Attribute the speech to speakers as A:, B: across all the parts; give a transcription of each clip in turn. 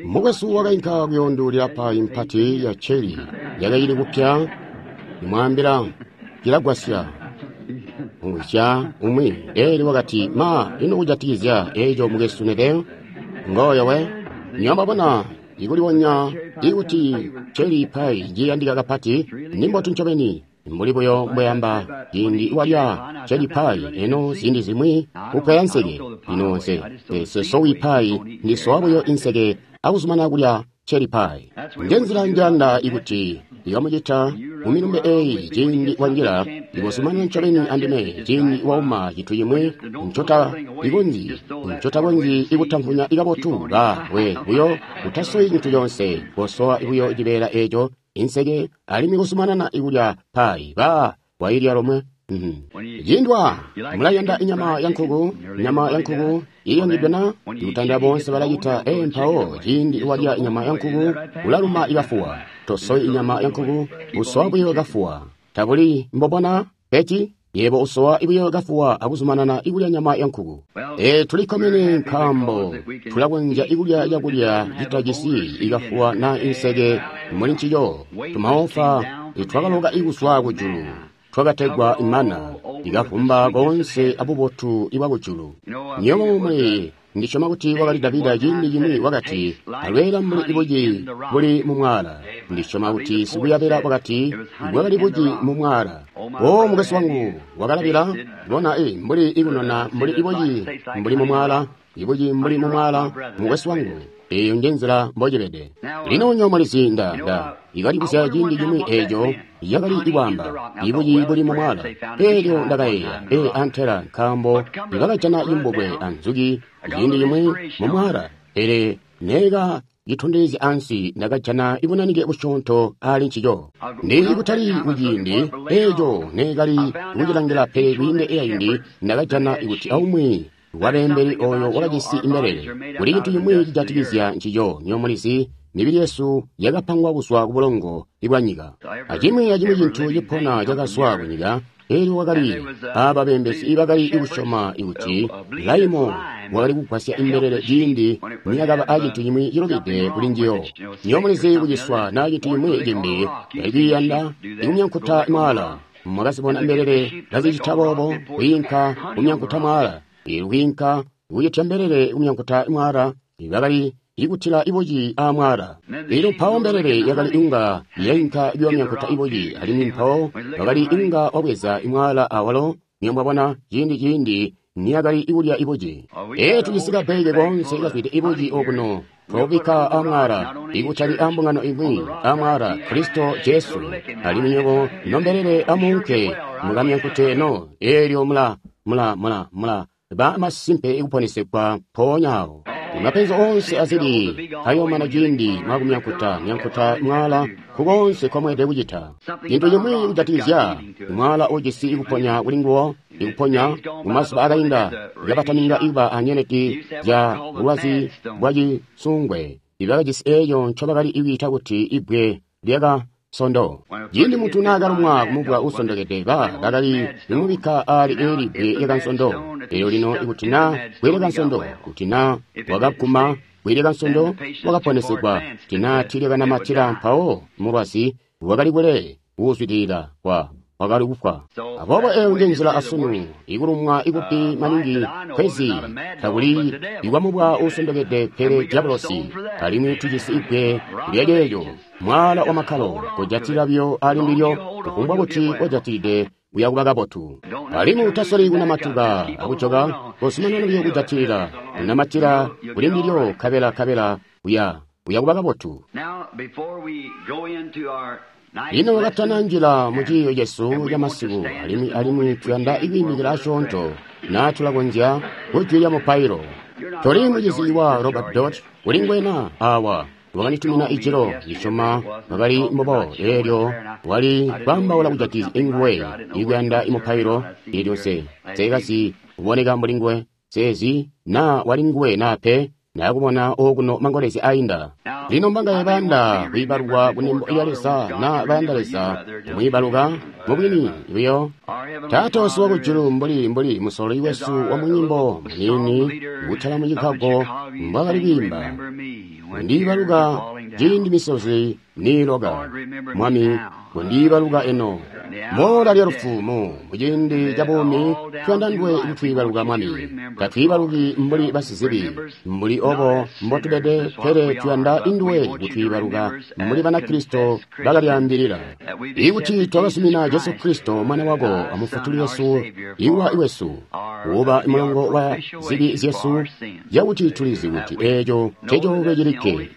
A: Mukwesu wakainka kuyoonduulila payi mpati ya celi yakacili kupya, nimwaambila cilagwasya. Mwisya umwi elyo wakati, Ma, ino kujatikizya eco mukwesu Neville? Ngooyo we. Nywebo mwabona, ikulibonya ikuti celi pai ciyandika kapati, nimbotu ncobeni. Mbuli buyo mbweamba, ciindi walya celi pai, eno ziindi zimwi upwaya nseke. Lino nse, nse sowi pai, ndisowa buyo inseke akuzumana kulya celi pai. Nje nzila njanda ikuti ikamucita mu milumbe eyi ciindi wanjila, ikuzumanana ncobeni andime ciindi wauma cintu cimwi ncota ncotakonzyi ikutamvunya ikabotu, ba we buyo utasowi cintu conse, kosowa buyo cibeela eco inseke alimwi kuzumanana ikulya pai, ba wailya lomwe. Ciindwa mulayanda inyama ya nkuku, nyama ya nkuku iyangidwe na ikutandila boonse balacita. Mpawo ciindi walya inyama ya nkuku ulaluma ikafuwa. Tosowi inyama ya nkuku, usowa buyo kafuwa. Tabuli mbobona peci yebo usowa buyo kafuwa akuzumanana ikulya nyama ya nkuku. Tulikkomene nkaambo tulakonzya ikulya cakulya citajisi ikafuwa na inseke muli ncico. Tumaofa twakaloka ikuzwa kujulu, twakategwa imana, ikavumba koonse abubotu ibwa kujulu. Nywebo muli ndisyoma kuti wakali Davida ciindi cimwi wakati, alweela mbuli ibuci buli mu mwaala. Ndisyoma kuti sikuyabela wakati, bwakali buci mu mwaala. O mukwesu wangu, wakalabila, bona mbuli ikunona mbuli ibuci mbuli mu mwaala, ibuci mbuli mu mwaala, mukwesu wangu. Eyo nje nzila mbocibede. Lino nyo mulizi nda ikalibuzya ciindi cimwi eco yakali ikwaamba ibuci buli mu mwaala. Elyo ndakayeeya, antela nkaambo bakajana imbubwe anzuki ciindi cimwi mu mwaala. Pele neka citondezya ansi ndakajana ibunanike busyoonto ali ncico. Ndi kutali kuciindi eco nekali kucilangila, pele kwiinde eyayindi ndakajana kuti aumwi wabeembeli oyo wakajisi imbelele. Kuli cintu cimwi cijatikizya ncico, nyo mulizi, mibili yesu yakapangwa kuzwa ku bulongo bwa nyika. Acimwi acimwi cintu cipona cakazwa ku nyika. Elyo wakali aba beembezi ibakali kusyoma ikuti laimo wakali kugwasya imbelele ciindi niyakaba acintu cimwi cilubide kuli njiyo. Nyo mulizi kuciswa na cintu cimwi cimbi yalikuyanda ikumyankuta mwaala. Mwakazibona imbelele kazicita boobo, kwiinka kumyankuta mwaala. Kwiinka kucitya mbelele kumyankuta mwaala, bakali ikutila ibuci aamwaala. Elyo mpawo mbelele yakali inga yainka kuyomyankuta ibuci, alimwi mpawo bakali inga wabweza imwaala awalo. Niyo mwabona ciindi niyakali ikulya ibuci. Tujisi kabbeeke koonse kazwide ibuci okuno, twabubikka aamwaala, ikutali ambungano imwi, aamwaala Kristo Jesu. Alimwi nywebo nombelele amuunke mukamyankute no, eelyo mula mula mula mula ba masimpe ikuponesegwa mpoonya awo. Mapenzi onse azili ayomana ciindi mwakumyankuta myankuta mwaala kukonse kwamweelede kucita. Cintu cimwi kujatikizya mwaala ujisi ikuponya kuli nguwo, ikuponya mumazuba akainda kabataninga ikuba anyeleti zya bulwazi bwa cisungwe, ibakajisi eeco ncobakali ikwiita kuti ibbwe lyaka sondo. Ciindi muntu naakalumwa kumubwa uusondokede, bakali kumubikka ali eli bbwe lyakansondo. Elyo lino ikuti na bbwe lyakansondo, kuti na wakaguma bbwe lyakansondo, wakaponesegwa. Kuti na tiilyakanamatila, mpawo mulwazi wakali kule kuuzwidilila wakali kufwa. Aboobo eyo nje nzila asunu, ikulumwa ikupi maningi kwezi takuli ikwamubwa uusondokede, pele diabolosi. Alimwi tujisi ibbwe lyaceeco, mwaala wa makkalo, kujatila biyo ali ndilyo, kufumbwa kuti wajatilide uya kuba kabotu. Alimwi utasoli kunamatuka akujoka, kozumanana biyo kujatilila, kunamatila kuli ndilyo, kabela uya kuba kabotu. Lino wakatana njila mu ciiyo cesu ca masiku, alimwi tuyanda ikwiimikila asyoonto, na tulakonzya kujwi lya mupailo. Toli mucizi wa Robert Dot, uli ngwena awa wakanditumina ijilo, ndisyoma bakali mbobo, eelyo wali kwaambaula kujatikizya inguwe ikuyanda imupailo. Eelyo nse nseekazi kuboneka mbuli nguwe, nseezi na wali nguwe na pe. Ndakubona okuno mangolezya ainda. Lino mbangaye bayanda kwiibalukwa kunembo lya Leza na bayanda Leza kumwiibaluka mubwini buyo. Taata wesu wakujulu, mbuli musololi wesu wa munyimbo muniini kutala mu Chicago mbwakali kwiimba, kundiibaluka ciindi misozi niiloka, Mwami, kundiibaluka eno mola lya lufu mu ciindi ca buumi tuyanda nduwe kutwiibaluka, Mwami. Tatwiibaluki mbuli basizibi mbuli obo mbotubede, pele tuyanda induwe kutwiibaluka mbuli Banakristo bakalyaambilila ikuti twakazumina Jesu Kristo Mwana wako amufutuli wesu, iwa iwesu kuba mulongo wa zibi zyesu, yakuti tulizi kuti eeco ncecoolwe cilikke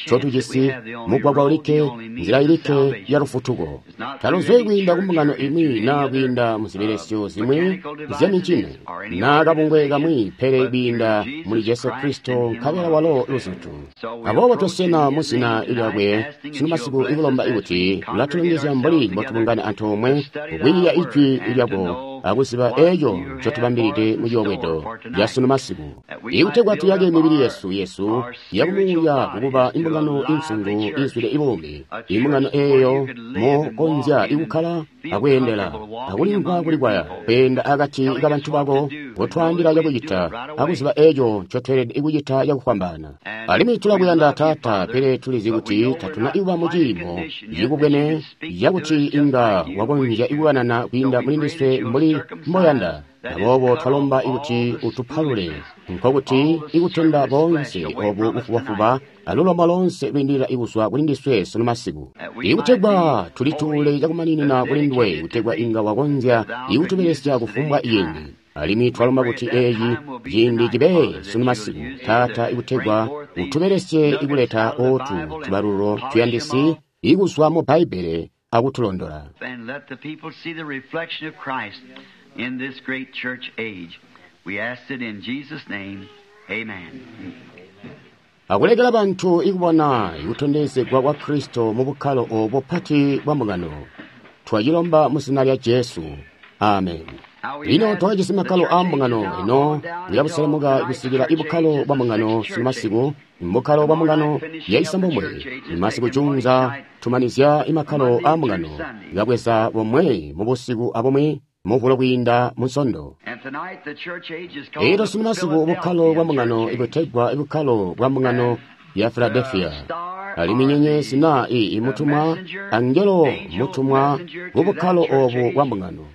A: ncotujisi, mugwagwa ulikke, nzila ilikke ya lufutuko. Taluzwe kwiinda kumbungano imwi naa kwiinda muzibelesyo zimwi zyamincini naa kabungwe kamwi, pele kwiinda muli Jesu Kristo nkabela walo luzutu. Aboobo tosena mu zina lyakwe sunu masiku ikulomba ikuti ulatulongezya mbuli mbotubungana antoomwe kwiiya ijwi lyako akuziba eeco ncotubambilide mu ciyobwedo ca sunu masiku, ikutegwa tuyake mibili yesu yakumuuya kukuba imbungano insungu izwide ibuumi, imbungano eeyo mokonzya ikukkala akweendela akulimvwa kulikwaya kweenda akati kabantu bako kotwaambila cakucita akuziba eeco ncotweelede kucita cakufwambaana. Alimwi tulakuyanda Taata, pele tulizi kuti tatuna ikuba mu ciimo cikubwene cakuti inga wakonzya ikukanana kwiinda muli ndiswe mbuli mboyanda. Aboobo twalomba ikuti utupalule, nkokuti ikutenda boonse obu bufubafuba alulomba loonse lwiindilila ikuzwa kuli ndiswe sunu masiku, ikutegwa tulituule cakumaninina kuli nduwe, kutegwa inga wakonzya ikutubelesya kufumbwa ciindi. Alimwi twalomba kuti eeci ciindi cibe sunu masiku, Taata, ikutegwa utubelesye ikuleta ootu tubalululo tuyandisi ikuzwa mu Bbaibbele akutulondola.
B: In this great church age. We ask it in Jesus' name. Amen.
A: Akulekela bantu ikubona ikutondezegwa kwa Kristo mu bukkalo obo pati bwa mbungano. Twacilomba mu zina lya Jesu. Amen. Lino twakajisi makkalo aa mbungano eno kuyabuselemuka kusikila ibukkalo bwa mbungano sunu masiku, mbukkalo bwa mbungano yaisambomwe. Masiku junza tumanizya imakkalo aa mbungano kabweza bomwe mu busiku abomwe muvulo kwiinda munsondo. Elyo sunu masiku bukkalo bwa mbungano ibutegwa ibukkalo bwa mbungano ya Philadelphia. Alimwi nyenyezi na imutumwa angelo mutumwa bubukkalo obu bwa mbungano.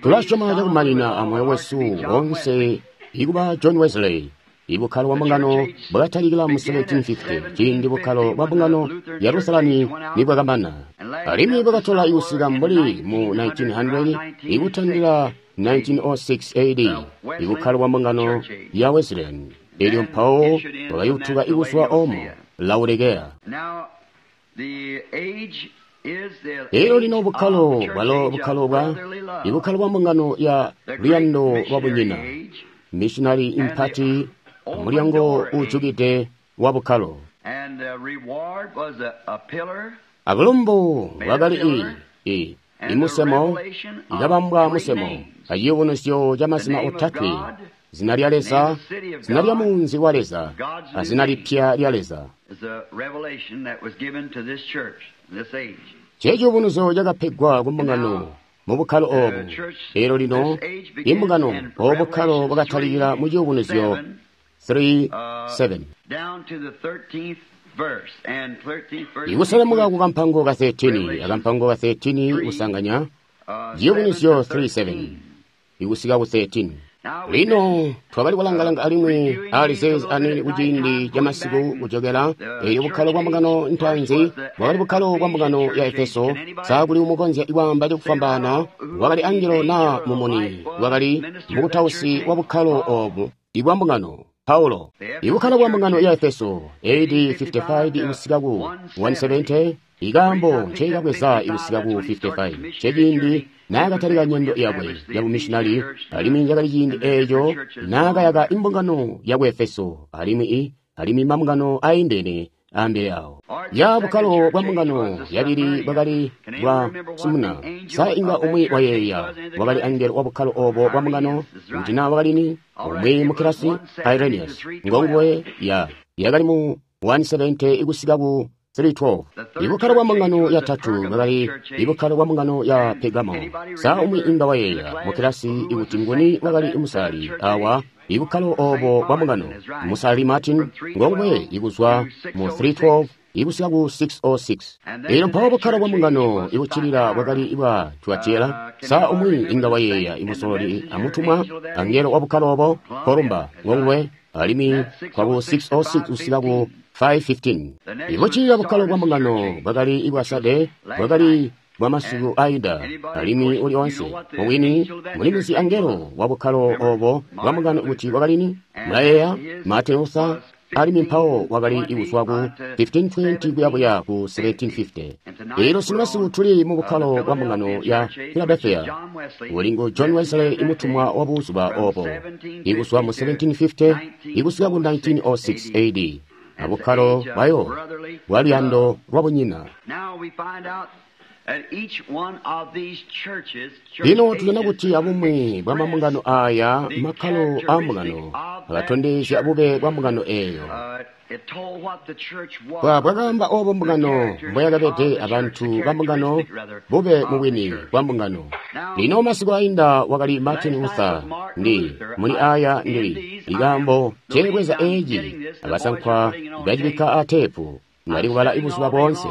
A: Tulasyoma cakumanina amoyo wesu wonse ikuba John Wesley. Ibukkalo bwa mbungano bwakatalikila mu 1750 ciindi bukkalo bwa mbungano ya Lusalani nibwakamana, alimwi bwakatola ikusika mbuli mu 1900 ikutandila 1906 AD ibukkalo bwa mbungano ya Wesleyan, elyo mpawo bwakayutuka ikuzwa omo Laodikea. Elyo lino bukkalo bwalo bukkalo bwa ibukkalo bwa mbungano ya luyando lwa bunyina, missionary impati, mulyango ujukide wa bukkalo. Abulumbu bwakali imusemo ikabambwa musemo aciyubunuzyo ca mazina otatwe, zina lya Leza, zina lya munzi wa Leza, azina lipya lya Leza. Ceciyubunuzyo cakapegwa ku mbungano mu bukkalo obu. Elyo lino imbungano obu bukkalo bwakatalikila mu ciyubunuzyo 3:7 ikuselemuka ku kampango ka 13, akampango ka 13 kusanganya ciyubunuzyo 3:7 ikusika ku 13. Lino twakali kulangalanga alimwi ali zeezi anene kuciindi ca masiku kujokela elyo bukkalo bwa mbungano ntaanzi bwakali bukkalo bwa mbungano ya Efeso. Sa kuli umukonzya ikwaamba cakufwambaana wakali angelo naa mumuni wakali mukutausi wa bukkalo obu ibwa mbungano Paulo. Ibukkalo bwa mbungano ya Efeso AD 55 ikusika ku 170, ikaambo nceikabweza ikusika ku 55 ceciindi naakatalika nyendo yakwe yabumishinali, alimwi cakali ciindi eeco naakayaka imbungano yaku Efeso alimwi mambungano aindene ambele awo. Ya bukkalo bwa mbungano yabili bwakali bwa Smyrna. Sa inga umwi wayeeya wakali angelo wa bukkalo obo bwa mbungano kuti na wakali ni umwi mukilasi Irenaeus ngonguwe ya yakali mu 170 ikusika ku 312. Ibukkalo bwa mbungano yatatu bwakali ibukkalo bwa mbungano ya Pergamo. Sa umwi inga wayeeya mukilasi ikuti nguni wakali musali awa ibukkalo obo bwa mbungano musali Martin ngonguwe ikuzwa mu 312 ikusika ku 606. Elyo mpawo bukkalo bwa mbungano ikuccilila bwakali bwa Tuatira. Sa umwi inga wayeeya imusololi amutumwa angelo wa bukkalo obo Columba ngonguwe alimwi kwa ku 606 kusika ku 515. Ibuccilila bukkalo bwa mbungano bwakali ibwa Sade bwakali bwa masiku aida alimwi uli onse mubwini mulimuzi angelo wa bukkalo obo bwa mbungano kuti wakali ni mulayeeya Martin Luther alimwi mpawo wakali ikuzwa ku 1520 kuyabuya ku 1750. Elyo simasiku tuli mu bukkalo bwa mbungano ya Philadelphia uli ngu John Wesley imutumwa wa buzuba obo ikuzwa mu 1750 ikusika ku 1906 AD. Abukkalo bwayo bwa luyando lwa bunyina. Lino tujana kuti abumwi bwa mambungano aya makkalo a mbungano akatondezya bube bwa mbungano eyo. Bwakaamba obo mbungano mboyakabede abantu ba mbungano bube mubwini bwa mbungano. Lino masiku ainda wakali Martin Luther ndi muli aya ndili likambo teebweza eeci abasankwa bacibikka ateepu nali kubala ibuzuba boonse.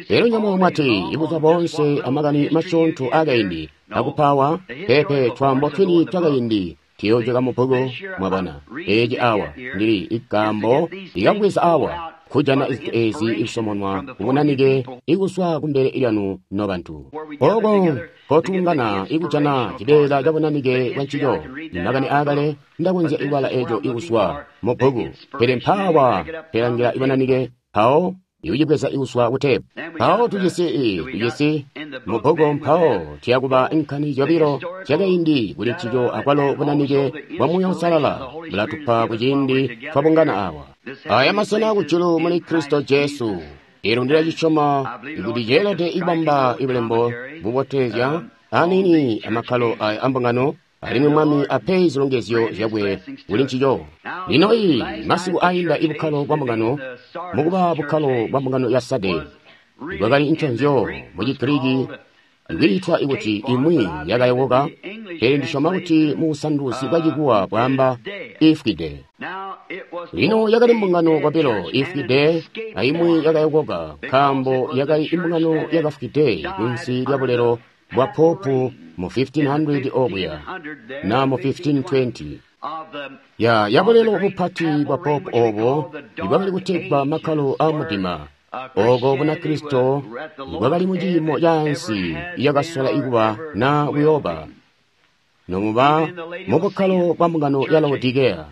A: Lero nyamwe mwati ibuzuba boonse amakani masyoonto akaindi akupawa pepe twambo twini twakaindi tiyojoka mu bbuku mwabona. Eeci awa ndili ikambo likabweza awa kujana izintu ezi ikusomonwa kubunanike ikuswa kumbele lyanu nobantu. Oko kotungana ikujana cibeela cabunanike bwa ncico makani aakale ndakonzya ikubala eco ikuswa mu bbuku pele mpaawa pelangila ibunanike mpawo ikucibweza ikuswa kutepu. Mpawo tujisi mu bbuku mpawo tiyakuba nkani zyobilo zyakaindi kuli ncico akwalo bunanike bwa Muuya Uusalala bulatupa kuciindi twabungana awa. Aya masena kujulu muli Kristo Jesu. Elo ndilacisyoma kuti ceelede ibamba ibulembo bubotezya anini amakkalo aya ambungano alimwi Mwami ape zilongezyo zyakwe kuli ncico. Lino iyi masiku ainda ibukkalo bwa mbungano mukuba bukkalo bwa mbungano ya Sade bwakali nconzyo mu Chigiriki ikwiitwa ikuti imwi yakayokoka, pele ndisyoma kuti mu busanduzi bwa Chikuwa bwaamba ifwide. Lino yakali mbungano kwabilo ifwide aimwi yakayokoka nkaambo yakali imbungano yakafwide kunsi lya bulelo bwa popu mu 1500 okuya na mu 1520. Ya yabulelo bupati bwa popu obo ibwakali kutegwa makkalo a mudima oko Bunakristo bwakali mu ciimo caansi yakasola ikuba na kuyoba nomuba mu bukkalo bwa mbungano ya Laodikea.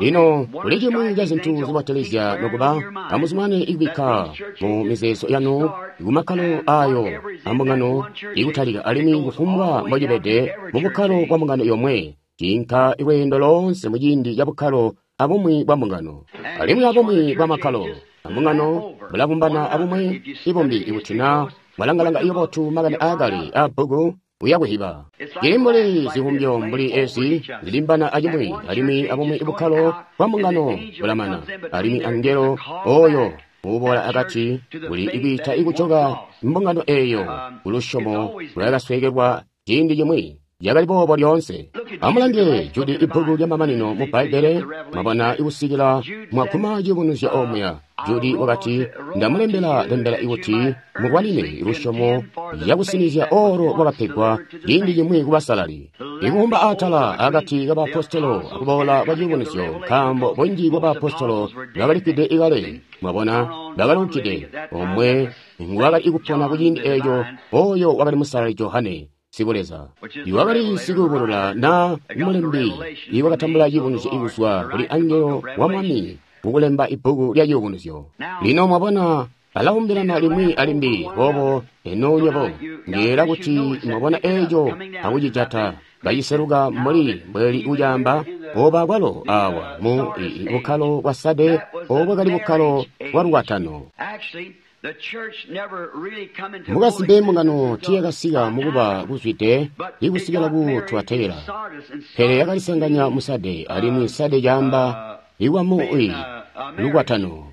A: Lino kuli cimwi ca zintu zibotelezya nokuba amuzumane ikubikka mu mizeezo yanu kumakkalo ayo ambungano ikutalika alimwi kufumbwa mbocibede mu bukkalo bwa mbungano yomwe ciinka lweendo loonse muciindi ca bukkalo abumwi bwa mbungano alimwi abumwi bwa makkalo ambungano bulabumbana abumwi ibumbi ikuti na mwalangalanga ibotu makani aakale a bbuku uyakuhiba. Cili mbuli zivumbyo mbuli ezi zilimbana acimwi alimwi abumwi bukkalo bwa mbungano bulamana alimwi angelo oyo uboola akati kuli ikwiita ikujoka mbungano eyo kulusyomo lwakasweekelwa ciindi cimwi. Yakali boobo lyoonse. Amulange Judi ibbuku lyamamanino mu Bbaibbele mwabona ikusikila mwaguma ciyubunuzyo omuya. Judi wakati, ndamulembela lembela ikuti mulwanine lusyomo lyakusinizya olo lwakapegwa ciindi cimwi kubasalali. Ikuwumba atala akati kabaapostolo akuboola kwa ciyubunuzyo nkaambo bunji bwa baapostolo bakalifwide ikale mwabona bakalunkide omwe nguwakali ikupona kuciindi eeco oyo wakali musalali Johane sikuleza iwakali sikubulula na mulembi iwakatambula ciyubunuzyo ikuzwa kuli angelo wa Mwami kukulemba ibbuku lya ciyubunuzyo. Lino mwabona balawumbilana limwi alimbi boobo eno nywebo ndiyeeyela kuti mwabona eeco akucijata. Baciseluka mbuli mbweli ucaamba oba kwalo awa mu bukkalo bwa Sade, obo kali bukkalo bwa lukwatano. Mukasimpe mbungano tiyakasika mukuba kuzwide ikusikila ku Tuatera, pele yakalisanganya mu Sade, alimwi Sade caamba ikwamu lukwatano.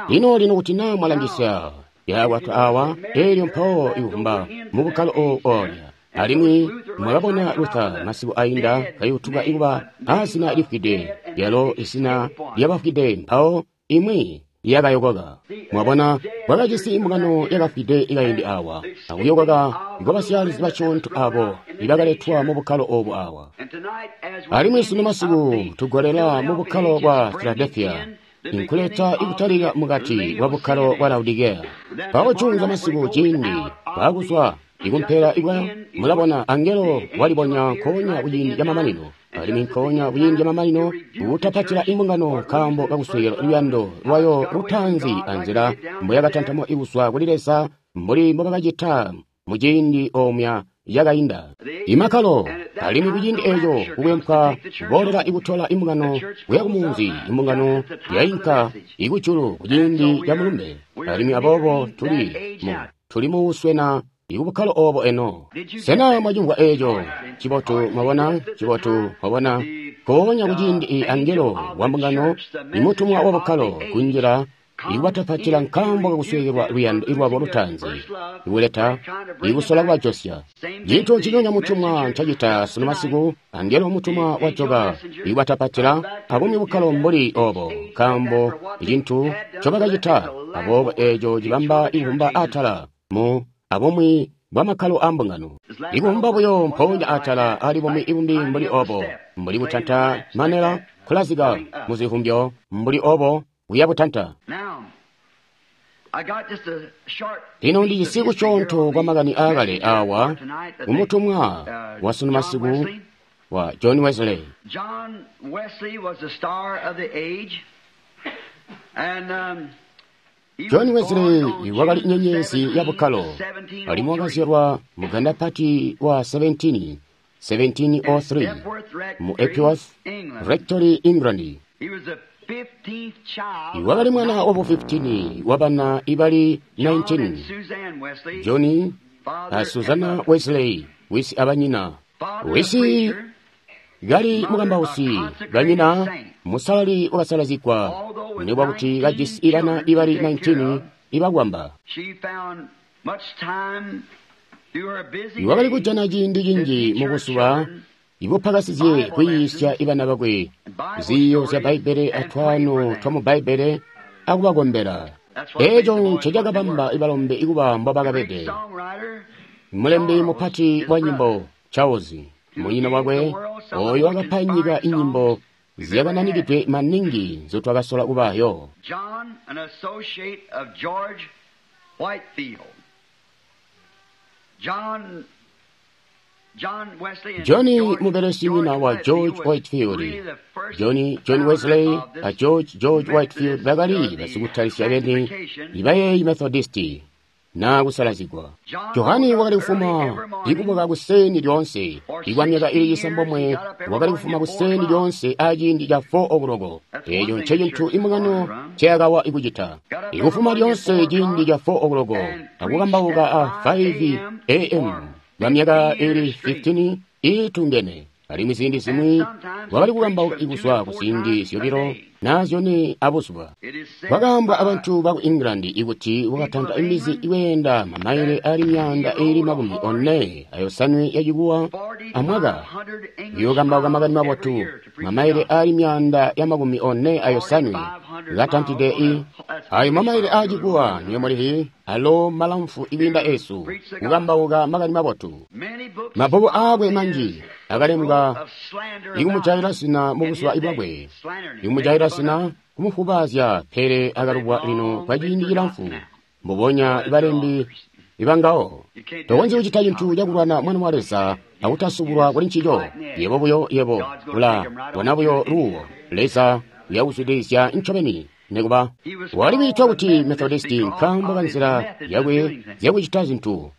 A: Lino lino kuti naa mwalangisya yakwatwa awa, elyo mpawo ikuvumba mu bukkalo olya. Alimwi mwakabona Luther masiku ainda kayutuka ikuba azina lifwide, lyalo izina lyabafwide, mpawo imwi yakayokoka. Mwabona, kwakajisi mbungano yakafwide ikaindi awa, akuyokoka kwabasyalizi basyoonto abo ibakaletwa mu bukkalo obu awa. Alimwi sunu masiku tugolela mu bukkalo bwa Philadelphia, inkuleta ikutalika mukati bwa bukkalo bwa Laodikea. Mpawo juunza masiku ciindi bwakuzwa ikumpela ikwa mulabona angelo walibonya nkoonya kuciindi camamanino, alimwi nkoonya kuciindi camamanino kutapatila imbungano nkaambo kakuswekela luyando lwayo lutaanzi anzila mboyakatantamwa ikuzwa kuli Leza mbuli mbobakacita muciindi omya yakainda imakkalo. Alimwi kuciindi eeco kukwempwa kuboolela ikutola imbungano kuya kumunzi, imbungano yainka ikujulu kuciindi ca mulumbe. Alimwi aboobo tuli muuswena ikubukkalo obo eno. Sena mwacimvwa eeco? Cibotu, mwabona, cibotu, mwabona. Nkoonya kuciindi angelo wa mbungano, imutumwa wa bukkalo kunjila ikubatapatila nkaambo kakusweekelwa luyando lwabo lutaanzi, ikuleta ikusola kubajosya. Cintu nciconya mutumwa ncacita sunu masiku, angelo mutumwa wajoka ikubatapatila abumwi bukkalo mbuli obo, nkaambo icintu ncobakacita. Aboobo eeco cibamba ikuvumba atala mu abumwi bwa makkalo a mbungano, ikuvumba buyo mpoonya atala ali bumwi ibumbi mbuli obo, mbuli kutanta manela kulazika muzivumbyo mbuli obo kuya butanta. Lino ndijisi kusyoonto kwa makani aakale awa kumutumwa wa sunu masiku wa John Wesley.
B: John Wesley was the star of the age, and
A: John Wesley wakali nyenyezi ya bukkalo, alimwi wakazyalwa muganda pati wa 1703 mu Epworth Rectory, England. Wakali mwana wabu 15 wa bana ibali 19. John a Susanna Wesley wisi abanyina, wisi kali mukambausi, banyina musalali wakasalazigwa, nikuba kuti kajisi ibana ibali 19 ibakwamba. Wakali kujana ciindi cinji mubuzuba ibupakasizye kuyiisya ibana bakwe ziiyo zya Bbaibbele atwaano twamu Bbaibbele akubakombela. Eeco ncecakabamba ibalombe ikuba mbobakabede. Mulembi mupati wa nyimbo Charles, munyina wakwe, oyo wakapa nyika inyimbo zyakananikidwe maningi nzotwakasola kubayo.
B: John, an associate of George Whitefield.
A: John mubelesi nyina wa George Whitefield. John Wesley a George Whitefield bakali basikutalisya beni ibayeeyi Methodisti na kusalazigwa. Johani wakali kufuma ikubuka kuseni lyoonse. Ikwa myaka ili cisambomwe wakali kufuma kuseni lyoonse aciindi ca 4 o'clock. Eeco ncecintu imbungano nceyakawa ikucita. Ikufuma lyoonse ciindi ca 4 o'clock akukambauka a 5 a.m. kwa myaka ili 15 iitungene. Alimwi ziindi zimwi wakali kukambauka ikuzwa ku ziindi zyobilo na zyone abuzuba. Kwakaambwa abantu baku England ikuti wakatanta imizi iweenda mamaile ali myaanda ili 45 yacikuwa amwaka iyokambauka makani mabotu, mamaile ali myaanda ya 45 katantide i ayo mamaile acikuwa niyo mulihi alo malamfu ikwiinda esu kukambauka makani mabotu. Mabbuku aakwe manji akalembwa ikumujayila zina mubuzuba bwakwe, ikumujayila zina kumufubaazya, pele akalubwa lino kwa ciindi cilamfu mbubonya ibalembi ibangawo. Tokonzyi kucita cintu cakulwana mwana wa Leza akutasubulwa kuli ncico. Yebo buyo yebo ula bona buyo luwo Leza uyakuzwidilizya ncobeni. Nikuba wali kwiitwa kuti Methodisti nkaambo ka nzila yakwe zyakucita zintu.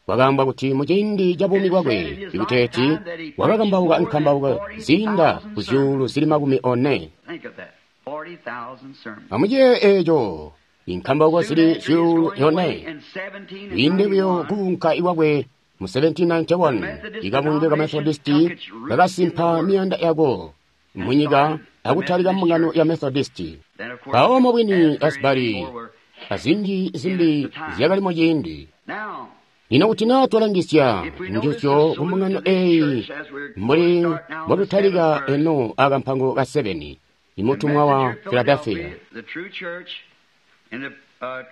A: Kwakaambwa kuti muciindi ca buumi bwakwe ikuteeti wakakambauka nkambauko ziinda ku 40,000.
B: Think of that. 40,000 sermons.
A: Amuciye eeco inkambauko zili 4,000.
B: In 1791,
A: Inde buyo kuunka iwakwe mu 1791 ikabunge ka Methodisti kakasimpa miyanda yako munyika akutalika mbungano ya Methodisti.
B: then of course,
A: Mpawo mubwini
B: Asbury
A: Asbury
B: and more were-
A: azinji zimbi zyakali muciindi.
B: Now,
A: Lino kuti naa twalangisya
B: if we notice
A: njuzyo
B: the
A: ku
B: salute
A: mbungano
B: to this
A: eyi
B: church as we're going
A: mbuli
B: to start now the
A: mbotutalika
B: seventh verse,
A: eno akampango ka 7 imutumwa wa
B: messenger
A: Philadelphia.
B: Philadelphia, the true church, and the,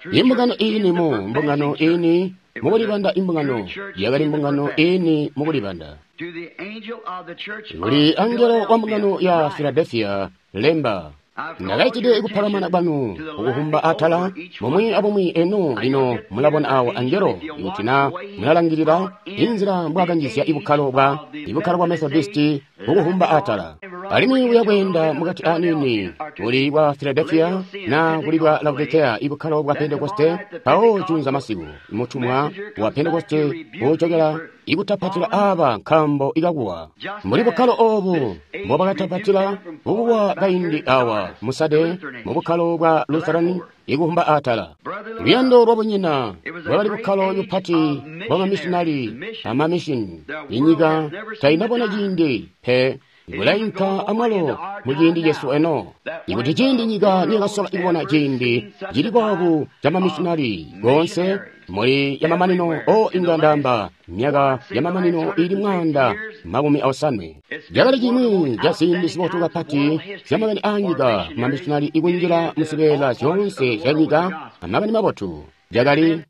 B: true
A: Imbungano
B: church is
A: ini
B: the
A: mu
B: professing
A: mbungano
B: church.
A: ini
B: It was
A: mukulibanda
B: the
A: imbungano
B: true church
A: yakali
B: in the
A: mbungano
B: professing.
A: ini mukulibanda.
B: To the angel of the church of
A: Kuli angelo wa mbungano ya
B: Philadelphia,
A: Philadelphia lemba ndakaitide kuphalamana kwanu ukuhumba atala momwe abomwe eno lino mulabona awo angelo ikuti na mulalangilira inzila mbwakanjizya ibukkalo bwa Methodisti ukuhumba atala alimwi uyakwenda mukati anini kuli bwa Philadelphia na kuli bwa Laodicea ibukkalo bwa Pentekoste pawo junza masiku mutumwa wa Pentekoste uchokera ikutapatila aba nkambo ikakuwa muli bukkalo obu mbobakatapatila bukuwa kaindi awa musade mu bukkalo bwa Lutheran ikuhumba atala luyando lwabunyina bwakali bukkalo bupati bwamamishinali amamishini inyika tainabona ciindi pe bulainka amwalo muciindi cesu eno ikuti ciindi nyika niyakasola ikubona ciindi cili boobu ca mamishinali gonse muli yamamanino o inga ndamba myaka yamamanino ili 150. Cakali cimwi ca ziindi zibotu kapati zyamakani aanyika mamishinali ikunjila muzibeela zyoonse zya nyika amakani mabotu. Cakali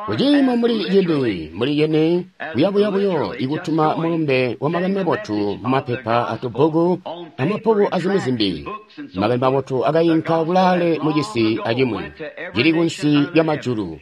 A: kuciimo muli cini muli yene kuyabuyabuyo ikutuma mulumbe wa makani mabotu mumapepa atubbuku amabbuku azimwi zimbi. Makani mabotu akayinka kulaale mucisi acimwi cili kunsi lya majulu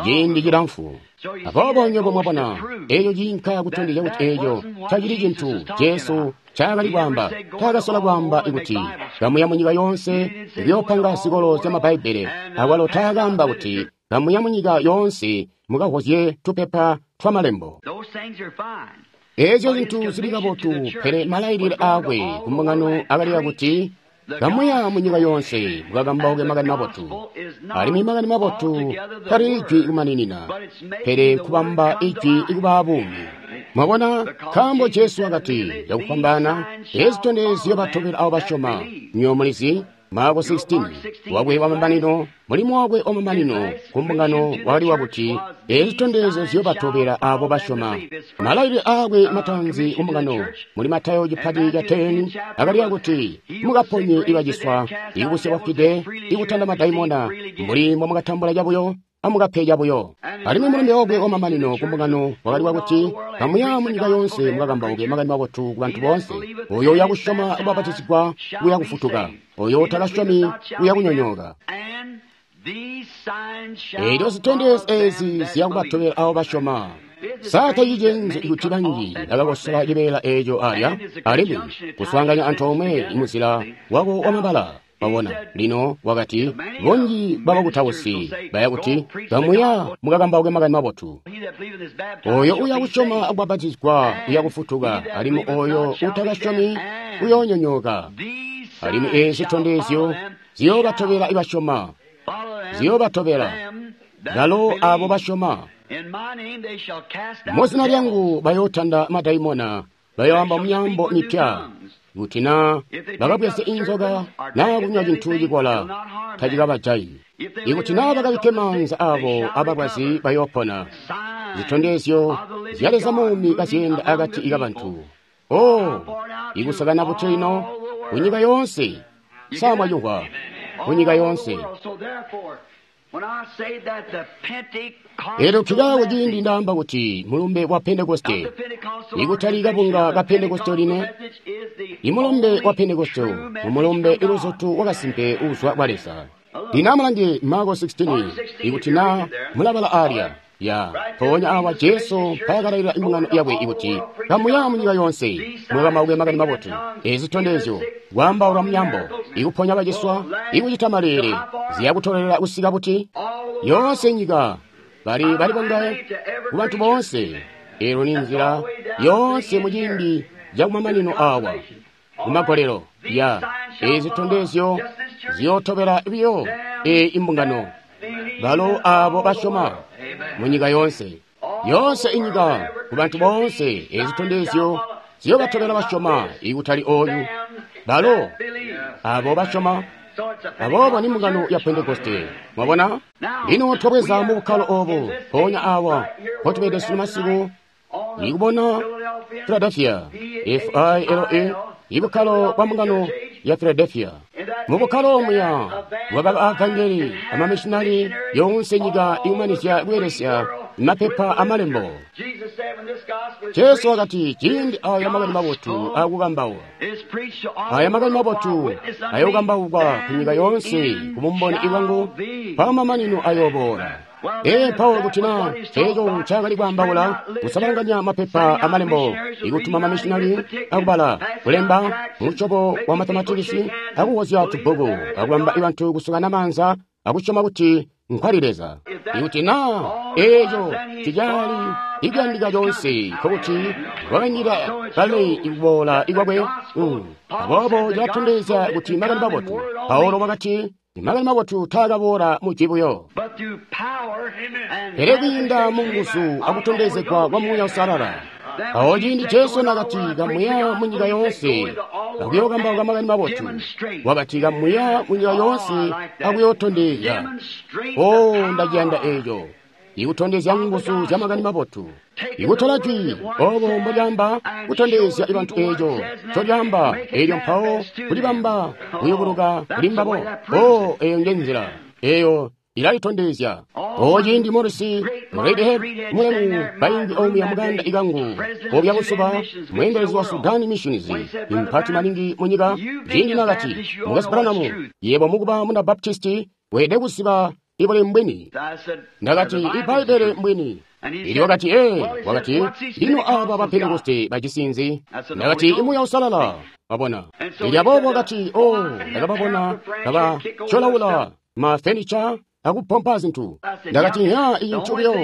A: ciindi cilamfu. Aboobo nywebo mwabona eeco ciinka kutondezya kuti eeco tacili cintu Jesu ncaakali kwaamba. Taakasola kwaamba kuti kamuya munyika yoonse kuyoopanga zikolo zya Mabbaibele. Awalo taakaamba kuti kamuya munyika yoonse mukahozye tupepa twamalembo.
B: Those things are fine.
A: Eezyo zintu zili kabotu, pele malailile aakwe kumbungano akali akuti kamuya munyika yoonse mukakambauke makani mabotu. Alimwi makani mabotu tali ijwi kumaninina, pele nkubamba ijwi ikubaa buumi. Mwabona, nkaambo Jesu wakati cakufwambaana eezi zitondezyo batobela abo basyoma. Nywebo mulizi Marko 16 wakwe wamamanino mulimo wakwe wamamanino ku mbungano wakali wakuti eezi zitondezyo ziyobatobela abo basyoma. Malailile aakwe matanzi ku mbungano muli Matayo cipati ca 10 akali akuti mukaponye ibaciswa, ikubusya bafwide, ikutanda madaimona, mbuli mbomukatambula cabuyo amukape cabuyo. Alimwi mulumbe wakwe wamamanino ku mbungano wakali wakuti kamuya munyika yoonse mukakambauke makani mabotu ku bantu boonse. Oyo uyakusyoma ubapatizigwa uya kufutuka, oyo utakasyomi uya kunyonyooka.
B: And these signs shall
A: Eelyo zitondezyo
B: follow
A: ezi
B: them that
A: ziya kubatobela abo basyoma. Saatacicenzi kuti banji bakakosola cibeela eeco alya alimwi kuswaanganya antoomwe muzila wako wamabala. Wabona, lino wakati bunji bwabakutausi baya kuti kamuya mukakambauke makani mabotu.
B: He that believeth is baptized
A: Oyo
B: shall
A: uya
B: be
A: kusyoma
B: saved.
A: akubapatizigwa uya kufutuka, alimwi oyo utakasyomi uyoonyonyooka.
B: These
A: Alimwi
B: signs
A: eezi
B: shall
A: zitondezyo
B: follow them,
A: ziyoobatobela
B: shall
A: ibasyoma,
B: follow them,
A: ziyoobatobela
B: them that
A: balo
B: believe.
A: abo basyoma.
B: In my name they shall cast out
A: Muzina
B: devils.
A: lyangu bayootanda madaimona, bayoamba myaambo mipya. Kuti na bakabweze inzoka naa kunywa cintu cikola tacikabajayi. Ikuti naa bakabikke maanza abo abalwazi bayoopona.
B: Signs
A: Zitondezyo
B: of the living
A: zya Leza
B: God
A: muumi
B: moving
A: kazyenda
B: among
A: akati
B: the
A: kabantu.
B: people.
A: Oh, ikusakana buti lino kunyika yoonse. Samwayuhwa kunyika yoonse.
B: So therefore, when I say that the
A: Lero
B: Pentecostal
A: kikaako ciindi
B: message
A: ndaamba kuti mulumbe wa Pentekoste
B: of the Pentecostal
A: ikutali kabunga ka Pentekoste line,
B: message is the
A: imulumbe wa
B: only
A: Pentekoste
B: true message
A: umulumbe
B: from God.
A: iluzutu wakasimpe uzwa kwa Leza. Lino amulange Marko 16 ikuti na mulabala alya ya mpoonya awa Jesu mpaakalailila imbungano yakwe ikuti kamuya munyika yoonse mukakambauke makani mabotu. Ezi zitondezyo kwaambaula myaambo, ikuponya baciswa, ikucita maleele, ziyakutolelela kusika buti yoonse nyika. Bali bali bongaye ku bantu boonse. Elo ni nzila yoonse mu ciindi cakumamanino awa kumagolelo ya ezi zitondezyo ziyootobela biyo e imbungano balo abo basyoma mu nyika yoonse yoonse inyika ku bantu boonse ezi zitondezyo ziyobatobela basyoma ikutali oyu balo abo basyoma aboobo ni mbungano ya Pentekoste. Mwabona? Lino twabweza mu bukkalo obo mpoonya awa mpotubede sunu masiku nikubona Philadelphia F-I-L-A ibukkalo bwa mbungano ya Philadelphia. Mu bukkalo muya bwakaba avangeli amamishinali yoonse nyika ikumanizya kubelesya mapepa amalembo. Jesu wakati ciindi aya makani mabotu akukambauka aya makani mabotu ayookambauka ku nyika yoonse ku bumboni bwangu pamamanino ayooboola. Ee Paulo kuti na eco ncaakali kwaambaula kusabalanganya mapepa amalembo ikutuma mamishinali akubala kulemba musyobo wa mathematikisi akuwozya tubbuku akubamba ibantu kusukana maanza akusyoma kuti nkwali Leza. Ikuti na eco ticali ikuyandika conse nkokuti wakanyika kale ikuboola ikwakwe. Aboobo cilatondezya kuti makani mabotu. Paulo wakati makani mabotu taakaboola mujwi buyo, pele kwiinda mu nguzu akutondezegwa kwa Muuya Uusalala. Awo ciindi Jesu nakati kamuya mu nyika yoonse akuyookambauka makani mabotu, wakati kamuya mu nyika yoonse akuyootondezya. O, ndaciyanda eco, ikutondezya nguzu zya makani mabotu, ikutola jwi obo mbolyaamba kutondezya ibantu eco ncolyaamba, elyo mpawo kulibamba kuyubuluka kuli mbabo. O, eyo nje nzila eyo ilalitondezya. O ciindi Morisi Redhead mulemu baingi omuya muganda ikangu obya busuba mweendelezi wa Sudan Missions impati maningi mu nyika, ciindi nakati Mukwesu Branham, yebo mukuba muna Baptisti weelede kuziba ibuli mbwini. Ndakati Ibbaibele mbwini. Ili wakati ee, wakati lino aba ba Pentekoste bajisi nzi? Ndakati Imuuya Uusalala. Wabona? Ili aboobo wakati o, ndakababona kaba tyolaula ma furniture akupompa zintu. Ndakati ya icintu buyo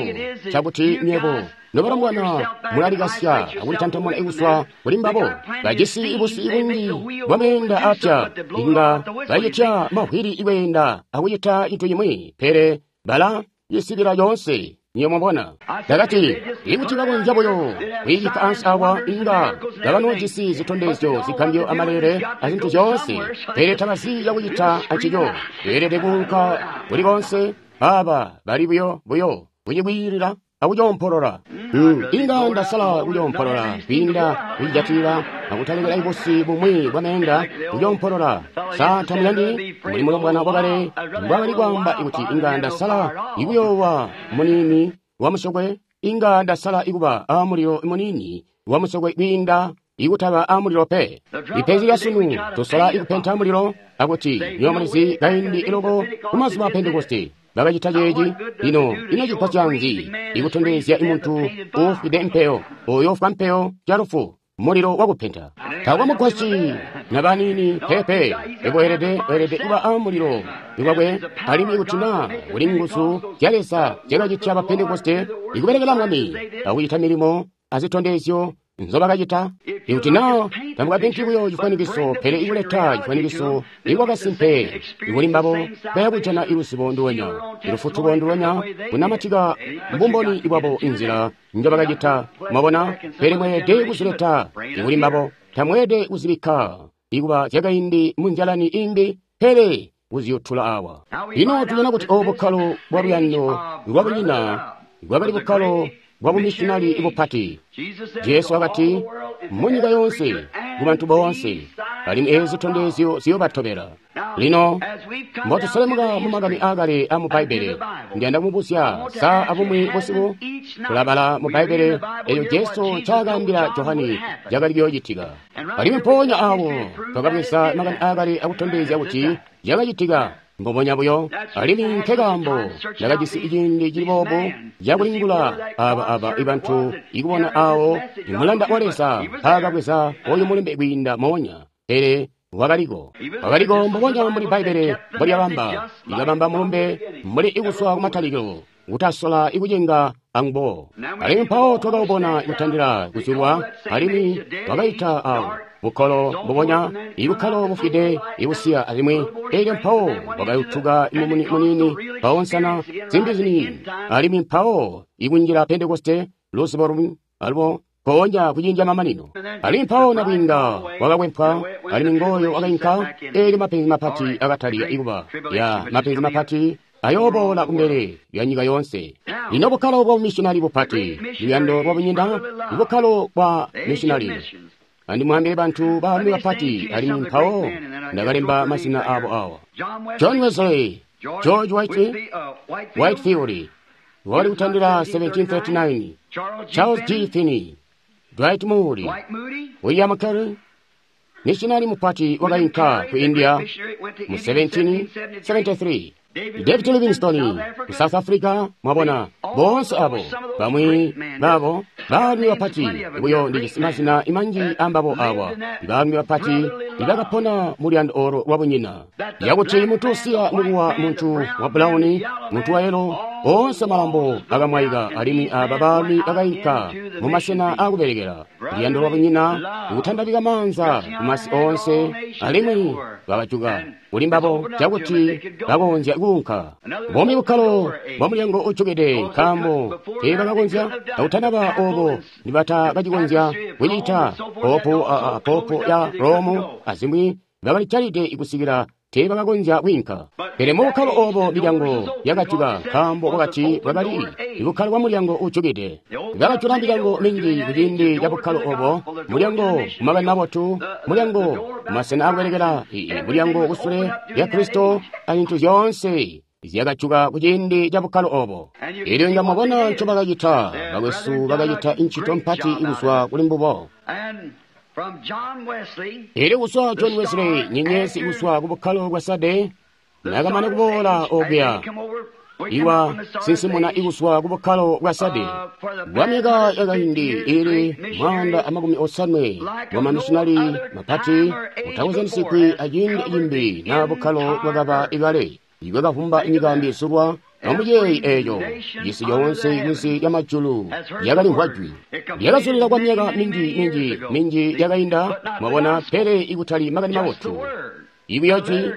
A: cakuti nywebo nobalongwana mulalikasya akulitantamuna ikuswa kuli mbabo. Bajisi ibusi ibungi bwa meenda apya inga bacitya mavwili ikweenda akucita cintu cimwi, pele bala yisibila yoonse. Niyo mwabona? Ndakati ikuti bakonzya buyo kwiicita ansi awa inga kabanoojisi zitondezyo zigambyo amalele azintu zyoonse, pele tabazi cakucita ancico. Beelede kuunka kuli konse. Aba bali buyo buyo kucikwiilila akucoompolola. Inga ndasala kucoompolola kwiinda kucijatilila akutalekela ibusi bumwi bwa meenda kucoompolola. Sa tamuyandi mbuli mulombwana wakale mbwakali kwaamba ikuti inga ndasala ikuyoowa muniini wa musokwe, inga ndasala ikuba amulilo muniini wa musokwe kwiinda ikutaba amulilo pe. Ipenzi lya sunu tusola ikupenta mulilo akuti niyo mulizi kaindi iloko kumazuba a Pentekoste bakacita ceeci. Lino ino cipa canzi ikutondezya imuntu uufwide mpeyo oyo ufwa mpeyo calufu mulilo wakupenta tawa mugwasyi na banini pepe. Ikweelede weelede kuba amulilo ikwakwe, alimwi ikuti na kuli nguzu zya Leza zyakacitya ba Pentekoste ikubelekela Mwami akucita milimo azitondezyo nzobakacita. Ikuti na tamukapenti buyo cifwanikiso, pele ikuleta cifwanikiso ikwakasimpe ikuli mbabo, bayakujana iluzibo nduwenya, ilufutuko nduwenya, kunamatika mbumboni bwabo inzila njobakacita. Mwabona? Pele mweelede kuzileta ikuli mbabo, tamweelede kuzibikka ikuba zyakaindi munzyalani imbi, pele kuziyutula awa. Lino tubona kuti obu bukkalo bwa luyando lwabunyina bwakali bukkalo bwa bumishinali bupati. Jesu wakati munyika yoonse ku bantu boonse, alimwi ezi zitondezyo ziyobatobela. Lino mbotuselemuka mu makani aakale amu Bbaibbele, ndiyanda kumubuzya sa abumwi busiku tulabala mu Bbaibbele eyo Jesu ncaakaambila Johani cakali kuyoocitika. Alimwi mpoonya awo twakabweza makani aakale akutondezya kuti cakacitika mbubonya buyo. Alimwi nkekaambo ndakajisi ciindi cili boobu cakulingula aba ibantu ikubona awo imulanda wa Leza mpaakabweza oyu mulumbe kwiinda moonya, pele wakaliko wakaliko mbubonya mbuli Bbaibbele mbolyabamba, ikabamba mulumbe mbuli ikuswa kumatalikilo. kutasola ikucenga angubo. Alimwi mpawo twakabona kutandila kuzulwa, alimwi wakaita awo bukkalo mbubonya, ibukkalo bufwide ibusiya alimwi elyo mpawo wakayutuka mumuni muniini, mpawo nsana zimbi ziniini, alimwi mpawo ikunjila Pentekoste luzibo lumwi alubo mpoonya kuciindi mamanino. Alimwi mpawo nabwiinga wakakwempwa, alimwi ngooyo wakainka, eelyo mapenzi mapati akatalika ikuba ya mapenzi mapati ayooboola kumbele lya nyika yoonse. Lino bukkalo bwa bumissionari bupati, luyando lwa bunyina, bukkalo bwa missionari. Andimwaambile bantu baalumi bapati, alimwi mpawo ndakalemba mazina abo awa: John Wesley, George Whitefield, wakali kutandila 1739, Charles G. Finney, Dwight Moody, William Carey, missionari mupati wakainka ku India mu 1773, David Livingstone ku South Africa. Mwabona boonse abo bamwi babo baalumi bapati buyo ndijisi mazina imanji ambabo awa, baalumi bapati ibakapona muluyando olo lwabunyina, yakuti muntu usiya mukuwa, muntu wa bulawuni, muntu wa yelo, oonse malambo akamwaika, alimwi aba baalumi bakainka mu masena akubelekela luyando lwabunyina, kutandabika maanza kumasi oonse, alimwi bakajuka kuli mbabo cakuti bakonzya kuunka. Bumi bukkalo bwa mulyango ujukide, nkaambo teebakakonzya akutanaba obo nibatakacikonzya kucita. Popu ya Romu azimwi bakalijalide kusikila teebakakonzya kwiinka. Pele mu bukkalo obo milyango yakajuka, nkaambo bwakati bwakali bukkalo bwa mulyango ujukide. Bakajula milyango minji kuciindi ca bukkalo obo, mulyango kumakani mabotu, mulyango kumasena akubelekela, mulyango kusule lya Kristo, azintu zyoonse zyakajuka kuciindi ca bukkalo obo. Elyo inga mwabona ncobakacita, bakwesu bakacita ncito mpati kuzwa kuli mbubo. Elyo kuzwa John Wesley, nyenyezi kuzwa ku bukkalo bwa Sade, nakamana kuboola okuya, iwa sinsimuna ikuzwa ku bukkalo bwa Sade bwa myaka yakaindi ili 150 bwa mamissionari mapati mutakozanisigwi aciindi cimbi na bukkalo bwakaba ikale ibwakavumba nyika mbizulwa. Amuyeeyi eeyo cisi coonse kunsi lya majulu yakalimvwa jwi lyakazulila kwa myaka minji minji minji yakainda, mwabona, pele ikutali makani mabotu. Ibuyo jwi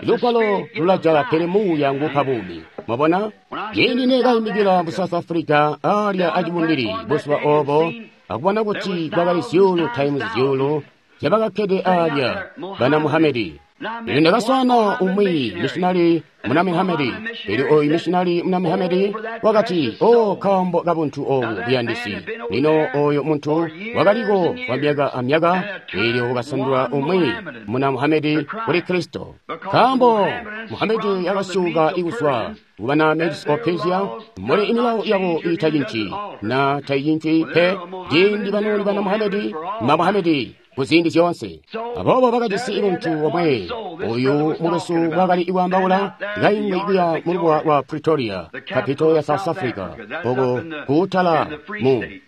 A: lugwalo lulajala, pele muuya nguupa buumi. Mwabona, ciindi neekaimikila mu South Africa alya acibumbili buzuba obo, akubona kuti kwakali zyuulu times zyuulu zyabakakkede alya bana Muhamedi. Elyo ndakaswaana umwi missionari muna Muhamedi. Elyo oyu missionari muna Muhamedi wakati, "O, kaambo kabuntu obu buyandisi." Lino oyo muntu wakaliko kwa myaka amyaka, elyo wakasandula umwi muna Muhamedi kuli Kristo. Kaambo Muhamedi yakasyuka ikuzwa kubana Medes of Persia, muli imilawo yabo itacinci na taicinci pe, ciindi banoli bana Muhamedi ma Muhamedi kuziindi zyoonse. Aboobo bakajisi muntu omwe, oyu mukwesu wakali kwaambaula kaimwi kuya mulubuwa lwa Pretoria, kapito ya South Africa, oko kuutala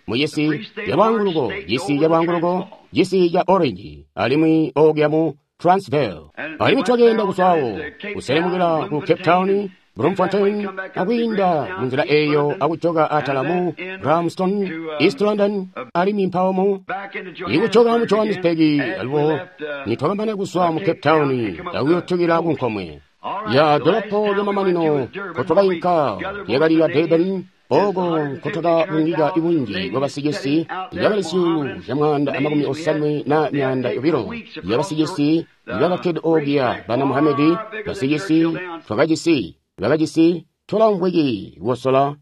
A: mu cisi ca lwaanguluko, cisi ca lwaanguluko, cisi ca Orange, alimwi okuya mu Transvaal. Alimwi twakeenda kuzwawo kuselemukila ku Cape Town, Bloemfontein, akwiinda munzila eeyo akujoka atala mu Grahamston, East London, alimwi mpawo mu ikujoka mu Johannesburg. Alubo nitwakambana kuzwa mu Cape Town akuyotukila ku nkomwe ya dolopo lyamamanino kotwakainka lyakali ya Durban, oko nkotwakabungika ibunji bwa basicisi ibakali zyuulu zya 182 yabasicisi ibakakkede okuya bana Muhamedi. Basicisi twakajisi bakajisi tola mvwiki kukosola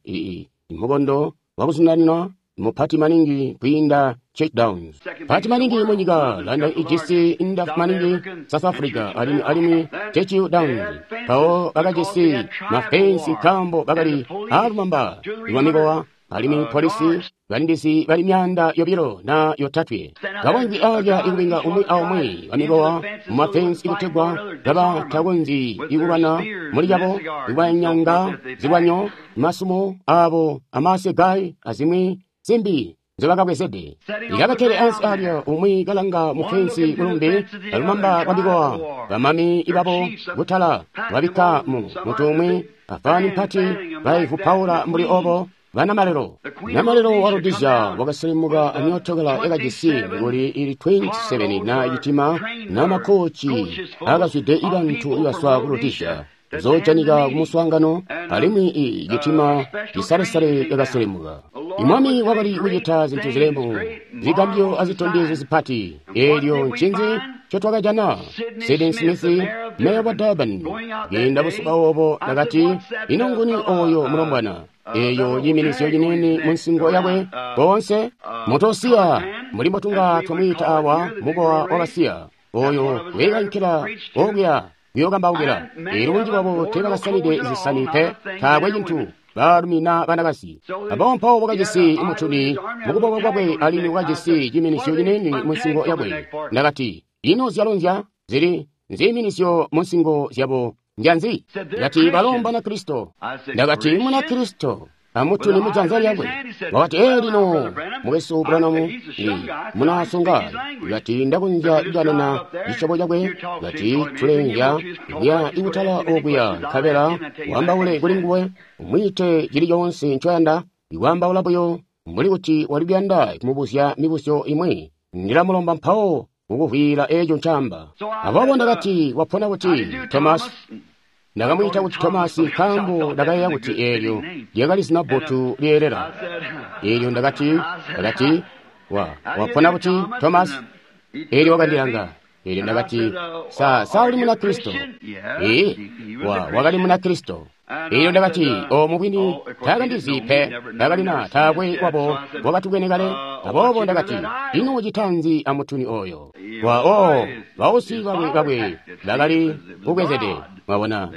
A: mukondo wakuzundanina mupati maningi kwiinda Cape Downs, pati maningi munyika. London ijisi ndafu maningi, South Africa, alimwi Churchill Downs. Mpawo bakajisi mafensi nkaambo bakali aalumamba lwa mikowa, alimwi polisi balindizi bali 203 kabaimvwi alya ikubinga umwi aumwi bamikowa mumafensi ikutegwa kaba takonzyi ikulwana muli cabo, ikubanyanga zilwanyo, masumo abo, amasegai azimwi zimbi nzobakabwezede. Ikabakkele ansi alya, umwi kalanga mufensi kulumbi alumamba lwa mikowa, bamami ibabo kutala babikka mu muntu umwi. Afani mpati baivupaula mbuli obo banamalelo. Namalelo wa Rhodesia wakaselemuka amyootokala yakajisi mikuli ili 27 na ichitima na makochi akazwide ibantu ibaswa ku Rhodesia zojanika kumuswaangano alimwi ichitima chisalesale yakaselemuka. Imwami wakali kucita zintu zilemu, zigambyo azitondezyo zipati. Eelyo ncinzi ncotwakajana? Sidney Smith, meya wa Durban, kwiinda busuba obo ndakati, ino nguni oyo mulombwana? Eyo yiminizyo yinini mu nsingo yakwe bonse mutosiya mbuli mbotunga twamwiita awa mukowa wabasiya oyo weekankila okuya kuyokambaukila. Eelyo bunji bwabo teebakasamide zisani pe, taakwe cintu, baalumi na banakazi. Aboobo mpawo wakajisi mutuni mukuboko kwakwe alimwi wakajisi ciminizyo cinini mu nsingo yakwe. Ndakati, ino zyalo zili nziiminizyo mu nsingo zyabo njanzi? Ndakati, balo Mbanakristo. Ndakati, Munakristo amutuni mujanza lyakwe. Wakati, ee lino mukwesu Branham munasunga. Ndakati, ndakonzya kukanana cisyobo cakwe. Ndakati, tulenzya kuya ikutala okuya nkabela wambaule kuli nguwe, umwiite cili coonse ncoyanda, ikwambaula buyo mbuli kuti wali kuyanda kumubuzya mibuzyo imwi. Ndilamulomba mpawo kukuvwiila eeco ncaamba. Aboobo ndakati, wapona kuti Thomas? Ndakamwiita kuti Thomas nkaambo ndakayeeya kuti eelyo lyakali zina bbotu lyeelela. Eelyo ndakati, wapona kuti Thomas? Eelyo wakandilanga. Eelyo ndakati, sa uli Munakristo? Ee, wakali Munakristo. Eelyo ndakati, o mubwini taakandizi pe, ndakalina taakwe wabo wakatukene kale. Aboobo ndakati, ino ucita nzi amutuni oyo? Bausi bakwe bakali kubwezede, mwabona,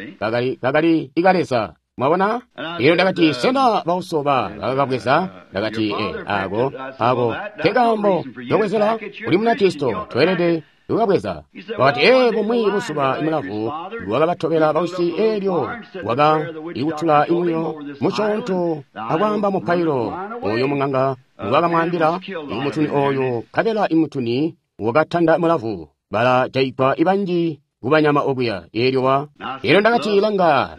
A: bakali ikaleza, mwabona? Eelyo ndakati, sena bauso bakakabweza? Ndakati, ako nkekaambo kobwezela uli Munakristo, tweelede kukabweza. Wakati, ee, bumwi buzuba imulavu wakabatobela bausi, eelyo wakaikutula imuyo musyoonto akwaamba mupailo oyo mung'anga ngwakamwaambila imutuni oyo, nkabela imutuni wakatanda mulavu, balajaigwa ibanji kubanyama okuya. Eelyo eelyo ndakati, langa,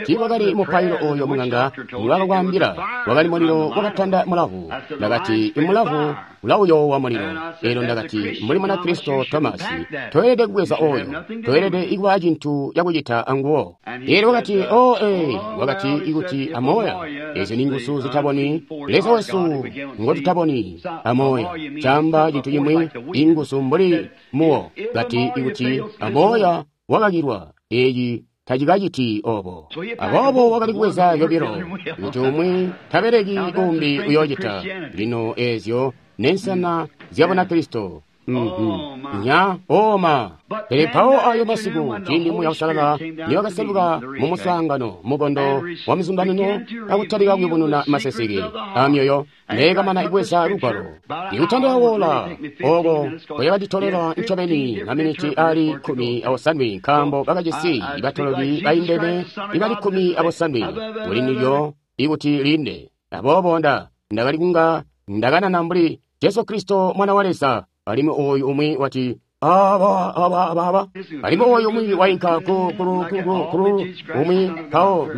A: tiiwakali mupailo oyo mung'anga ngwakakwaambila, wakali mulilo wakatanda mulavu. Ndakati, imulavu ulawuyoowa mulilo. Eelyo ndakati, mbuli Munakristo Thomas, toyelede kubweza oyo, toyelede kuba cintu cakucita anguwo. Eelyo wakati, wakati ikuti amoya, ezyo ni nguzu zitaboni, Leza wesu ngotutaboni, amoya, caamba cintu cimwi, inguzu mbuli muwo. Kati ikuti amoya wakakilwa, eeci tacikaciti obo. Aboobo wakali kubweza yobilo, kuti umwi tabeleki umbi uyoocita. Lino eezyo nensana zya Bunakristo. Nya oma. Pele mpawo ayo masiku ciindi Muuya Uusalala niwakaseluka mu muswaangano mukondo wa muzundanino akutalika kuyubununa maseseke amyoyo, neekamana kubweza lugwalo ikutandila woola oko kwakanditolela ncobeni maminiti ali 17, nkaambo bakajisi ibatoloki baindene ibali 17 kuli ndilyo ikuti linde. Aboobo ndakali kunga ndakanana mbuli Jesu Kristo Mwana wa Leza, alimwi oyu umwi wati aba, alimwi oyu umwi wainka ku umwi mpawo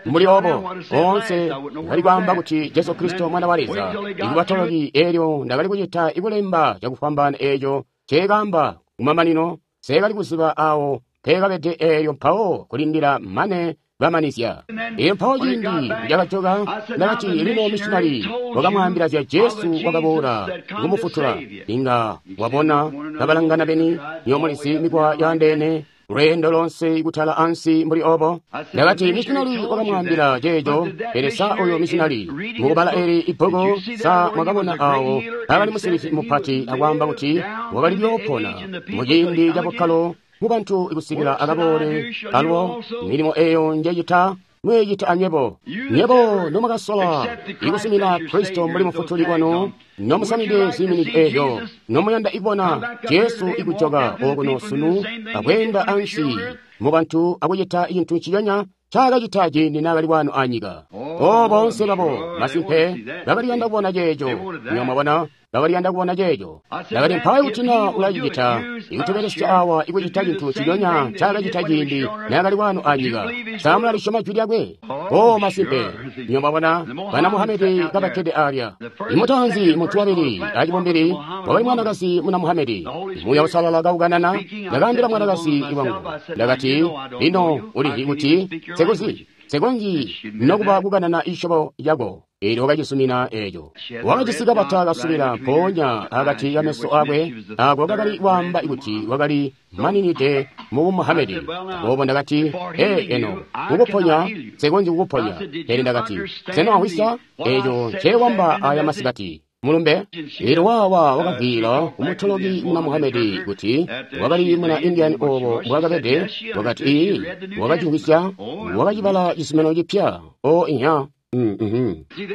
A: mbuli obo onse ndakali kwaamba kuti Jesu Kristo Mwana wa Leza ikubatoloki. Eelyo ndakali kucita ikulemba cakufwambaana eeco nceekaamba kumamanino, seekali kuziba awo peekabede. Eelyo mpawo kulindila mane bamanizya. Eelyo mpawo ciindi cakajoka, ndakati, lino missionari wakamwaambila zya Jesu wakaboola kumufutula. Inga wabona kabalangana beni, nyomulizi mikwa yaandeene, lweendo lonse kutala ansi mbuli obo. Ndakati, missionari wakamwaambila ceeco, pele sa oyo missionari mukubala eli ibbuku, sa mwakabona awo akali musilisi mupati akwaamba kuti wakali kuyoopona muciindi cabukkalo mubantu ikusikila akaboole alwo milimo eyo njecita mweecita anywebo. Nywebo nomwakasola ikusumina Kristo mbuli mufutuli wanu, nomusamide ziiminiki eezyo, nomuyanda ikubona Jesu ikujoka okuno sunu akweenda ansi mubantu akucita cintu nciconya ncaakacita ciindi naakali wano anyika. O boonse babo, masimpe, bakali kuyanda kubona ceeco. Nywebo mwabona, bakali kuyanda kubona ceeco. Ndakati mpawo kuti na ulacicita, ikutubelesya awa ikucita cintu nciconya ncaakacita ciindi naakali wano anyika. Sa mulalisyoma jwi lyakwe? O masimpe, nywebo mwabona, bana Muhamedi kabakkede alya. Imutaanzi muntu wabili acibumbili wakali mwanakazi muna Muhamedi. Muuya Uusalala kaukanana, ndakaambila mwanakazi wangu, ndakati, lino ulizi kuti sekuzi sekonzi nokuba kukanana ishobo yako. Eelyo wakacizumina eeco. Wakajisi kabata kasubila mpoonya akati kameso akwe, ako kakali kwaamba kuti wakali maninide mu Muhamedi. Aboobo ndakati, ee eno, kukuponya, sekonzi kukuponya. Pele ndakati, sena wamvwisya eeco nceewamba aya masikati? Mulumbe? Eelyo wawa wakavwiila kumutoloki muna Muhamedi kuti wakali muna Indian oobo mbwaakabede, wakati ii, wakacimvwisya, wakacibala cizuminano cipya. O inya.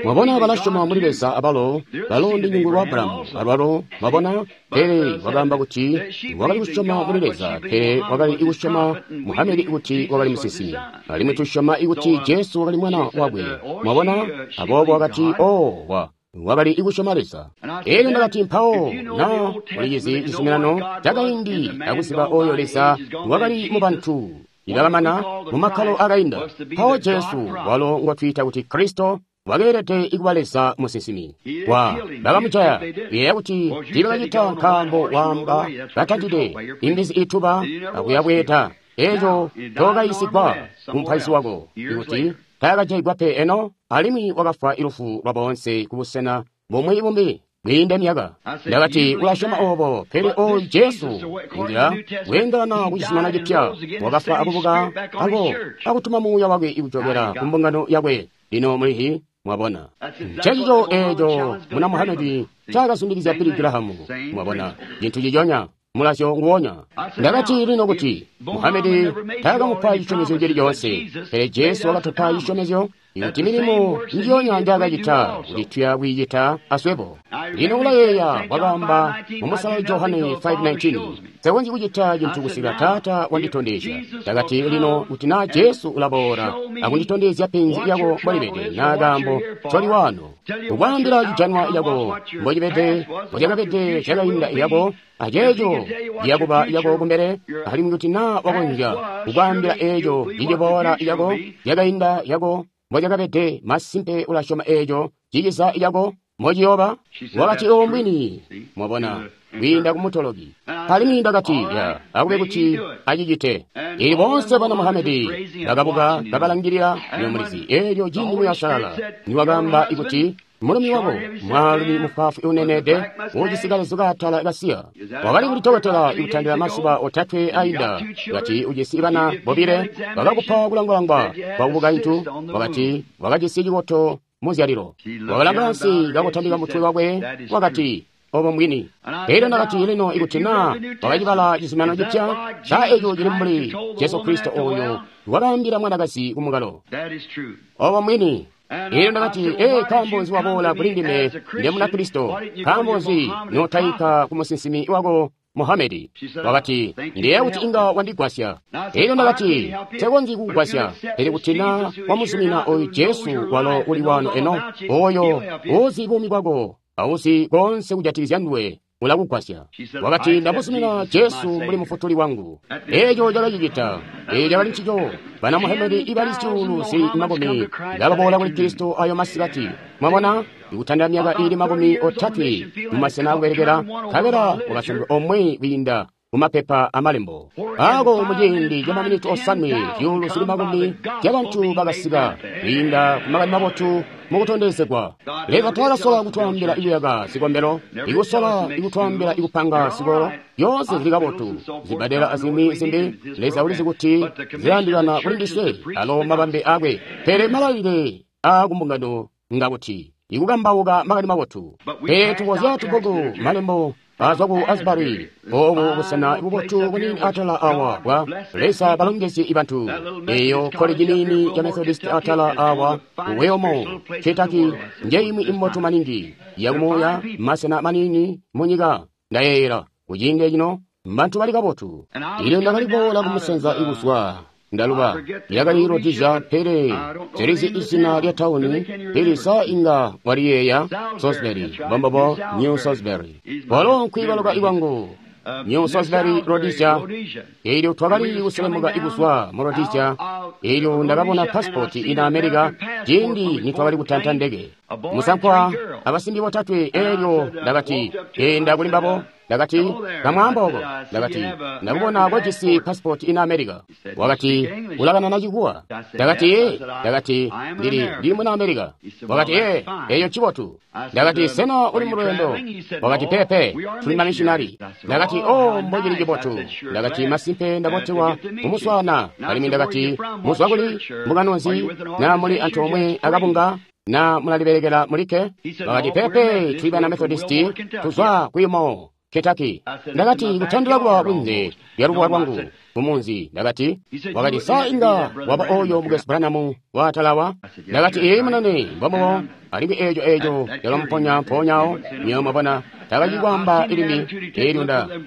A: Mwabona balasyoma muli Leza abalo, balo ndi lwa Abrahamu, alwalo, mwabona, pele wakaamba kuti wakali kusyoma muli Leza, pele wakali kusyoma Muhamedi kuti wakali musinsimi. Alimwi tusyoma kuti Jesu wakali mwana wakwe. Mwabona, aboobo wakati, o wa wakali kusyoma Leza. Eelyo ndakati mpawo, na ulizizi cizuminano cakaindi akuziba oyo Leza wakali mu bantu ikakamana mu makkalo akainda. Mpawo Jesu walo ngotwiita kuti Kristo wakeelede kuba Leza musinsimi. Wa bakamujaya, kuyeeya kuti tiibakacita nkaambo waamba katantide imbizi ituba akuyabweeda. Eeco tookayisigwa kumupaizi wako ikuti taakajayigwa pe eno, alimwi wakafwa ilufu lwa boonse kubusena bumwi bumbi kwiinda myaka. Ndakati ulasyoma oobo, pele oyu Jesu inzila kweendelana ku cizuminano cipya wakafwa akubuka ako akutuma muuya wakwe ikujokela ku mbungano yakwe. Lino mulihi mwabona ncencico eeco muna Muhamedi ncaakazundikizya Billy Graham. Mwabona cintu ciconya, mulazyo nguwonya. Ndakati lino kuti Muhamedi taakamupa cisyomezyo cili coonse, pele Jesu wakatupa cisyomezyo ikuti milimo njiyonya njaakacita kuti tuya kwiicita aswebo. Lino ulayeeya wakaamba mu Musalali Johane 5:19, sekonzyi kucita cintu kusika Taata wanditondezya. Ndakati lino kuti naa Jesu ulaboola akunditondezya penzi lyako mbolibede naa kaambo ncoli wano, kukwaambila cijanwa lyako mbocibede, mbolyakabede zyakainda lyako, aceeco ciyakuba lyako kumbele, alimwi kuti naa wakonzya kukwaambila eeco ciciboola lyako zyakainda lyako mbolyakabede, masimpe ulasyoma eeco ciciza lyako mbociyooba. Wakati obo mbwini, mwabona, kwiinda kumutoloki. Alimwi ndakati, ya, akube kuti acicite. Eelyo boonse bana Muhamedi bakabuka kabalangilila nyomulizi. Eelyo ciindi Muuya Uusalala niwakaamba kuti mulumi wako, mwaalumi mufwaafwi uneneede, uujisi kalezu kaatala kasiya, wakali kulitokotela ikutandila mazuba otatwe ainda, kati ujisi bana bobile, bakakupa kulangwalangwa kwa bukaintu, wakati wakajisi cikoto muzyalilo. Wakalanga ansi kakutambika mutwe wakwe, wakati, obo mbwini. Elyo ndakati lino ikuti naa wakacibala cizuminano cipya, sa eco cili mbuli Jesu Kristo oyo wakaambila mwanakazi kumukalo. Obo mbwini. Elyo ndakati, ee, nkaambo nzi waboola kuli ndime nde muna Kristo? Nkaambo nzi notaika ku musinsimi wako Muhamedi? Wakati, ndiyeeya kuti inga wandigwasya. Elyo ndakati, nsekonzyi kukugwasya, pele kuti naa wamuzumina oyu Jesu walo uli wano eno, oyo uuzi buumi bwako, auzi konse kujatikizya nduwe, ulakugwasya. Wakati, ndamuzumina Jesu mbuli mufutuli wangu. Eeco cakacicita. Eeco cakali ncico. Bana Muhamedi ibali zyuulu zili makumi bakaboola kuli Kristo ayo masikati. Mwabona, ikutandila myaka iili 30 mumasena akubelekela, nkabela wakasandulwa omwe kwiinda mumapepa amalembo ako muciindi ca maminiti 5 zyuulu zili makumi zyabantu bakasika kwiinda ku makani mabotu mukutondezegwa. Leza taakasola kutwaambila ikuyaka zikombelo, ikusola ikutwaambila ikupanga zikolo, zyoonse zili kabotu, zibbadela azimwi zimbi. Leza ulizi kuti zilayandikana kuli ndiswe alo mabambe akwe, pele malailile aakumbungano ngakuti ikukambauka makani mabotu. Pele tukozya tubbuku malembo azwa ku Asbury, obu busena bubotu bunini atala awa bwa Leza balongezye ibantu. Eyo koleji nini ya Methodist atala awa Wilmore, Kentucky, njeimwi imbotu maningi yakumuuya, masena manini munyika. Ndayeeyela kuciindi cino mbantu bali kabotu. Ilyo ndakali kuboola kumusanza ikuzwa Ndaluba yakali Rhodesia, pele nselizi izina lya tauni, pele sa inga waliyeeya? Salisbury, mbombobo, New Salisbury. Walo nkwiibaluka ikwangu. New Salisbury, Rhodesia. Elyo twakali kuselemuka ikuzwa mu Rhodesia. Elyo ndakabona pasipoti ina America ciindi nitwakali kutanta ndege. Musankwa abasimbi botatwe. Elyo ndakati, enda kuli mbabo. Ndakati, kamwaamba oko. Ndakati, ndakubona kojisi pasipoti ina America. Wakati, ulakanana Chikuwa. Ndakati, ee. Ndakati, ndili muna America. Wakati, ee, eyo ncibotu. Ndakati, sena uli mulweendo? Wakati, pepe, tuli mamissionari. Ndakati, oh, mbocili cibotu. Ndakati, masimpe ndabotewa kumuswaana. Alimwi ndakati, muzwa kuli mbungano nzi? Na muli antoomwe akabunga? Na mulalibelekela mulikke? Wakati, pepe, tuli bana Methodisti, tuzwa kuyumo Kentucky. Ndakati, kutandila kuba kunze lya lubuwa lwangu mumunzi. Ndakati, wakati, sa inga waba oyo Mukwesu Branham waatalawa? Ndakati, ee munene, mbombobo. Alimwi eeco yakamuponya mpoonyawo. Nywebo mwabona, takacikwaamba ilimi. Elyo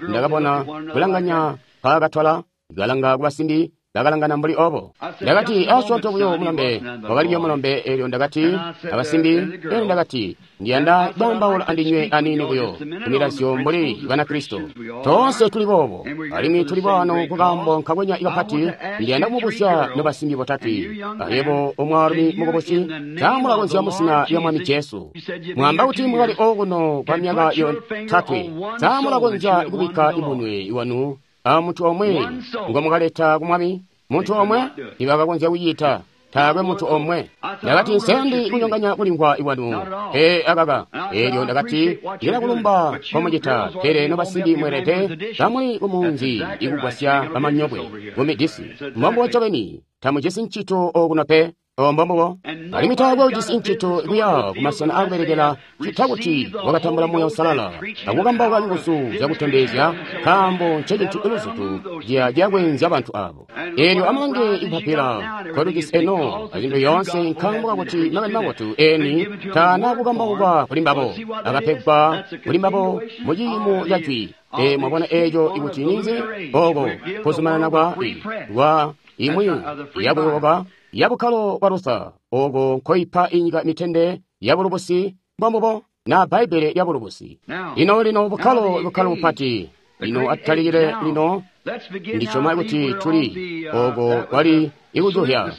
A: ndakabona kulanganya nkaakatwala, kalanga kubasimbi bakalangana mbuli obo. Ndakati, asyoonto buyo mulombe. Wakali buyo mulombe. Elyo ndakati, abasimbi. Elyo ndakati, ndiyanda kwaambaula andinywe aniini buyo kumilazyo mbuli Banakristo. Toonse tuli boobo, alimwi tuli bwano kukaambo nkakwenya kapati. Ndiyanda kumubuzya nobasimbi botatwe, ayebo omwaalumi mukubusi, tamulakonzya muzina lya Mwami Jesu. Mwaamba kuti mwakali okuno kwa myaka yotatwe. Tamulakonzya kubikka imunwe wanu a muntu omwe ngomukaleta ku Mwami? Muntu omwe tibakakonzya kucita. Taakwe muntu omwe. Ndakati, nsendi kunyonganya kulimvwa ikwanu. Ee akaka. Elyo ndakati, ndilakulumba nkomucita, pele nobasimbi mweelede kamuli kumunzi ikugwasya bamanyokwe kumidisi. Mbombubo ncobeni, tamujisi ncito okuno pe. Mbombubo. Alimwi taakwe ujisi ncito kuya kumasena akubelekela ccita kuti wakatambula Muuya Uusalala akukambauka nguzu zyakutondezya, nkaambo ncecintu luzutu ciya ciyakweenzya bantu abo. Elyo amulange ipapila nkolujisi eno azintu yoonse, nkaambo kakuti makani mabotu eni taana kukambaukwa kuli mbabo, akapegwa kuli mbabo mu ciimo ca jwi. Ee, mwabona eeco ikuti ninzi? Oko kuzumanana kwa imwi yakuyoboka yabukkalo bwa Luther, oko nkoipa inyika mitende ya bulubusi, mbombubo, na Bbaibbele lya bulubusi. Lino lino bukkalo bukkalo bupati. Lino atutalikile lino, ndisyoma kuti tuli oko kwali ikujuhya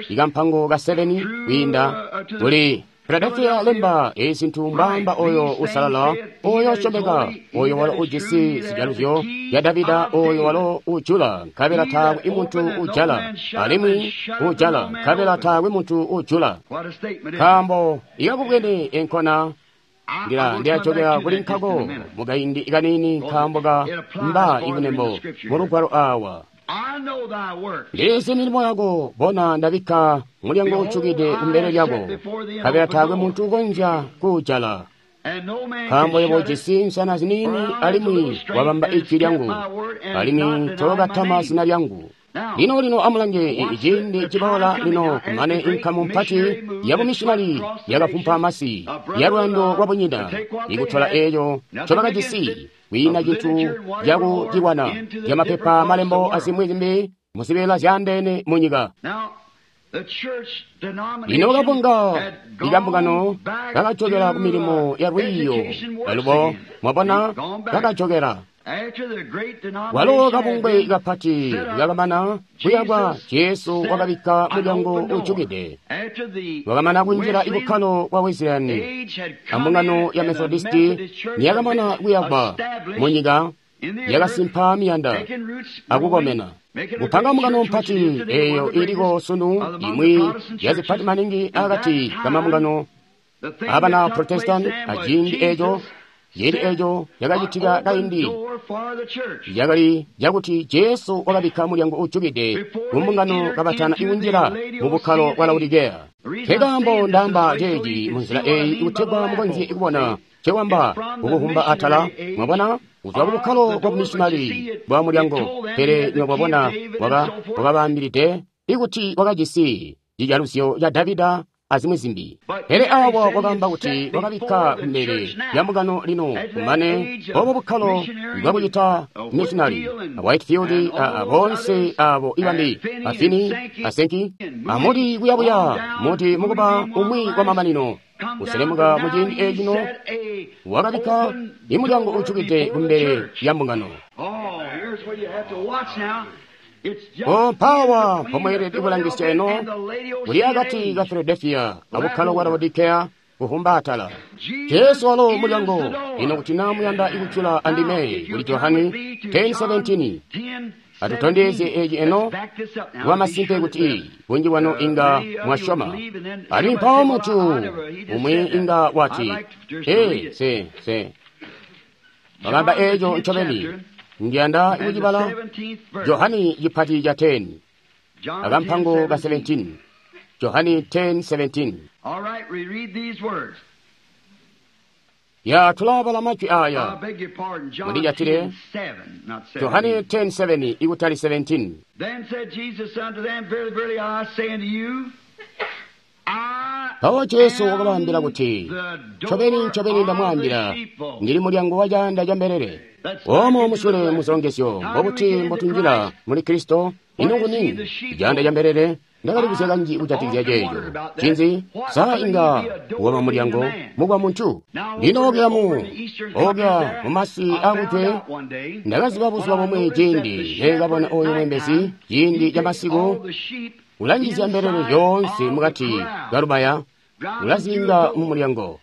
A: ikampango ka 7 kwiinda kuli Philadelphia. Lemba ezintu mbamba oyo usalala, oyo usyomeka, oyo walo ujisi zijaluzyo ya Davida, oyo walo ujula nkabela taakwe muntu ujala, alimwi ujala nkabela taakwe muntu ujula. Nkaambo ikakubwene enkona ndilajokera kuli nkako mukaindi kanini, nkaambo ka mba ikunembo mu lugwalo awa. Ndizi milimo yako, bona ndabikka mulyango ucukide kumbele lyako, nkabela taakwe muntu ukonzya kuujala. Nkaambo yebo ujisi nsana ziniini, alimwi wabamba ijwi lyangu, alimwi tookatama zina lyangu. Lino lino amulange ciindi ciboola lino, kumane inkamu mpati yabumishinali yakafumpa masi ya lwendo lwabunyina ikutola eeco ncobakajisi, kwiina cintu cakucilwana zyamapepa, malembo azimwi zimbi muzibeela zyaandeene munyika. Lino kabunga ikambungano kakajokela ku milimo ya lwiiyo alubo, mwabona, kakajokela. Walo kabungwe kapati kakamana kuyakwa, Jesu wakabikka mulyango ujukide. Wakamana kunjila ibukkalo bwa Wesleyani, ambungano ya Methodisti niyakamana kuyakwa munyika, yakasimpa miyanda akukomena kupanga mbungano mpati eyo iliko sunu, imwi yazipati maningi akati kamambungano abana Protestant. Aciindi eco, ciindi eco cakacitika kaindi yakali cakuti Jesu wakabikka mulyango ujukide kumbungano kabatana ikunjila mu bukkalo bwa Laodikeya. Nkekaambo ndaamba ceeci munzila eyi kutegwa mukonzye kubona cewamba kukuhumba atala, mwabona, kuzwa ku bukkalo bwa bumishinali bwa mulyango. Pele nywebo mwabona, wakabaambilide ikuti wakajisi cijaluzyo ca Davida. azimwi zimbi. Pele awa wakaamba kuti wakabikka kumbele lya mbungano lino, kumane obo bukkalo bwakucita missionary, a Whitefield, a boonse abo ibambi, a Finney, a Sankey, amuti kuyabuya, muti mukuba umwi kwa mamanino, kuselemuka mu ciindi ecino, wakabikka imulyango ujukide kumbele lya mbungano. O mpawa mpomweelede kulangisya eno, kuli akati ka Philadelphia abukkalo bwa Laodikea kuvumba atala. Jesu walo mulyango, ino kuti naa muyanda ikujula andime kuli Johani 10:17. Atutondezye eci eno kuba masimpe kuti bunji bwanu inga mwasyoma. Alimwi mpawo muntu umwi inga wati, ee, se, se. Wakaamba eco ncobeni. Ndiyanda kucibala Johani chipati cha 10 akampango ka 17. Johani 10:17.
B: All right, we read these words.
A: Ya tulabala majwi aya.
B: I beg your pardon, John
A: Mundijatire.
B: 10:7, not 17.
A: Johani 10:7 ikutali 17.
B: Then said Jesus unto them, Verily, verily, I say unto you, I
A: Mpawo Jesu
B: am
A: wakabaambila kuti,
B: the door
A: ncobeni ncobeni
B: of
A: ndamwaambila,
B: the sheepfold.
A: ndili mulyango wa caanda ca mbelele. Omo musule muzilongezyo, mbobuti mbotunjila muli Kristo, ino nguni caanda ca mbelele? Ndakali kanji kujatikizya ceeco. Cinzi, sa inga waba mulyango mukwa muntu? Lino okya mu, okya mumasi akujwe, ndakaziba buzuba bumwe ciindi neekabona oyo mwembezi, ciindi ca masiku, ulanjizya mbelele zyoonse mukati kalubaya, ulazinga mu mulyango.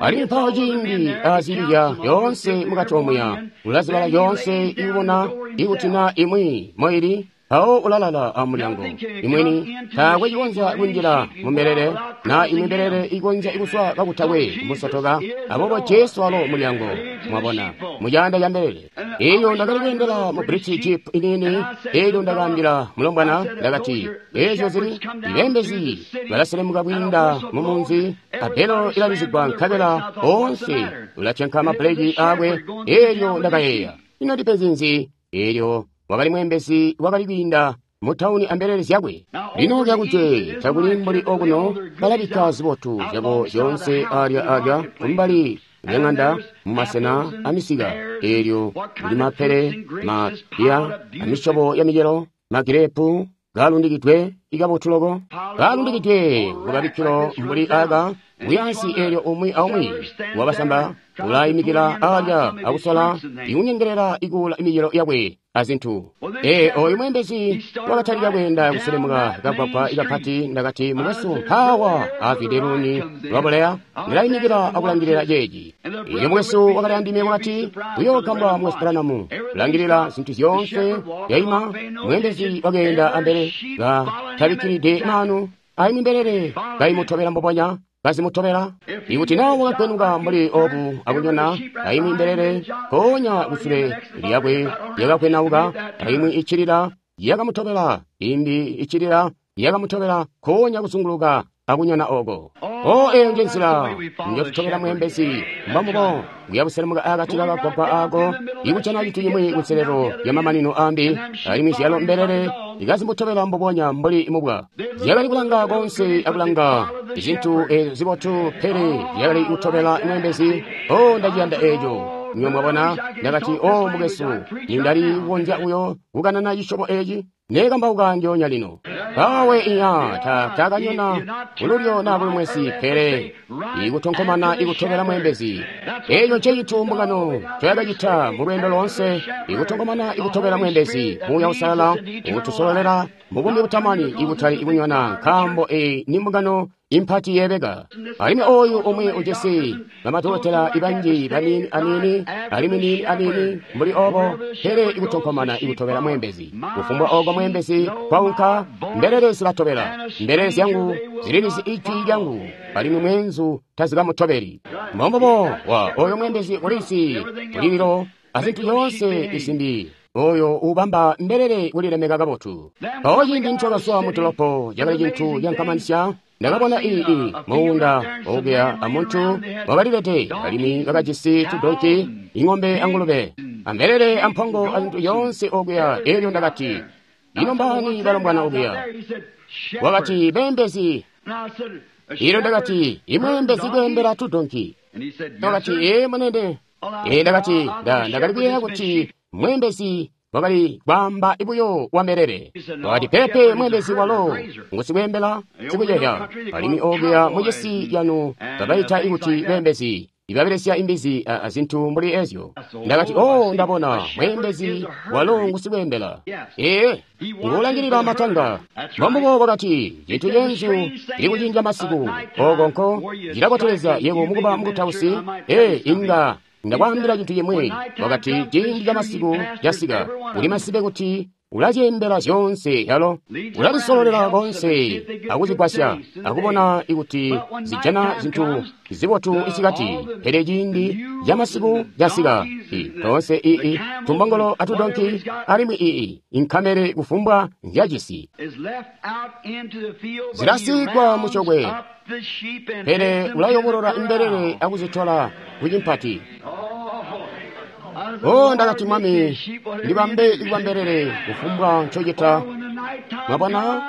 A: Alimwi mpawo ciindi azilya yoonse mukati omuya, ulazibala yoonse ikubona ikuti na imwi moili, mpawo ulalala amulyango. Imweni taakwe cikonzya kunjila mu mbelele, na imwi mbelele ikonzya ikuswa kakutakwe kumusotoka. Aboobo Jesu walo mulyango, mwabona, mucaanda ca mbelele. Eyo ndakali kweendela mu British Jeep iniini, elyo ndakaambila mulombwana, ndakati, eezyo zili ibembezi balaselemuka kwiinda mu munzi, abelo ilalizigwa nkabela onse ulatyanka mabuleki akwe. Elyo ndakayeeya, ino ndipenzi nzi? Elyo wakali mwembezi wakali kwiinda mu tawuni ambelele zyakwe. Lino lyakuje takuli mbuli okuno, balabikka zibotu zyabo zyoonse alya alya kumbali lyang'anda mumasena amisika. Elyo kuli mapele, mapiya, amisyobo ya micelo, magirepu kalundikidwe ikabotu loko, kalundikidwe kukabikkilo mbuli aka kuyansi. Elyo umwi aumwi wabasamba ulayimikila alya akusola ikunyengelela ikuula imicelo yakwe azintu. Ee, oyu mwembezi wakatalika kweenda kuselemuka kagwagwa ikapati. Ndakati, mukwesu, mpawa avide luni lwabuleya, ndilayimikila akulangilila ceeci. Elyo mukwesu wakali andime wakati, uyoogambwa mukwesu Branham, kulangilila zintu zyoonse yaima. Mwembezi wakeenda ambele katabikkilide maanu, aimwi mbelele kayimutobela mbubonya kazimutobela. Ikuti naa wakakwenuka mbuli obu akunyona, aimwi mbelele mpoonya kusule lyakwe yakakwenauka, aimwi iccilila yakamutobela, imbi iccilila yakamutobela, nkoonya kuzunguluka akunyona oko. O, eyo nje nzila njotutobela mwembezi, mbambubo kuyabuselemuka akati kakagwagwa ako, ikujana cintu cimwi kunselelo lya mamanino ambi, alimwi zyalo mbelele ikazimutobela mbubonya mbuli mubwa. Zyakali kulanga konse akulanga izintu ezo zibotu, pele zyakali kutobela mwembezi. O, ndaciyanda eco. Nywe mwabona, ndakati, o mukwesu, nindali kukonzya uyo kukanana cisyobo eci, nekambauka ndyoonya lino. Awe iya, takanyona kululyo na kulumwesi, pele ikutonkomana ikutobela mwembezi. Eco ncecintu mbungano ncoyakacita mu lweendo loonse, ikutonkomana ikutobela mwembezi. Muuya Uusalala ukutusololela mu buumi butamani, ikutali ikunyona, nkaambo eyi ni mbungano impati yebeka. Alimwi oyu umwi ujisi bamadokotela ibanji baniini aniini, alimwi niini aniini mbuli obo, pele ikutonkomana ikutobela mwembezi. Kufumbwa oko mwembezi kwaunka, mbelele zilatobela. Mbelele zyangu zililizi ijwi lyangu, alimwi mwenzu tazikamutobeli. Mbombubo wa oyo mwembezi ulizi kulililo azintu zyoonse izimbi, oyo ubamba mbelele kulilemeka kabotu. Mpawo ciindi ncokazwa mu dolopo, cakali cintu cankamanisya. Ndakabona ii muunda okuya amuntu wakalilete, alimwi bakajisi tudonki, ing'ombe angulube, ambelele ampongo azintu zyoonse okuya. Elyo ndakati, ino mbaani balombwana okuya? Wakati, beembezi. Elyo Ndakati, imweembezi kweembela tudonki. Wakati, ee, munene. Ee, Ndakati, ndakali kuyeeya kuti mweembezi wakali kwaamba buyo wa mbelele. Wakati, pepe, mweembezi walo ngusikweembela sikuceya. Alimwi okuya mucisi yanu babaita ikuti beembezi ibabelesya imbizi azintu mbuli ezyo. Ndakati, oh, ndabona mweembezi walo ngusikweembela. Ee, nguulangilila matanga. Mbombubo wakati, cintu cenzu cili kucinja masiku oko nko cilabotelezya yebo mukuba mukutausi. Ee, inga ndakwaambila cintu cimwi. Wakati, ciindi ca masiku casika, uli masibe kuti ulazyembela zyoonse yalo, ulazisololela konse akuzigwasya akubona ikuti zijana zintu zibotu isikati. Pele ciindi ca masiku casika, toonse ii tumbongolo atudonki alimwi ii inkamele kufumbwa nzyajisi zilasikwa mucokwe, pele ulayobolola imbelele akuzitola kucimpati. Oh, ndakati, Mwami, ndibambe ikuba mbelele kufumbwa ncocita. Mwabona?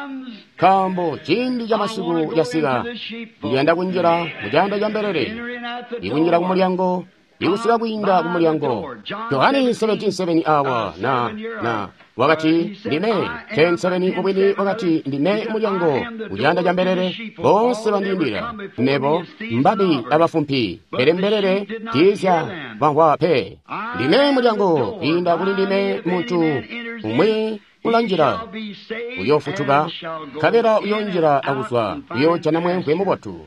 A: Nkaambo ciindi ca masiku casika, ndiyanda kunjila mucaanda ca mbelele, ikunjila kumulyango, ikusika kwiinda kumulyango. Johane 17:7 awa na wakati, ndime 10:7 mubwini wakati, ndime mulyango kucaanda ca mbelele. Boonse bandiindila mebo, mbabi abafumpi, pele mbelele tiizya bamvwa pe. Ndime mulyango, kwiinda kuli ndime muntu umwi ulanjila uyofutuka, nkabela uyonjila akuzwa uyoojana mwemvwe mubotu.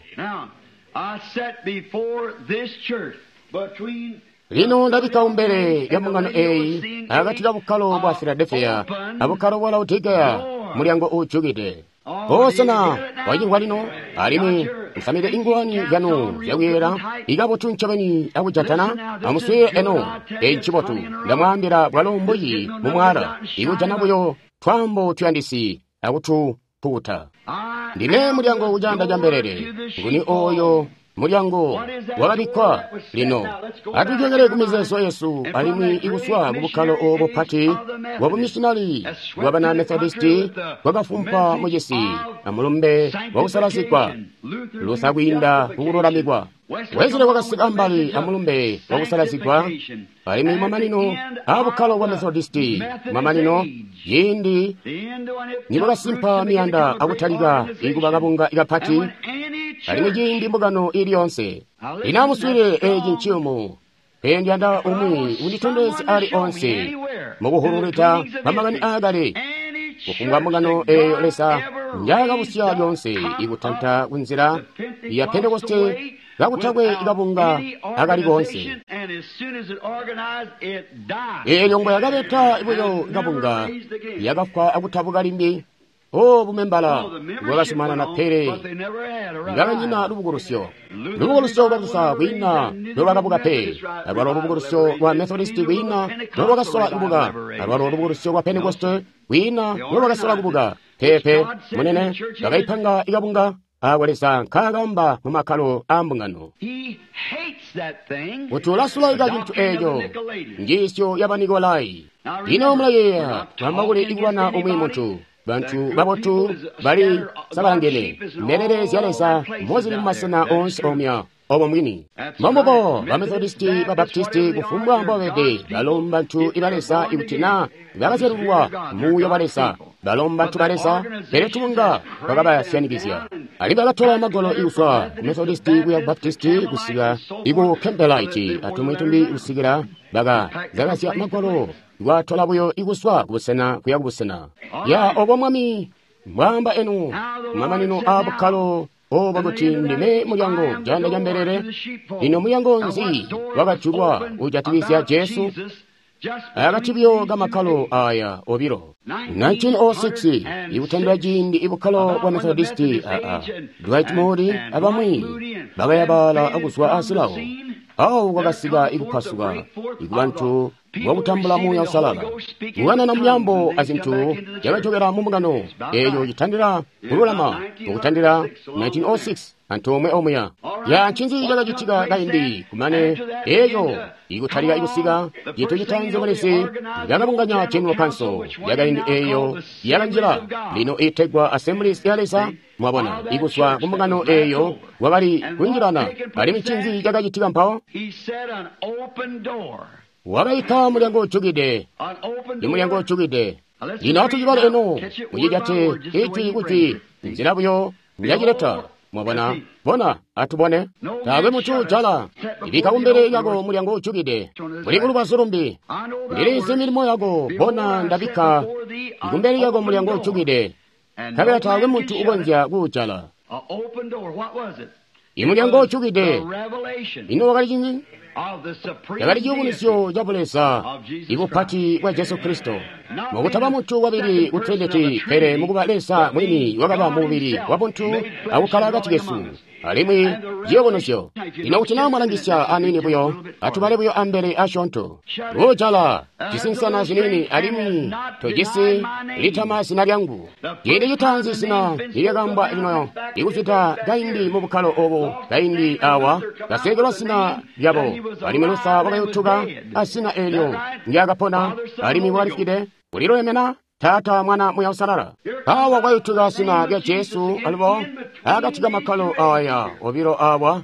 A: Lino ndabikka kumbele lya mbungano eyi akati ka bukkalo bwa Filadelfiya abukkalo bwa Laodikeya, mulyango uujukide. Sena wacimvwa lino? Alimwi musamike ingwani zyanu zyakuyera ikabotu ncobeni akujatana. Amuswiile eno, eyi ncibotu. Ndamwaambila bwalo mbuyi mumwaala, ikujana buyo twaambo tuyandisi akutupukuta. Ndime mulyango kucaanda ca mbelele. Nguni oyo mulyango wakabikkwa? Lino atujokele kumizeezo yesu alimwi ikuswa kubukkalo obo pati bwa bumisionari bwa bana Methodisti bwakafumpa mucisi amulumbe wakusalazigwa, Luther kwiinda kukululamikwa, Wesley wakasika ambali amulumbe wakusalazigwa, alimwi mamanino aabukkalo bwa Methodisti, mamanino ciindi nibwakasimpa miyanda akutalika ikuba kabunga kapati, alimwi ciindi mbungano ili yonse. Lino amuswiile, eeci nciyumu, pele ndiyanda umwi unditondezye ali onse mukuhululita pamakani aakale, kufumbwa mbungano eeyo Leza njaakabusya lyonse ikutanta kunzila ya Pentekoste kakutakwe kabunga akali konse. Eelyo ngwe yakabeta buyo kabunga, yakafwa akutabuka limbi. O bumembala bwakasumanana, pele bakanyina lubukulusyo. Lubukulusyo lwa Luther kwiina nolwakabuka pe, alwalo lubukulusyo lwa Methodisti kwiina nolwakasola kubuka, alwalo lubukulusyo lwa Pentekoste kwiina nolwakasola kubuka. Pepe munene, bakaipanga ikabunga ako Leza nkaakamba mu makkalo aa mbungano kuti ulasulaika cintu eeco, njiisyo ya Banikolai. Lino mulayeeya twamba kuli ikulwana umwi muntu. Bantu babotu bali sabalangene, mbelele zya Leza mozili mumasena oonse omya obo mwini. Mbombubo ba Methodisti, ba Baptisti, kufumbwa mbobabede, balo mbantu iba Leza ikuti na bakazyalulwa muuya wa Leza, balo mbantu ba Leza, pele tubunga twakabasyanikizya. Alimwi bakatola magwalo ikuzwa ku Methodisti kuya ku Baptisti kusika iku Campbellite atumwi tumbi kusikila baka zakazya magwalo kwatola buyo ikuswa kubusena kuya kubusena. Ya obo Mwami mbwaamba enu mamanino aa bukkalo obo kuti ndime mulyango caanda ca mbelele. Lino mulyango nzi wakajulwa ujatikizya Jesu? Akati buyo kamakkalo aya obilo. 1906 ikutandila ciindi ibukkalo bwa Methodisti Dwight Moody abamwi bakayabala akuzwa azilawo. Awo kwakasika ikupasuka ikubantu bwakutambula Muuya Uusalala, kukanana myaambo azintu zyakajokela mu mbungano eeyo citandila kululama mukutandila 1906 antoomwe omuya. Ya ncinzi cakacitika kaindi kumane eco ikutalika kusika cintu citaanzi mulisi yakabunganya General Council yakaindi eyo yakanjila lino itegwa Assemblies ya Leza. Mwabona, ikuzwa kumbungano eyo wakali kunjilana. Alimwi ncinzi cakacitika mpawo? Wakaika mulyango ujukide, imulyango ujukide. Lino atucibale eno mucijate ijwi kujwi nzila buyo njacileta. Mwabona, bona, atubone. Taakwe muntu ujala. Ibika kumbele yako mulyango ujukide. Muli kulubazu lumbi. Ndilizi milimo yako, bona ndabika kumbele yako mulyango ujukide. Nkabela taakwe muntu ukonzya kuujala. Imulyango ujukide. Ino wakali cinzi? Yakali ciyubunuzyo ca Buleza, ibupati bwa Jesu Kristo. Mukutaba muntu wabili ku Trinity, pele mukuba Leza mwini wakaba mubili wa buntu akukkala akati kesu. Alimwi ciyubunuzyo. Lino kuti naa mwalangisya aniini buyo, atubale buyo ambele asyoonto. Ujala cisinsana ziniini alimwi tojisi litama zina lyangu. Ciindi citaanzi zina lilyakambwa lino ikuzwida kaindi mu bukkalo obu kaindi awa kasekelwa zina lyabo. Alimwi Luther wakayutuka azina eelyo ndyakapona alimwi wakalifwide. Ulilolemena Taata, Mwana, Muya Usalala. Awa kwayutuka zina lya Jesu alubo akati kamakkalo aya obilo awa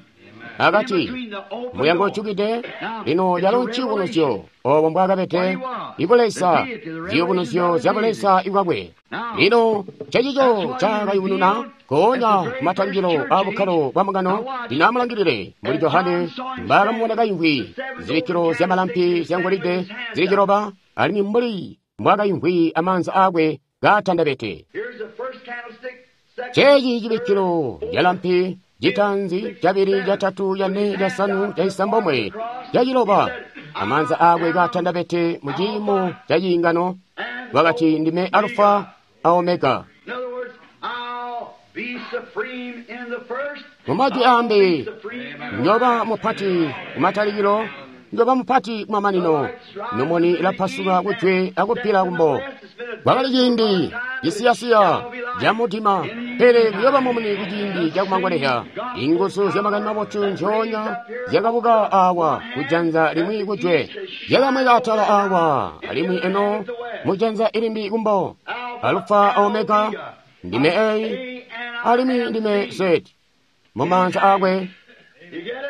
A: akati mulyango ujukide. Lino lyalo nciyubunuzyo obo mbwakabede ibuleza, ziyubunuzyo zya buleza ibwakwe. Lino cecico cakayubununa goonya kumatangilo a bukkalo bwa mbungano. Lino amulangilile mbuli Johane mbaakamubona kayimvwi zibikkilo zyamalampi zyangolide zili ciloba, alimwi mbuli mbwaakayimvwi amaanza aakwe kaatandabete. Ceeci cibikkilo calampi citanzi, cabili, catatu, cane, casanu, cacisambomwe, caciloba, amaanza aakwe kaatandabete mu ciimo ca ciingano. Wakati, ndime Alufa a Omega. Mumajwi aambi, njoba mupati kumatalikilo, njoba mupati kumamanino. Nomoni ilapasuka kujwe akupila kumbo. Kwakali ciindi cisiyasiya camudima, pele kuyoba mumuni kuciindi cakumangolezya. Inguzu zyamakani mabotu nzyoonya zyakabuka awa kujanza limwi kujwe, zyakamweka atala awa, alimwi eno mujanza ilimbi kumbo. Alufa a Omega, ndime A alimwi ndime Z. Mumaanza aakwe.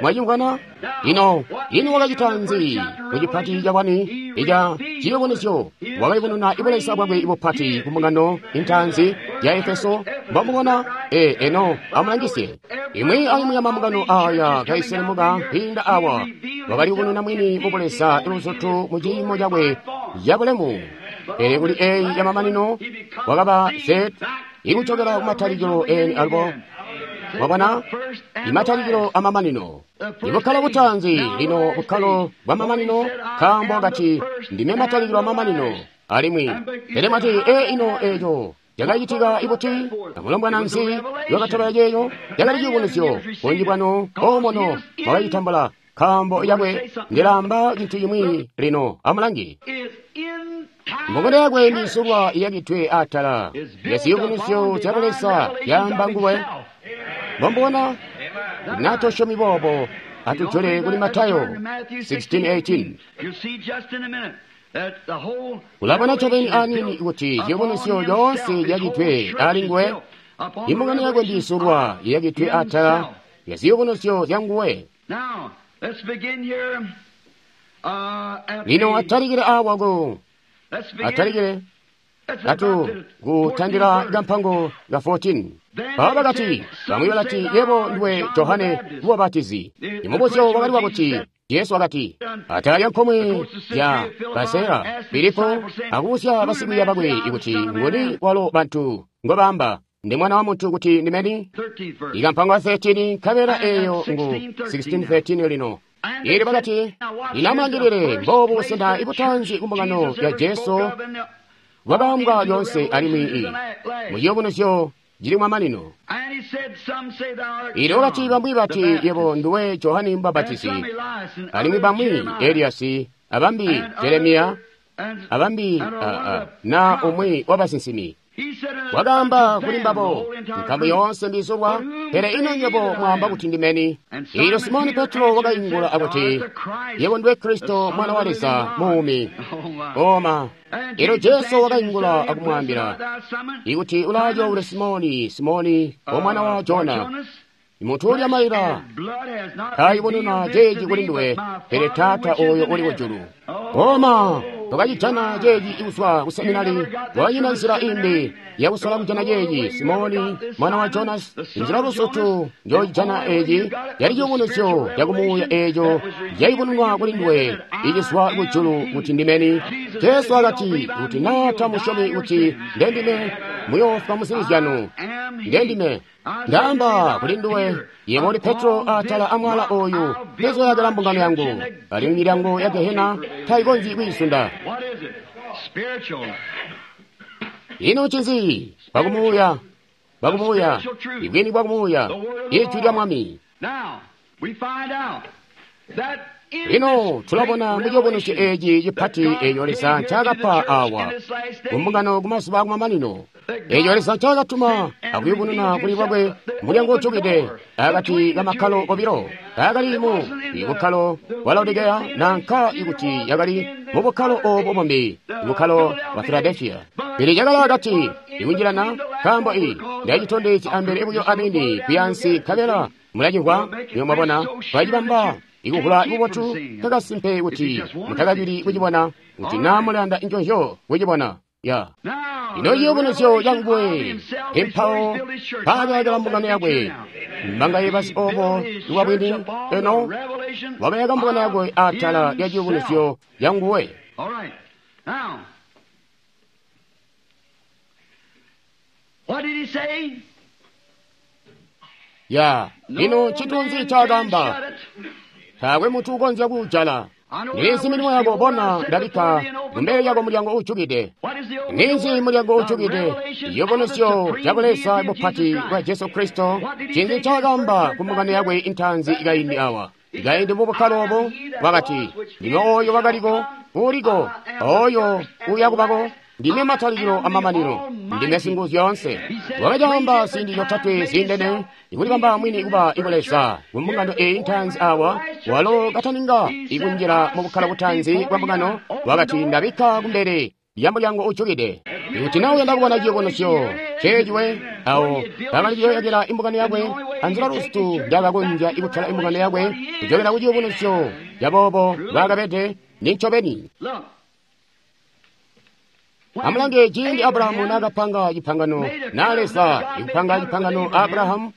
A: Mwacimvwana? Ino, ino wakacita nzi mucipati cabwani ica ciyubunuzyo? Wakayubununa ibuleza bwakwe ibupati ku mbungano intaanzi ya Efeso. Mbomubona? Eno amulangisye. Imwi aimwi ya mambungano aya kaiselemuka kwiinda awa, wakaliyubununa mwini mubuleza iluzutu mu ciimo cakwe cabulemu. Pele kuli eyi yamamanino wakaba Z ikucokela kumatalikilo eni alubo. Mwabona, imatalikilo amamanino, ibukkalo butaanzi lino bukkalo bwa mamanino, nkaambo wakati ndime matalikilo amamanino. Alimwi pele mwati, ino eco cakacitika ibuti? Amulombwana nzi lwakatobela ceeco? Cakali ciyubunuzyo. Bunji bwanu omono mwakacitambula, nkaambo yakwe ndilaamba cintu cimwi lino. Amulangi. Mbungano yakwe ndisulwa iyakitwe atala yaziyubunuzyo zya Buleza yaamba nguwe. Mbomubona? Natosyomi boobo, atujole kuli Matayo 16:18. Ulabona ncobeni aniini kuti ciyubunuzyo yoonse yakitwe ali nguwe. Imbungano yakwe ndisulwa iyakitwe atala yaziyubunuzyo zyanguwe. Lino atalikile awa ku atalikile atu kutandila kampango ka 14. Aba bakati, bamwi balati, yebo ndiwe Johane Mubapatizi. Imubuzyo wakali wakuti, Jesu wakati, atala lya nkomwe ya Kasera, Filipo akubuzya basikwiiya bakwe ikuti nguni walo bantu ngobaamba ndi mwana wa muntu kuti ndimeni? Ikampango ka 13 nkabela eyo ngu 16:13 lino. Ili bakati, linamulangilile mbobu busena ibutanzi kumbungano ya Jesu bwakaambwa lyonse alimwi muciyubunuzyo cili kumamanino. Ili wakati bamwi bati yebo nduwe Johane Mubapatizi, alimwi bamwi Eliyasi, abambi Jeremiya, abambi na umwi wabasinsimi. Wakaamba kuli mbabo, nkamu yoonse mbizulwa, pele ino nywebo mwaamba kuti ndimeni? Eelyo Simoni Petro wakaingula akuti, yebo ndiwe Kristo mwana wa Leza muumi. Oma. Eelyo Jesu wakaingula akumwaambila, ikuti ulaacoule Simoni, Simoni, omwana wa Jona, muntu ulya maila taayubununa ceeci kuli nduwe, pele Taata ooyo uli kujulu. Oma, twakacijana ceeci kuzwa ku seminari, twakanyina nzila imbi yakusola kujana ceeci. Simoni, mwana wa Jonas, nzila lusutu njocijana eeci yali ciyubunuzyo cakumuuya eeco cayubununwa kuli nduwe icizwa kujulu kuti ndimeni. Jesu akati, kuti naa tamusyomi kuti ndendime, muyoofwa muzibi zyanu. Ndendime. Ndaamba kuli nduwe, yebo uli Petro atala amwala oyu, ndizoyakila mbungano yangu, alimwi milyango ya Gehena tayikonzyi kwiisunda. Ino ncinzi? Bwakumuuya, bwakumuuya, ibwini bwakumuuya, ijwi lya Mwami. Lino tulabona muciyubunuzyo eeci cipati eeco Leza ncaakapa awa kumbungano kumazuba akumamanino, eeco Leza ncaakatuma akuyubununa kuli lwakwe mulyango ujukide akati kamakkalo obilo, taakali mu bukkalo bwa Laodikeya nanka ikuti yakali mu bukkalo oobo bumbi, bukkalo bwa Filadelfiya. Pele cakali akati ikunjilana, nkaambo ndacitondezya ambele buyo amini kuyaansi nkabela mulacimvwa, niyo mwabona twacibamba ikuvula bubotu kakasimpe kuti mutakabili kucibona, kuti naa mulanda nconzyo kucibona. Ya ino ciyubunuzyo canguwe empawo mpaakayakila mbungano yakwe mbangaye basi obo lwabwini eno wakayaka mbungano yakwe atala lya ciyubunuzyo canguwe. Ya ino ncintu ncaakaamba? Taakwe muntu ukonzya kuujala. Niinzi milimo yako? Bona, ndabikka kumbele lyako mulyango uujukide. Niinzi mulyango uujukide? Ciyubunuzyo ca Buleza bupati bwa Jesu Kristo. Ncinzi ncaakaamba ku mbungano yakwe intaanzi ikaindi awa? Ikaindi mu bukkalo obo, wakati, ndime ooyo wakaliko, uuliko, ooyo uuyakubako, ndime matalikilo amamanino, ndime Singuzyoonse. Wakacaamba ziindi zyotatwe ziindene, ikulibamba mwini kuba ibuleza ku mbungano eeyi ntaanzi awa, walo kataninga ikunjila mu bukkalo butaanzi bwa mbungano, wakati ndabikka kumbele lya mulyango ujukide. Ikuti naa uyanda kubona ciyubunuzyo ceeciwe, awo bakali kuyoyakila imbungano yakwe anzila lusitu njaakakonzya ikutola imbungano yakwe kujokela ku ciyubunuzyo caboobo bwakabede nincobeni. Amulange ciindi Abrahamu naakapanga cipangano na Leza, ikupanga cipangano Abrahamu,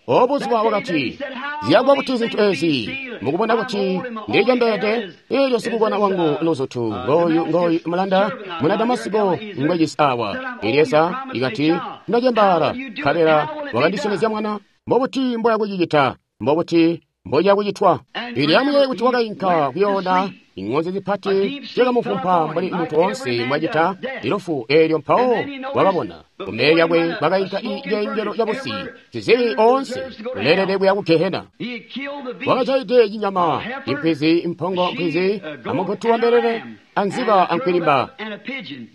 A: obuzuba wakati, ziyakwa kuti zintu ezi mukubona kuti ndilicembeede, eelyo sikukona wangu luzutu ngoyu ngoyu mulanda muna Damasiko ngwejisi awa. Elieza ikati, ndacembaala, nkabela wakandisyomezya mwana. Mbobuti mboya kucicita? Mbobuti mboya kucitwa? Ili amuyeeye kuti wakainka kuyoona ing'onzi zipati zyakamufumpa mbuli muntu oonse mbwacita ilufu eelyo mpawo wakabona kumbele lyakwe kwakainka icenjelo cabusi sizibi oonse uleelede kuya ku Gehena. Wakajaide cinyama, impwizi, impongo mpwizi, amugutu wa mbelele, anziba ankwilimba.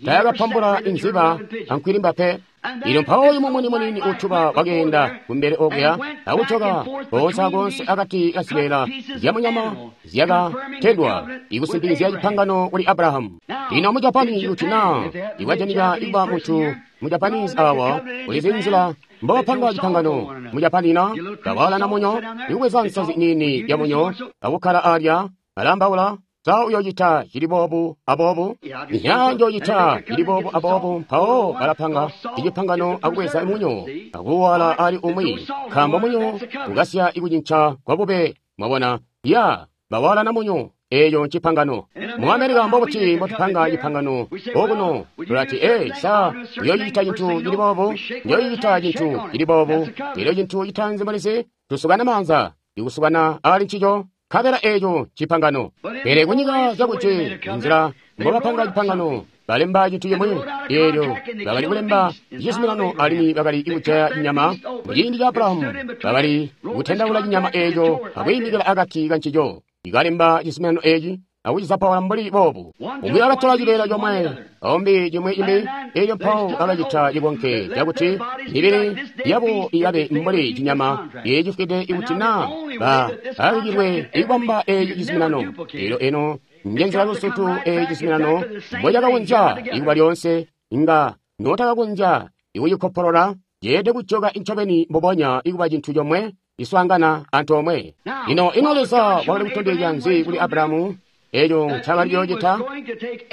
A: Tayakapambula inziba ankwilimba pe. Ilyo mpawo uyu mumuni munini utuba wakeenda kumbele okuya akujoka koonse akoonse akati kazibeela zyamunyama zyakatendwa ikusimpikizya cipangano kuli Abrahamu. Lino mu Japani kuti naa ikwajanika ikuba muntu mu Japanese awa ulizi nzila mbobapanga cipangano mu Japani na bawalana munyo ikubweza nsazi nini ya munyo akukkala alya alambaula. Sa uyocita cili boobu aboobu, nya njocita cili boobu aboobu. Mpawo balapanga icipangano akubweza munyo akuwala ali umwi, nkaambo munyo ukasya ikucinca kwa bube. Mwabona, ya bawalana munyo, eeyo ncipangano. Mu Amerika mbobuti mbotupanga cipangano okuno? Tulati, ee, sa uyocita cintu cili boobu, njoyicita cintu cili boobu. Elyo cintu citaanzi mulizi, tusukana maanza, ikusukana ali ncico. Nkabela eeco cipangano. Pele kunyika zyakuti nzila mbobapanga cipangano, balemba cintu cimwi. Eelyo bakali kulemba cizuminano alimwi bakali kujaya cinyama. Muciindi ca Abrahamu bakali kutendaula cinyama eeco akwiimikila akati kancico. Ikalemba cizuminano eeci akucizapaula mbuli boobu. Umwi wakatola cibeela comwe, aumbi cimwi cimbi, elyo mpawo bakacita cikonke cakuti mibili yabo ikabe mbuli cinyama icifwide ikuti naa baabikilwe ikubamba eeci cizuminano. Elyo eno njenzila lusutu eeci cizuminano mbocakakonzya ikuba lyoonse, inga notakakonzya ikucikopolola, ceelede kujoka incobeni mbubonya ikuba cintu comwe iswaangana antoomwe. Lino ino Leza wakali kutondezya nzi kuli Abrahamu eco ncakali kuyoocita?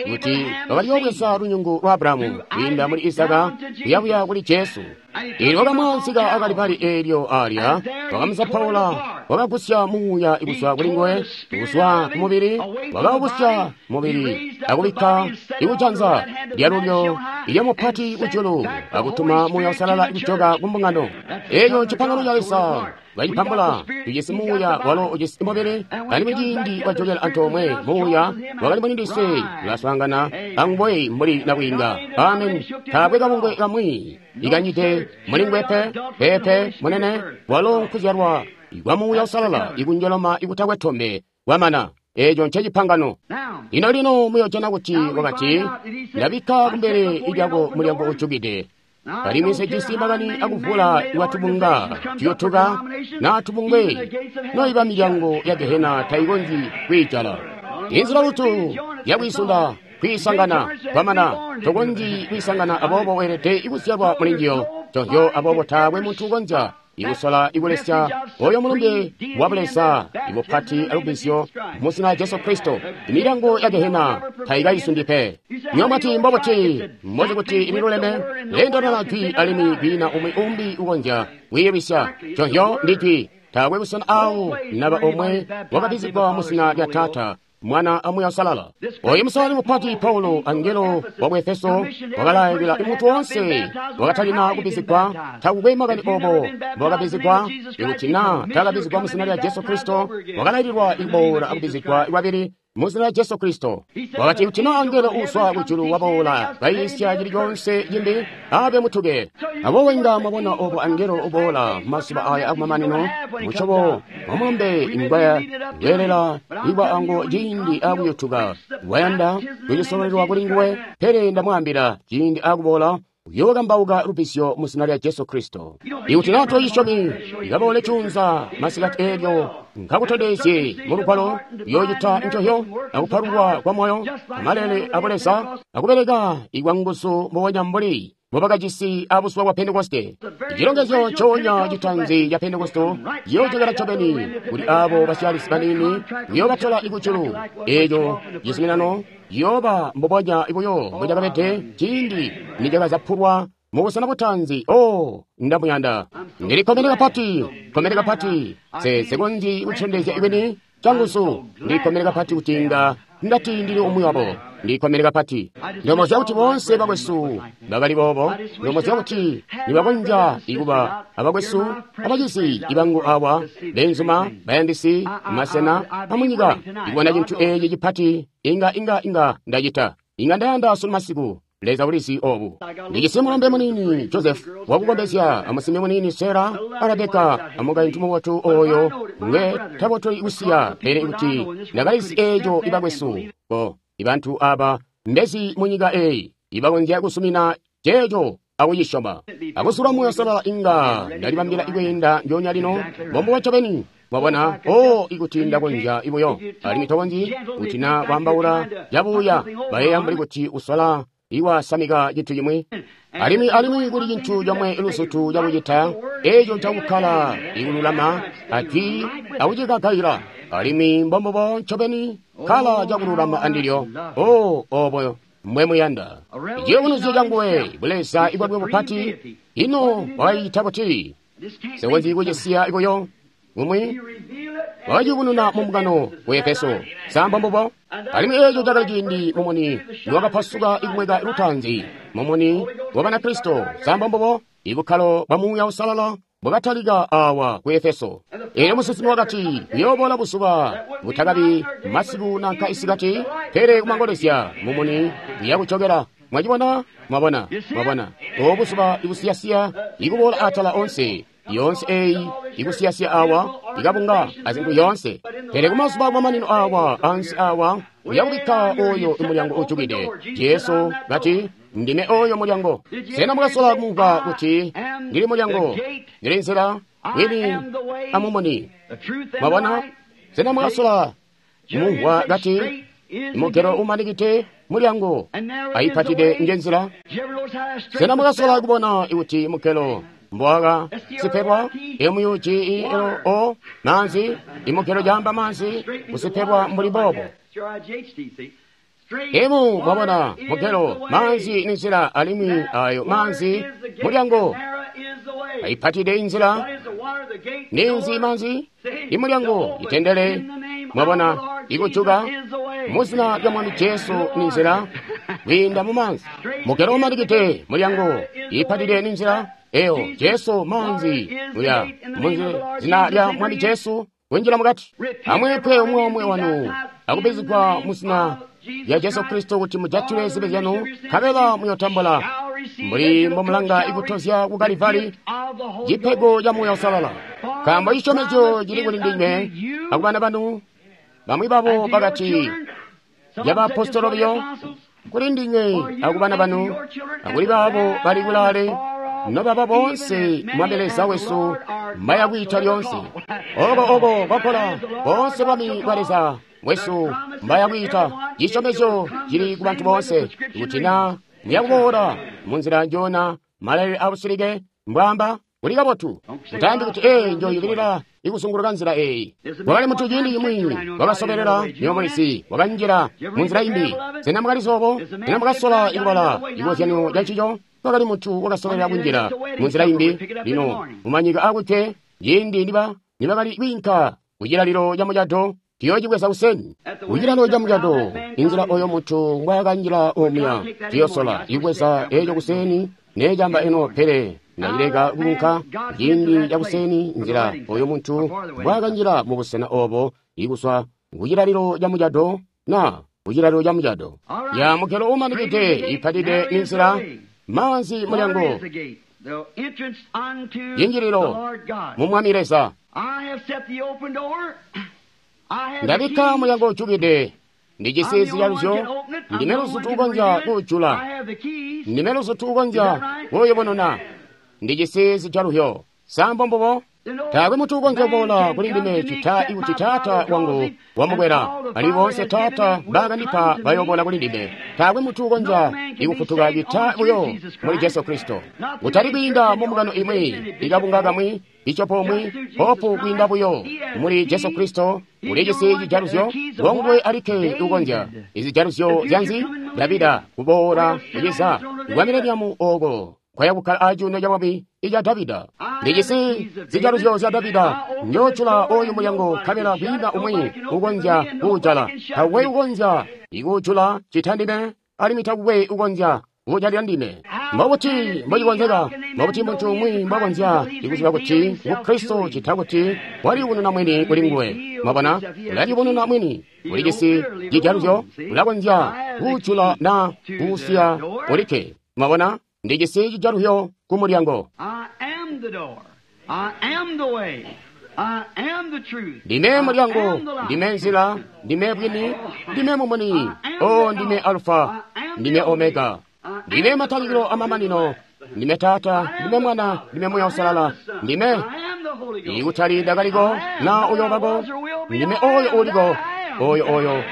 A: Kuti wakali kuyoobweza lunyungu lwa Abrahamu kwiinda muli Izaka kuyabuya kuli Jesu. Eelyo wakamwaanzika akalipali eelyo alya, wakamuzapaula, wakagusya muuya kuzwa kuli nguwe, kuzwa ku mubili, wakawugusya mubili akubikka ikujanza lyalulyo ilyamupati kujulu, akutuma Muuya Uusalala kujoka ku mbungano. Eeco ncipangano ca Leza. Bacipambula, tujisi muuya walo ujisi mubili, alimwi ciindi wajokela antoomwe muuya wakali muli ndiswe ulaswaangana anguwe mbuli nabwiinga. Amen. Taakwe kabungwe kamwi ikanyite muli nguwe pe, peepe munene, walo nkuzyalwa kwa Muuya Uusalala ikunjoloma ikutakwe tombe kwamana. Eeco ncecipangano. Lino lino muyojana kuti wakati, ndabikka kumbele lyako mulyango ujukide. Alimwi nsejisi makani akuvula iwatubunga tuyotuka naa tubungwe, noiba milyango ya gehena taikonzyi kwiijala. Inzila lutu yakwiisunda kwiisangana kwamana, tokonzyi kwiisangana, aboobo weelede ikuzyalwa muli njiyo. Nconzyo, aboobo taakwe muntu ukonzya ikusola ikulesya oyo mulumbe wa Buleza ibupati alubbizyo mu zina Jesu Kristo. Imilyango ya gehena taikaisundi pe. Niyo mwati mbobuti mbozi kuti ililuleme, leendana jwi alimwi kwiina umwi umbi ukonzya kwiilwisya. Nconzyo ndi jwi. Taakwe busena awo naba omwe wakabbizigwa mu zina lya Taata, Mwana a Muuya Uusalala. Oyu musalali mupati Paulo, angelo wa ku Efeso, wakalailila muntu woonse wakatalina kubbizigwa, takukwe makani obo mbowakabbizigwa, ikuti naa taakabbizigwa mu zina lya Jesu Kristo, wakalaililwa ikuboola akubbizigwa lwabili mu zina lya Jesu Kristo. Wakati kuti naa angelo uuzwa kujulu waboola kayiisya cili coonse cimbi, abe mutuke. Aboobo inga mwabona obo angelo uboola mazuba aya akumamanino, musyobo wa mulumbe ingwaya weelela ikwa ango ciindi akuyutuka, wayanda kucisololelwa kuli nguwe, pele ndamwaambila ciindi akuboola uyookambauka lubbizyo mu zina lya Jesu Kristo. Ikuti naa tocisyomi, ikaboole cuunza masikati eelyo nkakutondezye mu lugwalo, uyoocita ncohyo akupalulwa kwa moyo, amalele abuleza, akubeleka ikwanguzu mbubonya mbuli mbobakajisi abuzuba bwa Pentekoste. Icilongezyo ncoonya citanzi ca Pentekoste ciyoojokela ncobeni kuli abo basyalisi baniini, kuyoobatola ikujulu. Eeco cizuminano ciyooba mbubonya buyo mbocakabede ciindi nicakazapulwa mu busena butaanzi. Oh, ndamuyanda. Ndilikkomene kapati, kkomene kapati. Nse konzyi kutondezya ibwini canguzu. Ndilikkomene kapati kuti inga ndati ndili umwi wabo. Ndilikkomene kapati. Ndomozya kuti boonse bakwesu bakali boobo. Ndomozya kuti nibakonzya ikuba abakwesu abacizi ibangu awa, beenzuma, bayandisi, masena amunyika, ikubona cintu eeci cipati inga inga inga ndacita. Inga ndayanda sunu masiku. Leza ulizi obu. Ndijisi mulombe muniini Joseph wakukombezya, amusimbi muniini Sarah, a Rebeka, amukaintu mubotu oyo ngwe tabotoli kusiya, pele kuti ndakalizi eeco ibakwesu bo ibantu aba mbezi munyika eyi ibakonzya kusumina ceeco akucisyoma. Akusula Muuya Uusalala inga ndalibambila ikweenda ndyoonya lino, mbombubo ncobeni. Mwabona, oh, ikuti ndakonzya ibuyo, alimwi tokonzyi kuti na kwaambaula cabuuya, bayeeya mbuli kuti usola iwasamika cintu cimwi. Alimwi alimwi kuli cintu comwe luzutu cakucita, eeco ncakukkala ikululama ajwi akucikakaila. Alimwi mbombubo ncobeni, kkala cakululama andilyo. Oh, obo mbwe muyanda. Ciyubunuzyo canguwe, buleza ibwakwe bupati, ino wakacicita buti? Nsekonzyi kucisiya buyo. Umwi wakaciyubununa mu mbungano ku Efeso. Sa mbombubo? Alimwi eeco cakali ciindi mumuni niwakapasuka ikumweka lutaanzi, mumuni wa Banakristo. Sa mbombubo? Ibukkalo bwa Muuya Uusalala bwakatalika awa ku Efeso. Eelyo musinsimi wakati, kuyooboola buzuba butakabi masiku nanka isikati, pele kumangolezya mumuni uyakujokela. Mwacibona? Mwabona? Mwabona? Obo buzuba ibusiyasiya ikuboola atala onse. Yoonse eyi ikusiyasiya awa, ikabunga azintu yoonse. Pele kumazuba akumamanino awa, ansi awa, Uyakubikka oyo mulyango ujukide. Jesu kati, Ndime oyo mulyango. Sena mwakasola kumva kuti ndili mulyango, ndili nzila, bwini amumuni? Mwabona? Sena mwakasola kumumvwa kati mugelo umanikite mulyango ayipatide njenzila? Sena mwakasola kubona kuti mugelo mbwaka sipebwa M-U-G-E-L-O manzi imugelo jamba manzi kusipebwa mbuli bobo. Emu mwabona mugelo manzi ni nzila alimwi ayo manzi mulyango ayipatide inzila ninzi manzi imulyango itendele mwabona ikujuka muzina lya Mwami Jesu ni nzila kwiinda mu manzi. Mugelo umanikite mulyango ipatide ni nzila eyo Jesu manzi uya muzina lya Mwami Jesu kunjila mukati. Amweepwe umwe omwe wanu akubizigwa muzina lya Jesu Kristo kuti mujatile zibi zyanu nkabela muyotambula mbuli mbomulanga ikutozya ku Kalivari cipego ca Muuya Uusalala. Nkaambo cisyomezyo cili kuli ndinywe akubana banu. Bamwi babo bakati lyabaapostolo biyo, kuli ndinywe akubana banu akuli baabo bali kulaale nobaba boonse Mwami Leza wesu mbayakwiita lyonse. Oko oko kwakola boonse Bwami bwa Leza wesu mbayakwiita. Cisyomezyo cili ku bantu boonse kuti na muyakuboola munzila njona malailile abusilike mbwaamba kuli kabotu. Mutaambi kuti ee njoyubilila ikuzunguluka nzila eyi. Wakali muntu ciindi cimwi wakasobelela nyomulisi wakanjila munzila imbi. Sena mwakalizi obo? Sena mwakasola ikubala cikozyanyo ca ncico? Wakali muntu wakasobelela kunjila munzila imbi. Lino mumanyika akujwe ciindi nibakali kwiinka kucilalilo ca mucado tuyocibweza kuseni. Kucilalilo ca mucado inzila oyo muntu ngwaakanjila omuya tuyosola ibweza eco kuseni necamba eno pele ndacileka kuunka ciindi ca kuseni nzila oyo muntu mbwaakanjila mubusena obo ikuswa kucilalilo ca mucado na kucilalilo ca mucado. Ya mugelo umanikide ipatide ni nzila manzi mulyango yinjililo mu Mwami Leza. Ndabikka mulyango ujukide ndijisi zijaluzyo, ndime luzutu ukonzya kuujula, ndime luzutu ukonzya kuuyubununa, ndijisi zijaluzyo. Sambo mbubo? Taakwe muntu ukonzya kuboola kuli ndime cita ikuti Taata wangu wamukwela. Ali boonse Taata mbakandipa bayoboola kuli ndime. Taakwe muntu ukonzya ikufutuka cita buyo muli Jesu Kristo. Kutali kwiinda mu mbungano imwi, ikabunga kamwi, icopo umwi, hopu kwiinda buyo muli Jesu Kristo. Ulijisi cijaluzyo, ngonguwe alikke ukonzya. Izijaluzyo zyanzi? Davida kuboola kuciza kwa mileniamu oko kwaya kukkala acuuno ca bwami ica Davida. Ndijisi zijaluzyo zya Davida, njoojula oyu mulyango nkabela kwiina umwi ukonzya kuujala. Taakwe ukonzya ikuujula cita ndime, alimwi taakwe ukonzya kuujalila ndime. Mbobuti mbocikonzeka? Mbobuti muntu umwi mbwakonzya ikuziba kuti ngu Kristo cita kuti waliyubununa mwini kuli nguwe? Mwabona, ulaliyubununa mwini. Ulijisi cijaluzyo, ulakonzya kuujula na kuusiya ulikke. Mwabona, ndijisi cijaluzyo ku mulyango. Ndime mulyango, ndime nzila, ndime bwini, ndime mumuni. O ndime Alfa, ndime Omega, ndime matalikilo amamanino, ndime Taata, ndime Mwana, ndime Muuya Uusalala, ndime ikutali ndakaliko na uyobako, ndime oyo uliko, oyo oyo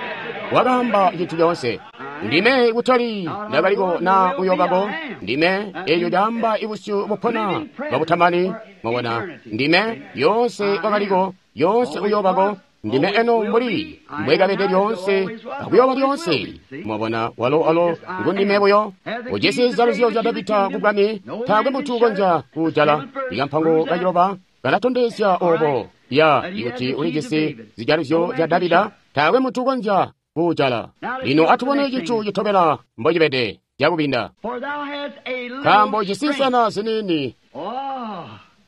A: wakaamba cintu coonse. Ndime ikutali ndakaliko na uyobako, ndime eyo caamba ibusyu bupona bwabutamani. Mwabona, ndime yonse wakaliko, yonse uyobako, ndime eno mbuli mbwekabede lyoonse akuyoba lyoonse. Mwabona, walo alo ngundime buyo. Ujisi zijaluzyo zya Davida ku bwami, taakwe muntu ukonzya kuujala. Ikampango kaciloba kalatondezya obo ya ikuti ulijisi zijaluzyo zya Davida, taakwe muntu ukonzya kuujala. Lino atubone cintu citobela mbocibede cakubinda. Nkaambo cisinsana ziniini.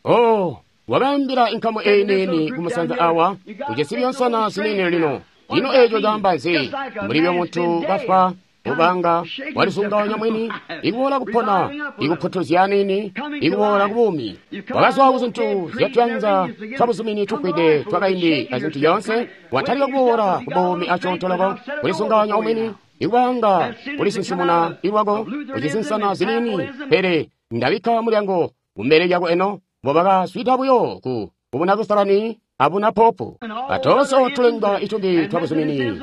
A: Oh, wakaambila inkamu eyi niini kumusanza awa, ujisi byonsana ziniini lino. Lino eco caamba nzi? Mbuli byo muntu kafwa Kubanga walisunganya mwini, ikuboola kupona, ikuputuzya nini, ikuboola kubuumi. Wakazwa ku zintu zyatuyanza twabuzumini tufwide twakaindi azintu zyoonse, watalika kuboola kubuumi asyoonto kulisunganya umwini, ikubanga kulisinsimuna ilwako, kucisinsana zinini, pele ndabikka mulyango kumbele lyako eno, mbobakaswida buyo ku kubuna Lutherani abuna popu. Atonse otulenga itumbi twabuzumini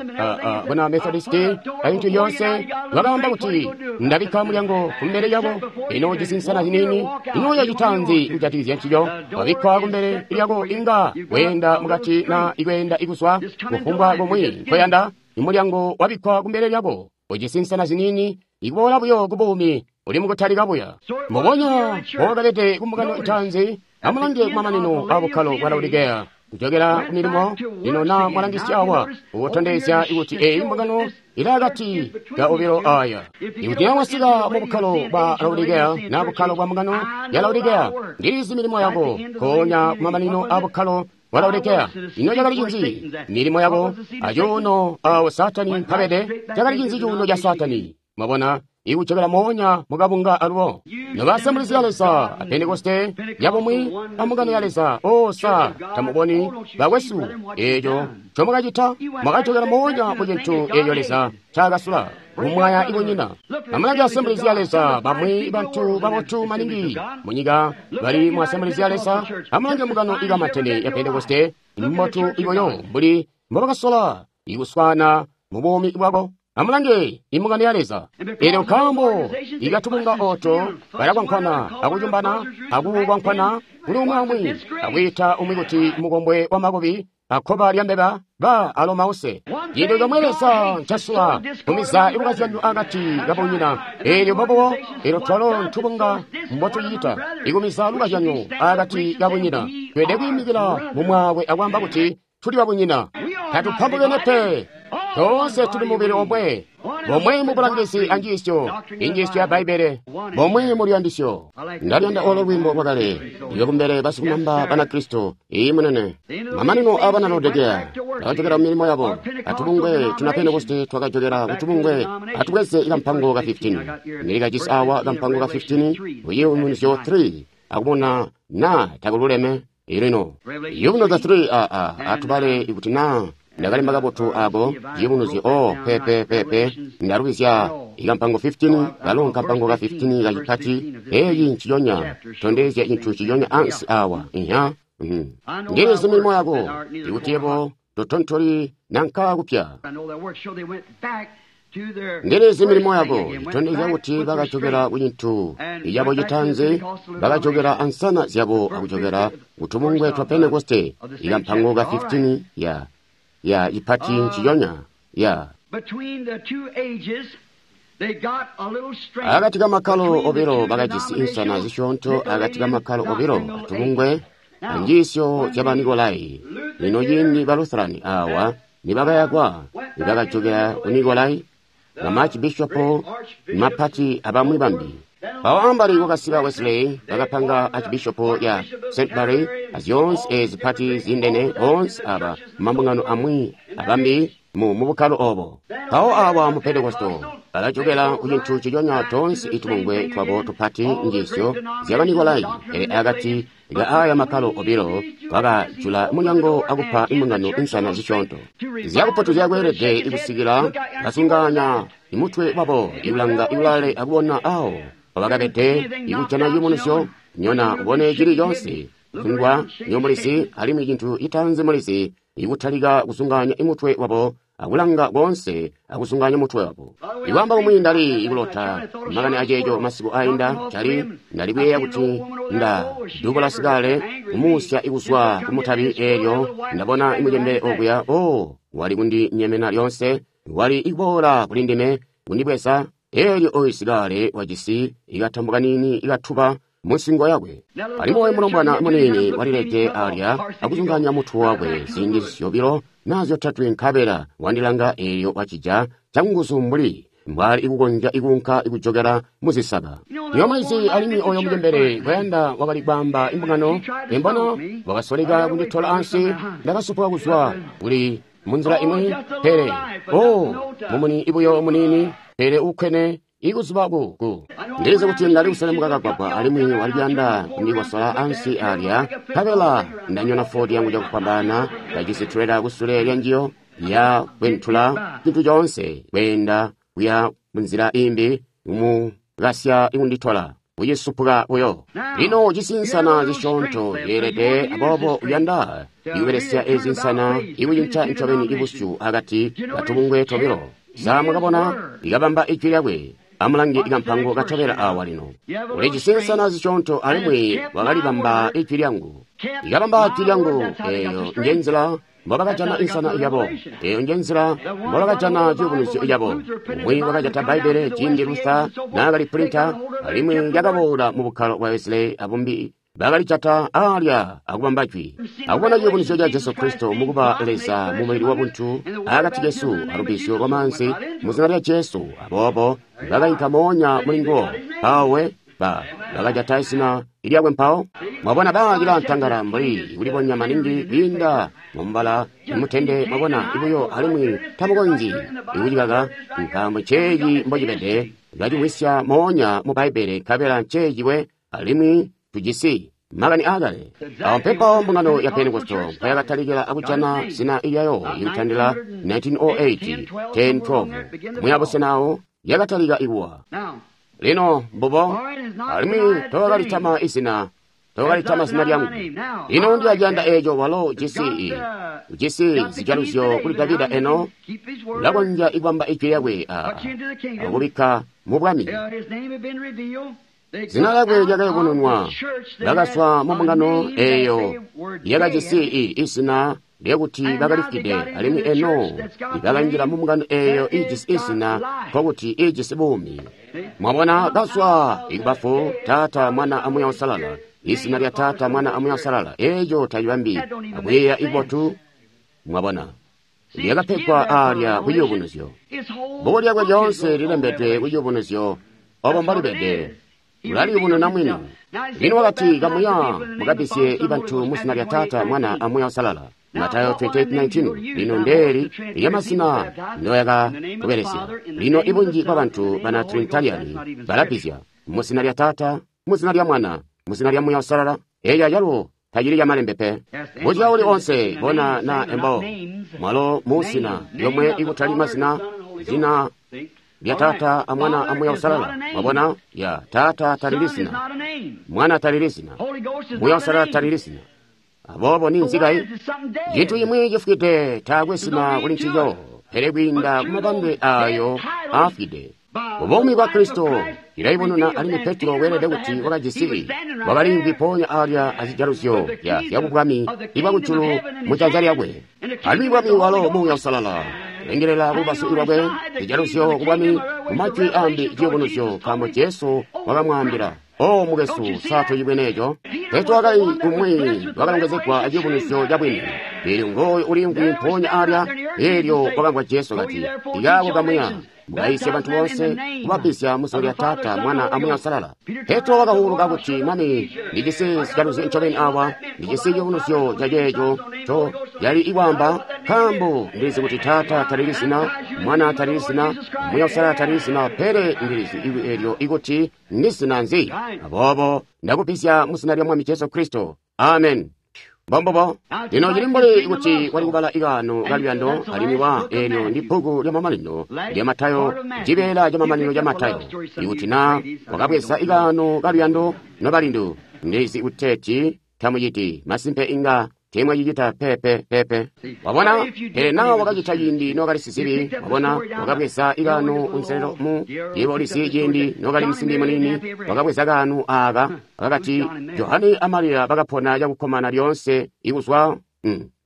A: buna Methodisti aintu yonse bakamba kuti ndabikka mulyango kumbele lyako ino cisinsana zinini ino yacitanzi kujatikizya ncico wabikka kumbele lyako inga weenda mukati na ikweenda ikuswa kufumbwa komwe nkoyanda imulyango wabikkwa kumbele lyako ucisinsana zinini ikuboola buyo kubuumi uli mukutalika buya mbubonya mbowakabede kumbungano itaanzi. Amulange kumamanino abukkalo bwa Laodikeya kujokera ku milimo lino na mwalangisya awa ukutondezya kuti eyi mbungano ili akati ka obilo aya. Ikuti na wasika mu bukkalo bwa Laodikeya na bukkalo bwa mbungano ya Laodikeya, ndilizi milimo yako konya kumamanino abukkalo bwa Laodikeya. Ino cakali cinzi milimo yako acuuno awo Satani mpabede? Cakali cinzi cuuno ca Satani? Mwabona, ikujokera moonya mukabunga alubo. Nobaasembulisi ya Leza a Pentekoste yabomwe ambungano ya Leza, osa tamuboni bakwesu eeco ncomwakacita, mwakajokera moonya mu cintu eeco Leza ncaakasula kumwaya ikunyina. Amulange Assemblies ya Leza, bamwi bantu babotu maningi munyika bali mu Assemblies ya Leza. Amulange mbungano ikamatene ya Pentekoste mbotu iboyo mbuli mbobakasola ikuswana mu buumi bwako. Amulange imbungano ya Leza. Elyo nkaambo ikatubunga oto balakwankwana akucumbana akukwankwana kuli umwi amwi akwiita umwi kuti mukombwe wa makubi akkoba lya mbeba ba alomause. Cintu comwe Leza ncasula kumiza ilukazyanyo akati kabunyina. Elyo bobo elyo twalo ntubunga mbotucita ikumiza lukazyanyo akati kabunyina. Tweelede kwiimikila mumwaakwe akwaamba kuti tuli babunyina, tatupambukene pe. Toonse tuli mubili omwe, bomwe mu bulangizi anjiisyo, injiisyo ya Bbaibbele, bomwe mu luyandisyo. Ndalyanda olo lwiimbo lwakale, iyo kumbele basikumamba Banakristo, iyi munene. Mamanino a bana Laodikeya bakajokera mu milimo yabo. Atubungwe tuna Pentekoste twakajokera kutubungwe. Atubweze ikampango ka 15. Ndilikajisi awa kampango ka 15, Ciyubunuzyo 3, akubona na takululeme. Ilino Ciyubunuzyo 3 aa atubale ikuti na ndakalemba kabotu ako Ciyubunuzyo o pepepepe ndalubizya ikampango 15 kalo nkampango ka 15 kacipati eeci nciconya tondezya cintu ciconya ansi awa inya. Ndilizi milimo yako ikuti yebo totontoli nanka kupya. Ndilizi milimo yako itondezya kuti bakajokera ku cintu icabo citanzi, bakajokera ansana zyabo akujokera kutubungwe twa Pentekoste. Ikampango ka 15 ya ya ipati nciconya ya akati ka makkalo obilo bakajisi insana zisyoonto akati ka makkalo obilo atubungwe anjiisyo zya Banikolai. Lino ciindi ba Lutherani awa nibakayakwa nibakajokera ku Nikolai, bamaarchbishopo mapati abamwi bambi. Awo ambali kwakasika Wesley bakapanga archbishopo ya St. Mary azyoonse ezi pati zindene boonse aba mambungano amwi abambi mu bukkalo obo. Mpawo awa mu Pentekosto balajokera ku cintu ciconya toonse itubungwe twabo tupati njiisyo zya Banikolai. Pele akati ka aya makkalo obilo bakajula mulyango akupa imbungano insana zisyoonto zyakupoto zyakweelede ikusikila basunganya imutwe wabo ikulanga ikulale akubona awo bakabede ikujana ciyubunuzyo nyona ubone cili conse kungwa nyomulisi alimwi cintu citanzi mulisi ikutalika kusunganya imutwe wabo akulanga konse akusunganya mutwe wabo. Ikwamba kumwi ndali ikulota makani aceeco masiku ainda cali ndali kuyeeya kuti nda dubola sikale kumusya ikuzwa kumutabi eelyo ndabona imucembele okuya o wali kundinyemena lyonse wali ikuboola kuli ndime kundibweza. Eelyo oyu sikale wajisi ikatambo kanini ikatuba munsingo yakwe. Alimwi oyu mulombwana munini walilede alya akuzunganya mutwe wakwe ziindi zyobilo na zyotatwe nkabela wandilanga eelyo wacija canguzu mbuli mbwali ikukonzya ikuunka ikujokera muzisaka. Yomwezi alimwi oyo mucembele kwayanda wakali kwaamba imbungano imbono wakasoleka kunditola ansi ndakasupuka kuzwa kuli munzila imwi pele o mumuni ibuyo munini. Pele ukkene ikuzuba ku Ndilizi kuti ndali kuselemuka kagwagwa alimwi wali kuyanda kundikosola ansi alya, nkabela ndanyona Ford yangu cakufwambaana, kajisi trailer kusule lya njiyo ya kwentula cintu coonse kweenda kuya munzila imbi kumukasya kunditola kucisupuka buyo. Lino ujisi nsana zisyoonto zyeelede, aboobo uyanda ikubelesya ezi nsana ikucinca ncobeni ibusyu akati katubungwe tobilo. Sa mwakabona ikabamba ijwi lyakwe? Amulange ikampango katobela awa lino. Ulijisi nsana zisyoonto alimwi wakalibamba ijwi lyangu. Ikabamba ijwi lyangu, eeyo nje nzila mbobakajana insana yabo. Eeyo nje nzila mbobakajana ciyubunuzyo yabo. Umwi wakajata Bbaibbele ciindi Luther naakali pulinta, alimwi lyakaboola mu bukkalo bwa Wesley abumbi. Bakalijata alya akubamba jwi. Akubona ciyubunuzyo ca Jesu Kristo mukuba Leza mu mubili wa buntu akati kesu alubbizyo lwa maanzi mu zina lya Jesu. Aboobo bakainka moonya muli nguwo. Mpawo bakajata izina lyakwe mpawo. Mwabona bacila ntangala mbuli kulibonya maningi kwiinda mumubala mutende, mwabona ibuyo alimwi tamukonzyi ikucikaka nkaambo nceeci mbocibede. Bacimwisya moonya mu Bbaibbele nkabela nceeciwe alimwi tujisi makani aakale. Awo mpepawo mbungano ya Pentekosto mpayakatalikila akujana zina lyayo ikutandila 1908, 10, 12. Muya busena awo yakatalika ikuwa. Lino mbubo, alimwi tokalitama izina, tokalitama zina lyangu. Lino ndilaciyanda eeco walo ujisi zijaluzyo kuli Davida eno, ulakonzya ikubamba ijwi lyakwe akubikka mu bwami. Zina lyakwe lyakayubununwa, bakazwa mu mbungano eeyo yakajisi izina lyakuti bakalifwide, alimwi eno bakanjila mu mbungano eeyo ijisi izina, nkokuti ijisi buumi. Mwabona, kazwa ikubafu, Taata, Mwana a Muuya Uusalala. Izina lya Taata, Mwana a Muuya Uusalala, eeco tacibambi akuyeeya ibotu. Mwabona, lyakapegwa alya ku ciyubunuzyo. Bbuku lyakwe lyoonse lilembedwe ku ciyubunuzyo, obo mbolibede. Ulaliyubununa mwini. Lino wakati, kamuya mukabbizye ibantu mu zina lya Taata, Mwana a Muuya Uusalala. Matayo 28:19. Lino ndeeli lyamazina ndoyakakubelesya. Lino ibunji bwabantu bana Trinitariani balabbizya mu zina lya Taata, mu zina lya Mwana, mu zina lya Muuya Uusalala. Eeyo ayalo tacili camalembe pe. Buzya uli onse bona na embo mwalo mu zina lyomwe ikutali mazina, zina lya Taata a Mwana a Muuya Uusalala. Mwabona? Ya Taata talili zina, Mwana talili zina, Muuya Uusalala talili zina. Aboobo ninzi kayi? Cintu cimwi cifwide taakwe zina kuli ncico, pele kwiinda kumabambe ayo aafwide. Buumi bwa Kristo ilayibonona, alimwi Petro weelede kuti wakajisi wakaliimvwi mpoonya alya azijaluzyo zyabubwami ibwakujulu mu janza lyakwe. Alimwi bwami walo Muuya Uusalala kulengelela kulubazu lwakwe, zijaluzyo kubwami, mumajwi ambi ciyubunuzyo, nkaambo Jesu wakamwaambila. O mukwesu, sa tucibwene eco? Petro wakali umwi wakalongezegwa aciyubunuzyo cabwini. Eelyo ngooyo uliimvwi mpoonya alya, eelyo wakamvwa Jesu kati, ikaako kamuya mukayisye bantu bonse kubabbizya mu zina lya Taata, Mwana a Muuya Uusalala. Petro wakahuluka kuti, Mwami, ndijisi zijaluzyo ncobeni awa, ndijisi ciyubunuzyo ca ceeco nco yali ikwaamba, nkaambo ndilizi kuti Taata talili zina, Mwana talili zina, Muuya Uusalala talili zina, pele ndilizi iwi eelyo ikuti ndi zina nzi. Aboobo ndakubbizya mu zina lya Mwami Jesu Kristo. Amen. Mbombubo. Lino cili mbuli kuti wali kubala ikaano kaluyando, alimwi wa eelyo ndi bbuku lya mamanino lya Matayo, cibeela ca mamanino ca Matayo. Ikuti na wakabweza ikaano kaluyando nobalindu, ndizi kuteeti tamuciti, masimpe inga teemwacicita pepe pepe. Wabona, pele na wakacita ciindi nokali sizibi. Wabona, wakabweza ikaano kunselelo mu yebo ulizi ciindi nokali musimbi muniini, wakabweza kaano aaka akati Johane a Mariya bakapona cakukkomana lyoonse ikuzwa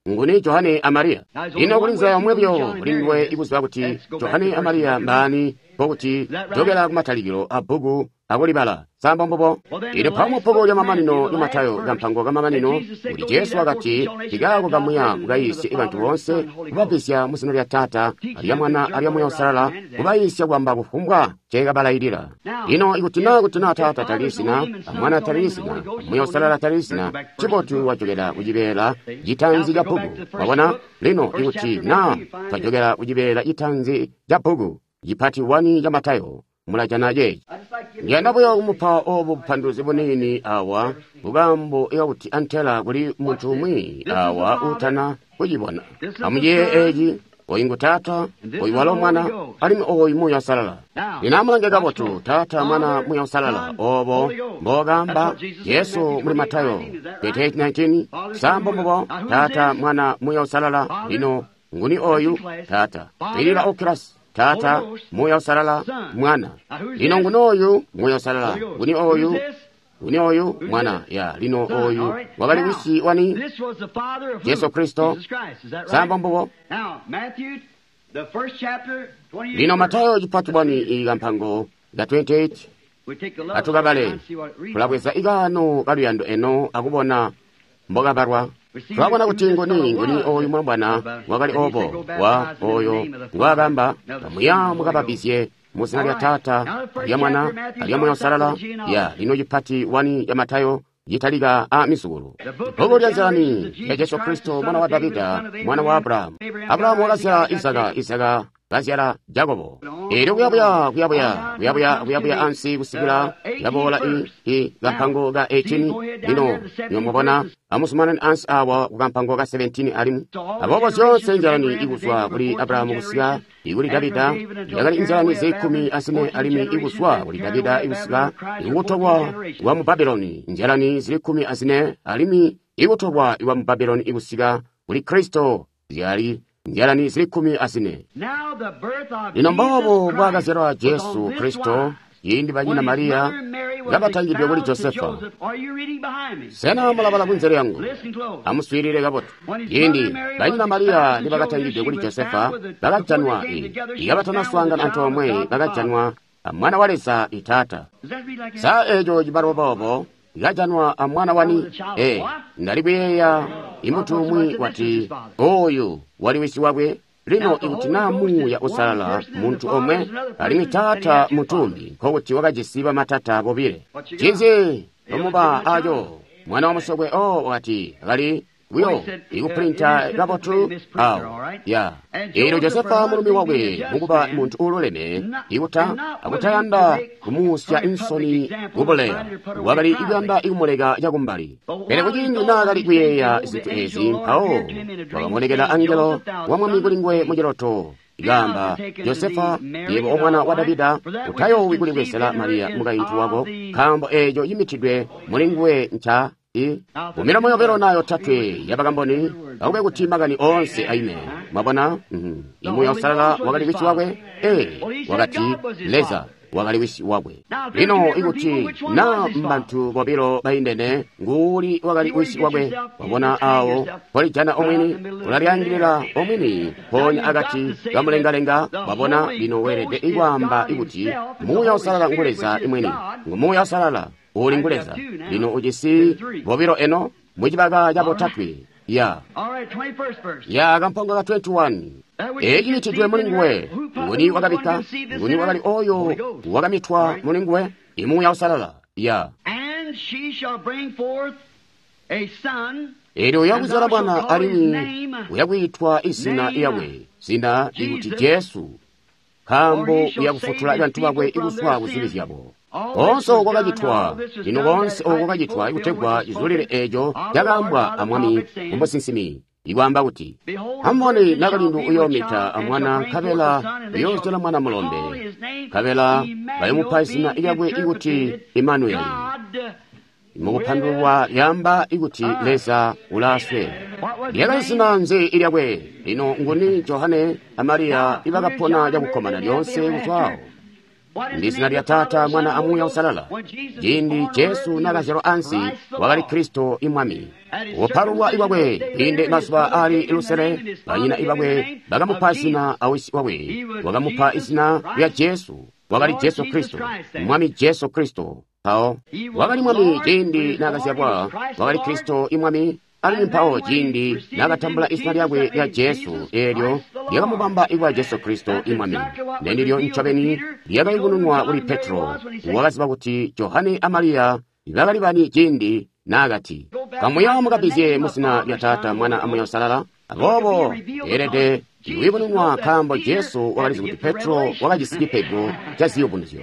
A: nguni Johane a Mariya. Lino kuli nzila yomwe buyo kuli nduwe ikuziba kuti Johane a Mariya mbaani, nkokuti jokela kumatalikilo a bbuku akulibala. Sa mbubo? Lino mpawo mu bbuku lya mamanino lya Matayo, kampango kamamanino, kuti Jesu wakati, ikaako kamuya mukayiisye bantu boonse, kubabbizya mu zina lya Taata, alya Mwana, alya Muuya Uusalala, kubayiisya kwamba kufumbwa nceekabalailila. Lino ikuti na Taata talili zina, a Mwana talili zina, a Muuya Uusalala talili zina, ncibotu wajokela kucibeela citaanzi ca bbuku. Wabona? Lino ikuti na twajokela kucibeela citaanzi ca bbuku, Cipati 1 ca Matayo, mulajana ceeci. Ndiyanda buyo kumupa obu bupanduluzi buniini awa, bukambo ikakuti antela kuli muntu umwi awa utana kucibona. Amuyeeye eeci, oyu ngu Taata, oyu walo Mwana, alimwi oyu Muuya Uusalala. Lino amulange kabotu, Taata, Mwana, Muuya Uusalala, obo mbokamba Jesu muli Matayo 28:19, sambo mbubo, Taata, Mwana, Muuya Uusalala. Lino nguni oyu? Taata. Ilila okilasi. Taata, Muuya Uusalala, Mwana. Lino nguni oyu? Muuya Uusalala. Nguni oyu? Nguni oyu? Mwana. Ya, lino oyu wakali wisi wani? Jesu Kristo. Sambo mbubo. Lino Matayo cipati 1 ikampango ka 28 atukabale tulabweza ikaano kaluyando eno akubona mbokabalwa. Twabona kuti nguni nguni oyu mulombwana wakali obo wa oyo ngwakamba kamuya mukababizye mu zina lya Taata, lya Mwana, lya Muuya Uusalala. Ya, lino cipati 1 ya Matayo yitalika a mizukulu. Bbuku lya nzilani ya Jesu Kristo, mwana wa Davida, mwana wa Abrahamu. Abrahamu wakazyala Isaka, Isaka kazyala Jakobo. Elyo kuyabuya, kuyabuya, kuyabuya, kuyabuya ansi kusikila yaboola i kampango ka 18. Lino nimubona amuzumanane ansi awa ku kampango ka 17 alimwi. Aboobo zyoonse nzalani ikuzwa kuli Abrahamu kusika ikuli Davida yakali nzalani zikumi azine alimwi ikuzwa kuli Davida ikusika ikutolwa kwa mu Babuloni nzalani zili 14 alimwi ikutolwa kwa mu Babuloni ikusika kuli Kristo zyali nzalani zili 14. Lino mboobo mbwaakazyalwa Jesu Kristo ciindi banyina Mariya kabatangidwe kuli Josefa. Sena mulabala kunzelo yangu? Amuswiilile kabotu. Ciindi banyina Mariya nibakatangidwe kuli Josefa, bakajanwa ikabatanaswaangana antoomwe, bakajanwa amwana wa Leza itaata. Sa eeco cibalwa boobo ikajanwa amwana wani? Ndali kuyeeya imuntu umwi wati oyu wali wisi wakwe. Lino ikuti naa Muuya Uusalala muntu omwe alimwi Taata mutumbi, nkokuti wakajisi bamatata bobile. Cinzi nomuba aco mwana wa musokwe o wakati akali buyo ikupulinta kabotu awo ya. Eelyo Josefa mulumi wakwe mukuba muntu uululeme ikuta akutayanda kumuusya insoni kubuleya, wakali ikuyanda ikumuleka cakumbali. Pele kuciindi naakali kuyeeya zintu ezi, mpawo wakamonekela angelo wa Mwami kuli nguwe muciloto, ikaamba, Josefa, yebo omwana wa Davida, utayoowi kulibwezela Mariya mukaintu wako, nkaambo eeco cimitidwe muli nguwe nca kumilomo yobilo nayo tatwe yabakamboni akube kuti makani onse aime. Mwabona? Imuuya Uusalala wakali wisi wakwe. Wakati Leza wakali wisi wakwe. Lino ikuti na mbantu bobilo baindene, nguuli wakali wisi wakwe? Wabona awo polijana omwini, ulalyaangilila omwini ponya akati kamulengalenga. Wabona? Lino weelede ikwaamba ikuti Muuya Uusalala ngu Leza imwini, ngu Muuya Uusalala uli ngu Leza. Lino ujisi bobilo eno mucibaka ca botatwe. Ya ya kampango ka 21. Eeci citidwe muli nguwe. Nguni wakabikka? Nguni wakali oyo wakamitwa muli nguwe? Imuuya Uusalala. Ya. Eelyo uyakuzyala mwana alimwi uyakwiitwa izina lyakwe, zina ikuti Jesu, nkaambo uyakufutula bantu bakwe ikuzwa kuzibi zyabo. Koonse oko kwakacitwa, lino koonse oko kwakacitwa ikutegwa cizulile eeco cakaambwa a Mwami mumusinsimi, ikwaamba kuti, amubone nakalindu uyoomita amwana, nkabela uyoozyala mwana mulombe, nkabela bayomupa izina lyakwe ikuti Imanueli. Mukupandulwa lyamba ikuti Leza ulaaswe. Lyakali zina nzi ilyakwe? Lino nguni Johane a Mariya ibakapona cakukkomana lyoonse kuzwaawo? Ndi zina lya Taata, Mwana a Muuya Uusalala. Ciindi Jesu naakazyalwa ansi, wakali Kristo imwami. Kupalulwa ikwakwe kwiinde mazuba aali lusele, banyina ibakwe bakamupa zina awisi wakwe, wakamupa izina lya Jesu. Wakali Jesu Kristo, Mwami Jesu Kristo. Mpawo wakali Mwami ciindi naakazyalwa, wakali Kristo imwami. Alimwi mpawo ciindi naakatambula izina lyakwe lya Jesu, eelyo lyakamubamba ikwa Jesu Kristo imwami. Ndendilyo ncobeni lyakayubununwa kuli Petro, wakaziba kuti Johane a Mariya bakali bani ciindi naakati, kamuya mukabizye muzina lya Taata, Mwana a Muuya Uusalala. Aboobo eelede Kuyubununwa nkaambo Jesu wakalizi kuti Petro wakajisi cipego ca ziyubunuzyo.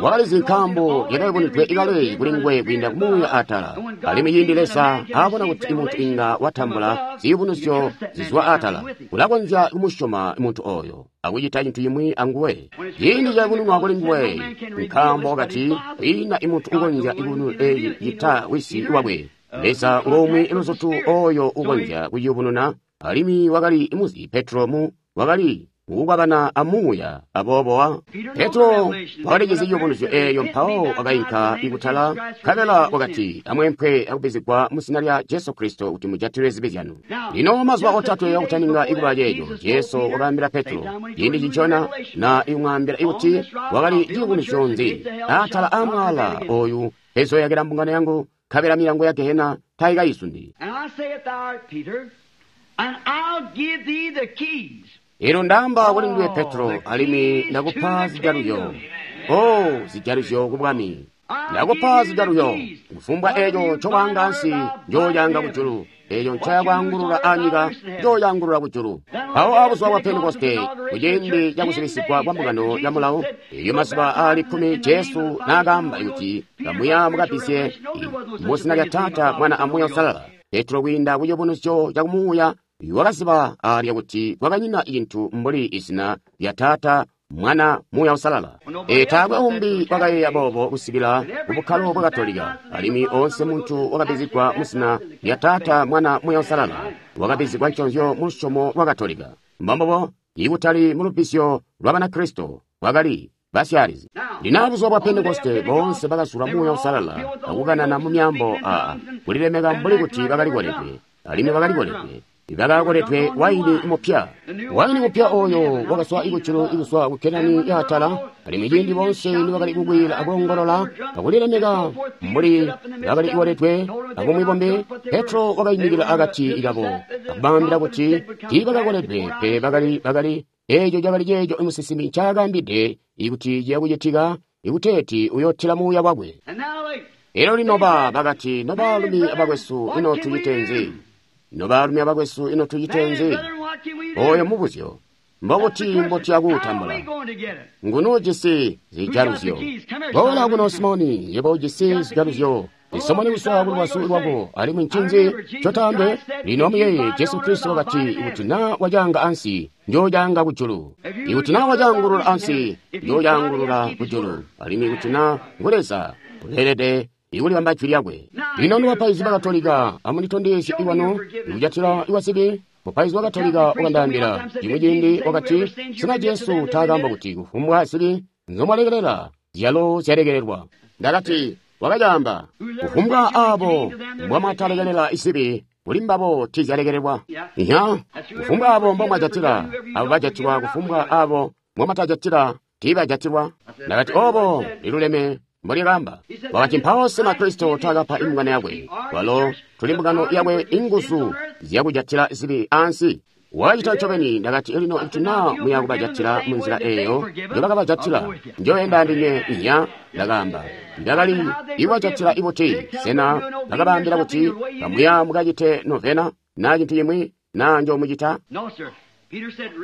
A: Wakalizi nkaambo lyakayubunudwe kale kuli nguwe kwiinda kumuuya atala. Alimwi ciindi Leza aabona kuti muntu inga watambula ziyubunuzyo zizwa atala, ulakonzya kumusyoma muntu oyo akucita cintu cimwi anguwe. Ciindi cayubununwa kuli nguwe, nkaambo wakati kwiina imuntu ukonzya kuyubununa eeci cita wisi wakwe. Leza ngomwe luzutu oyo ukonzya kuyubununa, alimwi wakali muzi Petro wakali kukwabana amuuya aboobo Petro wakalijizi ciyubunuzyo eeyo mpawo wakainka ikutala nkabela wakati amwempwe akubbizigwa mu zina lya Jesu Kristo kuti mujatilwe zibi zyanu. Lino mazuba otatwe akutaninga ikuba ceeco, Jesu wakaambila Petro ciindi cincona na ikumwaambila ikuti wakali ciyubunuzyo nzi atala amwala oyu ezoyakila mbungano yangu nkabela milango ya gehena taikayizundi. Elo ndaamba kuli nduwe Petro, alimwi ndakupa zijaluzyo. Oh, zijaluzyo ku bwami. Ndakupa zijaluzyo. Kufumbwa eeco ncowaanga ansi, njooyaanga kujulu. Eeco ncoyakwaangulula anyika, njooyaangulula kujulu. Mpawo abuzuba bwa Pentekoste, kuciindi cakuzibisigwa kwa mbungano ya mulawo, eeyo mazuba aali 10 Jesu naakaamba kuti kamuya mukabbizye mu zina lya Taata, Mwana a Muuya Uusalala. Petro kwiinda kuciyubunuzyo cakumuuya wakaziba alya kuti kwakanyina cintu mbuli izina lya Taata, Mwana, Muuya Uusalala. Taakwe umbi wakayeeya boobo kusikila kubukkalo bwa Katolika, alimwi oonse muntu wakabbizigwa mu zina lya Taata, Mwana, Muuya Uusalala wakabbizigwa nconzyo mu lusyomo lwa Katolika. Mbombobo, ikutali mu lubbizyo lwa Banakristo, bwakali basyaalizi. Lino buzuba bwa Pentekoste boonse bakazula Muuya Uusalala akukanana mu myaambo kulilemeka mbuli kuti bakali koledwe, alimwi bakali koledwe. Bakakoledwe waini mupya. Waini mupya oyo wakazwa ikujulu ikuzwa ku Kenani yaatala, alimwi ciindi boonse nibakali kukwiila akoongolola akulilemeka mbuli bakali koledwe akumwibombe, Petro wakaimikila akati kabo akubaambila kuti tiibakakoledwe pele bakali eeco cakali ceeco musinsimi ncaakaambide ikuti ciyakucitika ikuteeti uyootila muuya wakwe. Elyo lino bakati, nobaalumi abakwesu, ino tucite nzi? Nobaalumi abakwesu, ino tucite nzi? Oyo mubuzyo. Mbobuti mbotuya kuutambula? Nguni ujisi zijaluzyo? Boola kuno Simoni, yebo ujisi zijaluzyo. Isomoni kuzwa ku lubazu lwako, alimwi ncinzi ncotaambe? Lino amuyeeye, Jesu Kristo wakati, ikuti naa wacaanga ansi, njoocaanga kujulu. Ikuti naa wacaangulula ansi, njoocaangulula kujulu. Alimwi ikuti naa ngu Leza, uleelede ikulibamba jwi lyakwe. Lino nobapaizi ba Katolika, amunditondezye iwanu ikujatila iwazibi. Mupaizi wa Katolika wakandaambila cimwi ciindi wakati, sena Jesu taakaamba kuti kufumbwa zibi nzomwalekelela zyalo zyalekelelwa? Ndakati, wakacaamba, kufumbwa aabo mbomwatalekelela zibi kuli mbabo tiizyalekelelwa. Iya, kufumbwa aabo mbomwajatila, abo bajatilwa, kufumbwa aabo mbomwatajatila tiibajatilwa. Ndakati, obo liluleme mbolyakaamba. Wakati, mpawo sena Kristo taakapa imbungano yakwe, walo tuli mbungano yakwe, inguzu zyakujatila zibi ansi? Wakacita ncobeni. Ndakati, lino kuti naa muya kubajatila munzila eeyo njobakabajatila, njoenda andinywe. Iya, ndakaamba. Ndakali ikubajatila ibuti? Sena bakabaambila kuti kamuya mukacite novena naa cintu cimwi naa njomucita?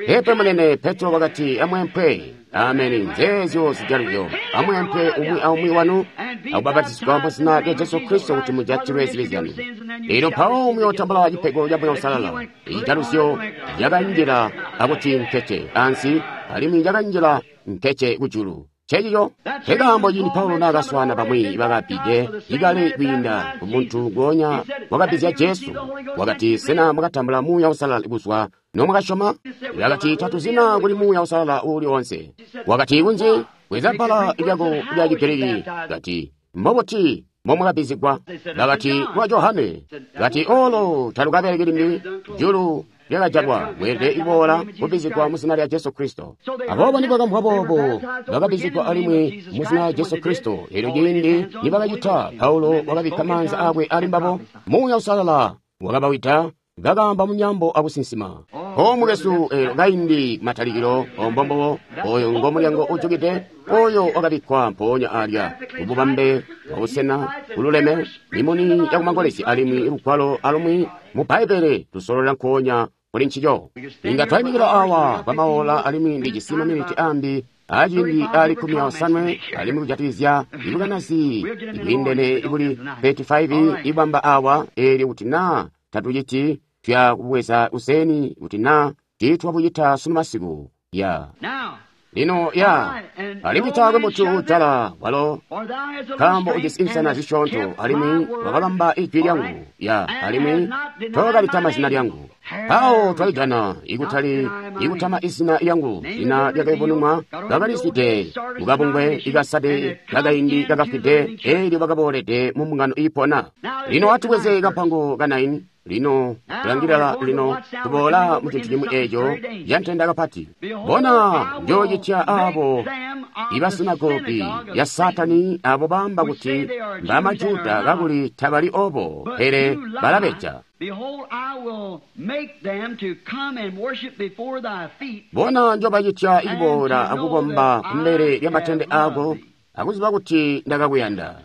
A: Pepe munene, Petro wakati, amwempwe. Ameni. Nzeezyo zijaluzyo. Amwempwe umwi aumwi wanu akubapatizigwa mu zina lya Jesu Kristo kuti mujatilwe zibi zyanu. Lino mpawo muyootambula cipego ca Muuya Uusalala. Izijaluzyo zyakanjila akuti nkece ansi, alimwi zyakanjila nkece kujulu. Ncencico nkekaambo ciindi Paulo naakaswaana bamwi bakabbide ikale kwiinda kumuntu nguonya wakabbizya Jesu, wakati, sena mwakatambula Muuya Uusalala kuzwa nomwakasyoma? Wakati, tatuzina kuli Muuya Uusalala uuli oonse. Wakati, kunzi bweza bbala lyako lya Chigiriki. Kati, mbobuti mbomwakabbizigwa? Bakati, lwa Johane. Kati, olo talukabeleki limbi, julu lyakajalwa, mweelede kuboola kubbizigwa mu zina lya Jesu Kristo. Aboobo nibakamvwa boobo, bakabbizigwa alimwi mu zina lya Jesu Kristo. Elyo ciindi nibakacita, Paulo wakabikka maanza aakwe ali mbabo, Muuya Uusalala wakabawida, bakaamba mu myaambo akusinsima. O mukwesu, eelyo kaindi matalikilo, ombombobo, oyo ngo mulyango ujukide, oyo wakabikkwa mpoonya alya, ububambe bwabusena bululeme, mimuni yakumangolezya alimwi lugwalo alumwi mu Bbaibbele tusololela nkoonya kuli ncico. Inga twaimikila awa kwa maola alimwi ndijisi maminiti ambi aciindi ali 15 alimwi kujatikizya ibukanazi ibwiindene ibuli 35 ibamba awa eelyo kuti naa tatuciti tuya kubweza kuseni kuti naa tiitwabucita sunu masiku ya lino ya alimwi taakwe muntu uujala walo nkaambo ujisi insana zisyoonto alimwi wakabamba ijwi lyangu ya alimwi tookalitama zina lyangu. Mpawo twalijana ikutali ikutama izina lyangu, zina lyakayubununwa bakalizwide mukabungwe ikasade kakaindi kakafwide eelyo bakaboolede mu mbungano iipona. Lino atubweze kampango ka 9. Lino tulangilila lino tuboola mu cintu cimwi eeco cantenda kapati. Bona njoocitya aabo ibasinagogi ya Satani abo baamba kuti mbamajuda kakuli tabali obo pele balabeja. Bona njobacitya ikuboola akukomba kumbele lyamatende aako akuziba kuti ndakakuyanda.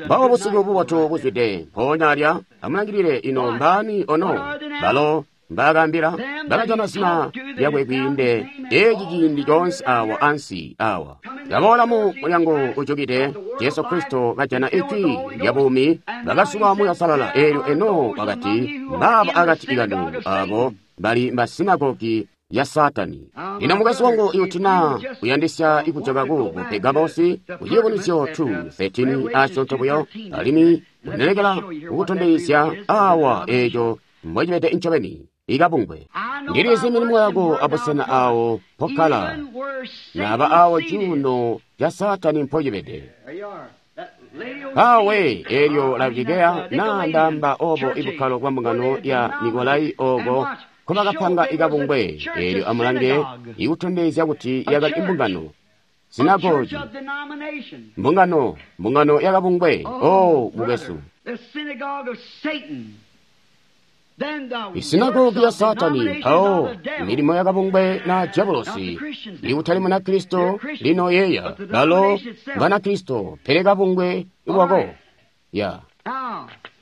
A: Mpawo busiku bubotu buzwide mpoonya alya amulangilile ino mbaani ono balo mbaakaambila bakajana zina lyakwe kwiinde eeci ciindi coonse awa ansi awa. Kaboola mu mulyango ujukide Jesu Kristo kajana ijwi lya buumi bakasuka Muuya Uusalala eelyo eno wakati mbaaba akati kanu abo bali mbasinagogi ya Satani. Lino mukwesu wangu ikuti naa uyandisya ikujoka ku Pergamosi kuciyubunuzyo 2:13 asyoonto buyo alimwi unelekela kukutondezya awa eeco mbocibede ncobeni ikabungwe. Ndilizi milimo yako abusena awo mpokkala naba awo cuuno ca Satani mpocibede. Mpawe eelyo Laodikeya naa ndaamba obo ibukkalo bwa mbungano ya Nikolai ooko nkobakapanga ikabungwe eelyo amulange ikutondezya kuti yakali imbungano sinagogi mbungano mbungano yakabungwe. O mukwesu, isinagogi ya Satani mpawo milimo yakabungwe na diabolosi ikutali Munakristo. Lino yeeya balo Banakristo pele kabungwe lwako ya.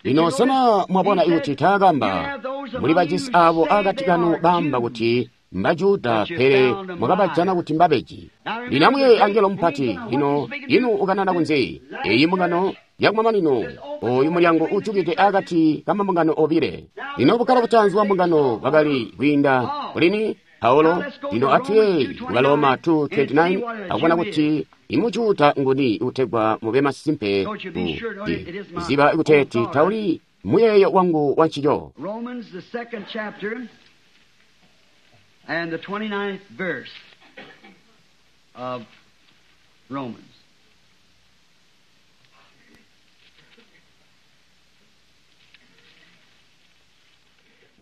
A: Lino sena mwabona ikuti taakamba muli bajisi abo akati kanu baamba kuti mbajuda pele mwakabajana kuti mbabeji. Lino amuyeeye angelo mupati lino inu ukanana kunze eyi mbungano yakumamanino oyu mulyango ujukide akati kamambungano obile. Lino bukkalo butaanzi bwa mbungano bwakali kwiinda kulini Paulo. Lino atuye ku Baloma 2:29 akubona kuti imujuda nguni utegwa mube masimpe kuziba ikuteeti tauli muyeeyo wangu wa ncico.
B: Romans the second chapter and the 29th verse of Romans.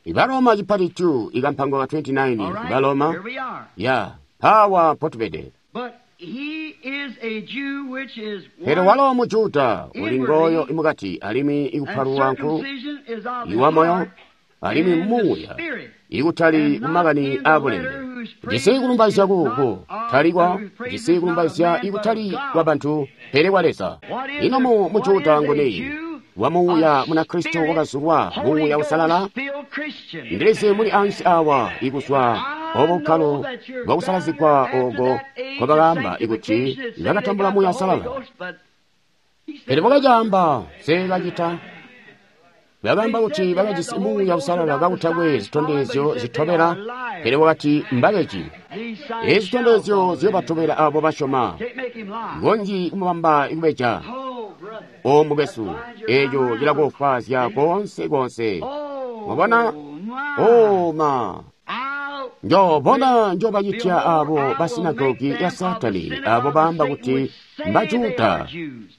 A: Ibaroma chipati 2 ikampango ka 29 Ibaroma ya pawa potubede. Pele walo mujuda uli ngoyo imukati alimwi ikupalulwa nku iwa moyo alimwi muuya ikutali kumakani abulembe. Jisi kulumbaizya kuku talikwa jisi kulumbaizya ikutali kwa bantu pele kwa Leza. Ino mu mujuda nguni wa muuya Munakristo wakazulwa muuya usalala? Ndilizi muli ansi awa ikuzwa obo bukkalo bwakusalazigwa ogo nkobakaamba ikuti bakatambula muuya usalala. Pele bakacaamba seekacita. Bakaamba kuti bakajisi muuya usalala kakutakwe zitondezyo zitobela, pele wakati mbabeji. Ezi zitondezyo ziyobatobela abo basyoma. Ngonji kumubamba ikubeja. O mukwesu, eeco cilakofwaazya koonse koonse. Mwabona? O ma! Njoobona njobacitya abo basinagogi ya Satani, abo baamba kuti mbajuda,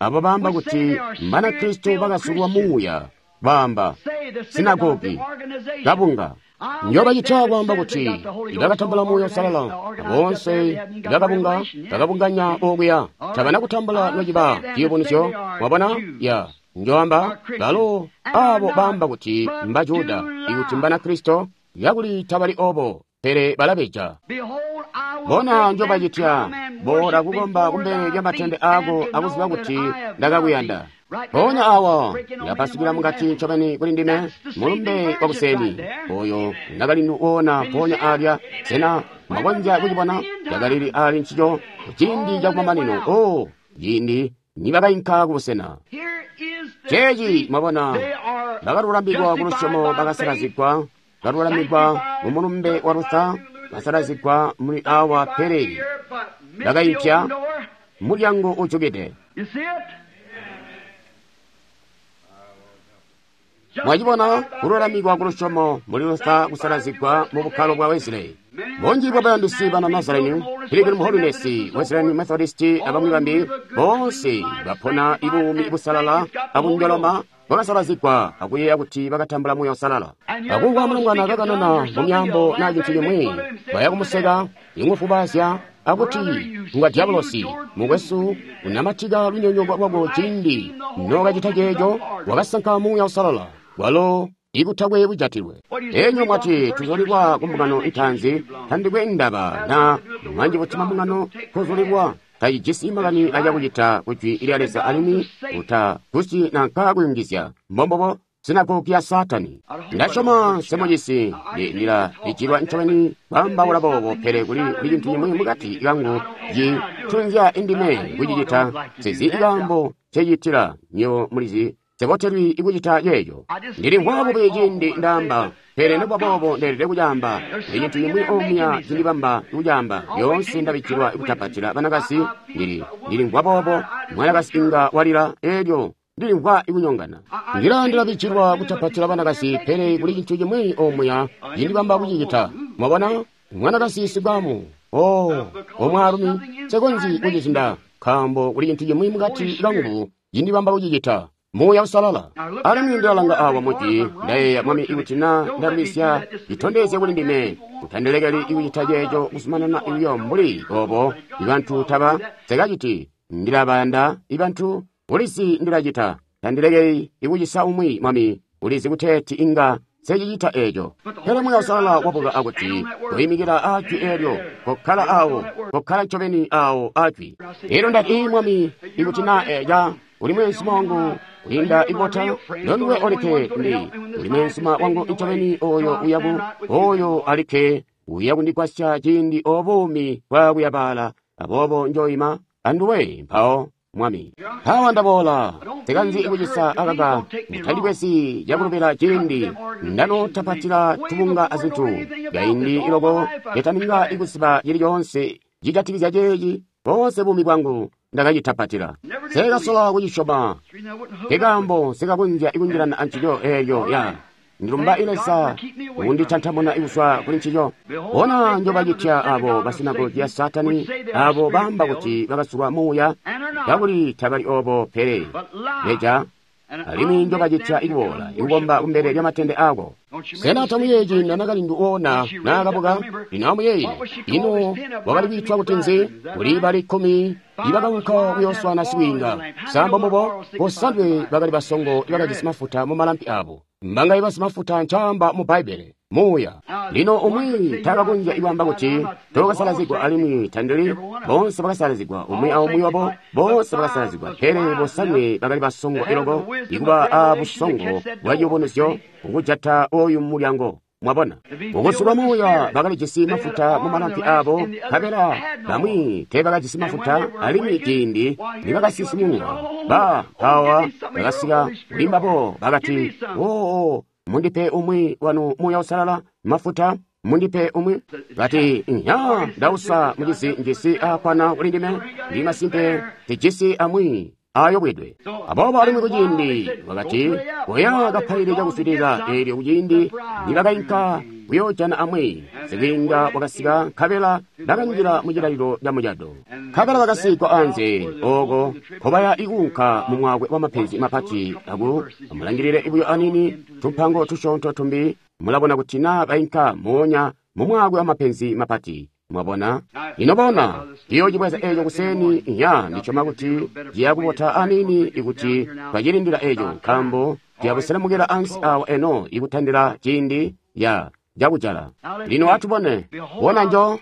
A: abo baamba kuti Mbanakristo bakazulwa muuya, baamba sinagogi kabunga. Njobacitya kwaamba kuti bakatambula muuya usalala, boonse bakabunga bakabunganya okuya tabana kutambula nociba ciyubunuzyo. Mwabona? Ya njoamba balo abo baamba kuti mbajuda ikuti Mbanakristo yakuli tabali obo pele balabeja. Bona njobacitya boola kukomba kumbele lyamatende aako akuziba kuti ndakakuyanda. Mpoonya awa ilapasukila mukati ncobeni kuli ndime, mulumbe wa kuseni oyo ndakali woona mpoonya alya. Sena mwakonzya kucibona? Cakalili ali ncico ciindi cakumamanino. Oh, ciindi nibakainka kubusena. Ceeci mwabona, bakalulamikwa ku lusyomo, bakasalazigwa, bakalulamikwa mu mulumbe wa Luther, basalazigwa muli awa, pele bakaipya mulyango ujukide. Mwacibona, kululamikwa ku lusyomo muli Luther, kusalazigwa mu bukkalo bwa Wesley. Bunji bwa bayandisi bana Nazarene, Pilgrim Holiness, Wesleyan Methodist, abamwi bambi boonse bapona ibuumi busalala abunjoloma, bakasalazigwa akuyeeya kuti bakatambula Muuya Uusalala. Akumvwa mulongwana kakanana mu myaambo na cintu cimwi, baya kumuseka, imufubaazya, akuti ngwa diabolosi. Mukwesu, unamatika lunyonyooko lwako ciindi nokacita ceeco, wakasanka Muuya Uusalala walo ikutakwe bujatilwe. Enyo mwati tuzulilwa ku mbungano itaanzi, tandikwe ndaba na mwanji buti mambungano kuzulilwa tacijisi makani acakucita ku jwi lya Leza alimwi utagusyi nanka kuyungizya. Mbombobo sinagogi ya Saatani. Ndasyoma nsemujisi, ndila lijilwa ncobeni kwaambaula boobo, pele kuli cintu cimwi mukati kangu citunzya indime kucicita. Nsizi kaambo ncecitila, nywebo mulizi sebotelwi ikucita ceeco. Ndilimvwa bubi ciindi ndaamba, pele nokuba boobo ndeelede kucaamba. Kuli cintu cimwi omuya cindibamba kucaamba. Lyoonse ndabikkilwa kutapatila banakazi, ndilimvwa boobo. Mwanakazi inga walila, eelyo ndilimvwa ikunyongana. Ndila ndilabikkilwa kutapatila banakazi, pele kuli cintu cimwi omuya cindibamba kucicita. Mwabona, mwanakazi sibwamu, oh, omwaalumi, nsekonzyi kucizinda, nkaambo kuli cintu cimwi mukati kangu cindibamba kucicita. Muuya Uusalala. Alimwi ndilalanga awa mujwi, ndayeeya, Mwami, ikuti na ndalwisya, citondezye kuli ndime. Utandilekeli ikucita ceeco kuzumanana buyo mbuli obo. Ibantu taba nsekaciti. Ndilabayanda ibantu, ulizi ndilacita. Tandilekeli ikucisa umwi, Mwami, ulizi kuteeti inga nsecicita eeco. Pele Muuya Uusalala wabuka akuti, koimikila aajwi eelyo, kokkala awo, kokkala ncobeni awo aajwi. Elyo ndati, Mwami, ikuti na eca uli mweenzuma wangu kwiinda ibota, nonduwe olikke ndi uli mweenzuma wangu ncobeni oyo uyaku, oyo alikke uya kundigwasya ciindi obuumi bwakuyabaala, aboobo njoima anduwe mpawo, Mwami. Mpawa ndaboola, nsikanzi kucisa akaka, mutandibwezi cakulubila ciindi ndanotapatila tubunga azintu. Kaindi iloko ndetaninga ikuziba cili coonse cijatikizya ceeci, boonse buumi bwangu ndakacitapatila. Nsekasola kucisyoma, nkekaambo nsekakonzya kunjilana ancico eeyo ya. Ndilumba Leza kunditantamuna kuzwa kuli ncico. Bona njobacitya abo basinagogi ya Saatani, abo baamba kuti bakasulwa muuya, kakuli tabali obo, pele beja, alimwi njobacitya ikuboola ikukomba kumbele lyamatende ako. Sena tamuyeeyi ciindi nakalindu woona naakabuka? Lino amuyeeye, ino wakali kwiitwa kuti nzi? Kuli bali 10 ibakaunka kuyooswana sibwiinga. Sambo mubo bosanwe bakali basongo ibakajisi mafuta mumalampi abo. Mbangaye basimafuta ncaamba mu Bbaibbele? Muuya. Lino umwi taakakonzya ikwaamba kuti tokasalazigwa alimwi tandili. Boonse bakasalazigwa, umwi aumwi wabo, boonse bakasalazigwa. Pele bosanwe bakali basongo iloko, ikuba a busongo bwa ciyubunuzyo kukujata oyu mulyango. Mwabona, kukusulwa muuya bakalijisi mafuta mumalampi abo, nkabela bamwi teebakajisi mafuta. Alimwi ciindi nibakasisimulwa, ba mpawa bakasika kuli mbabo bakati, oo, mundipe umwi wanu Muuya Uusalala mafuta, mundipe umwi. Bati, nya ndausa mucizi njisi aakwana kuli ndime, ndi masimpe tijisi amwi ayobwedwe. Aboobo alimwi kuciindi wakati, koya kapaile cakuswilila. Eelyo kuciindi nibakainka kuyoojana amwi, sibwiinga wakasika, nkabela bakanjila mucilalilo ca mucado. Nkabela bakasigwa anze ooko nkobaya ikuunka mu mwaakwe wa mapenzi mapati. Aku amulangilile buyo anini tumpango tusyoonto tumbi, mulabona kuti naa bainka moonya mu mwaakwe wa mapenzi mapati. Mwabona? Ino bona, ciyoocibweza eeco kuseni, ya ndisyoma kuti ciyakubota anini ikuti twacilindila eeco, nkaambo ciyabuselemukila ansi awa eno ikutandila ciindi ya cakujala. Lino atubone, bona njo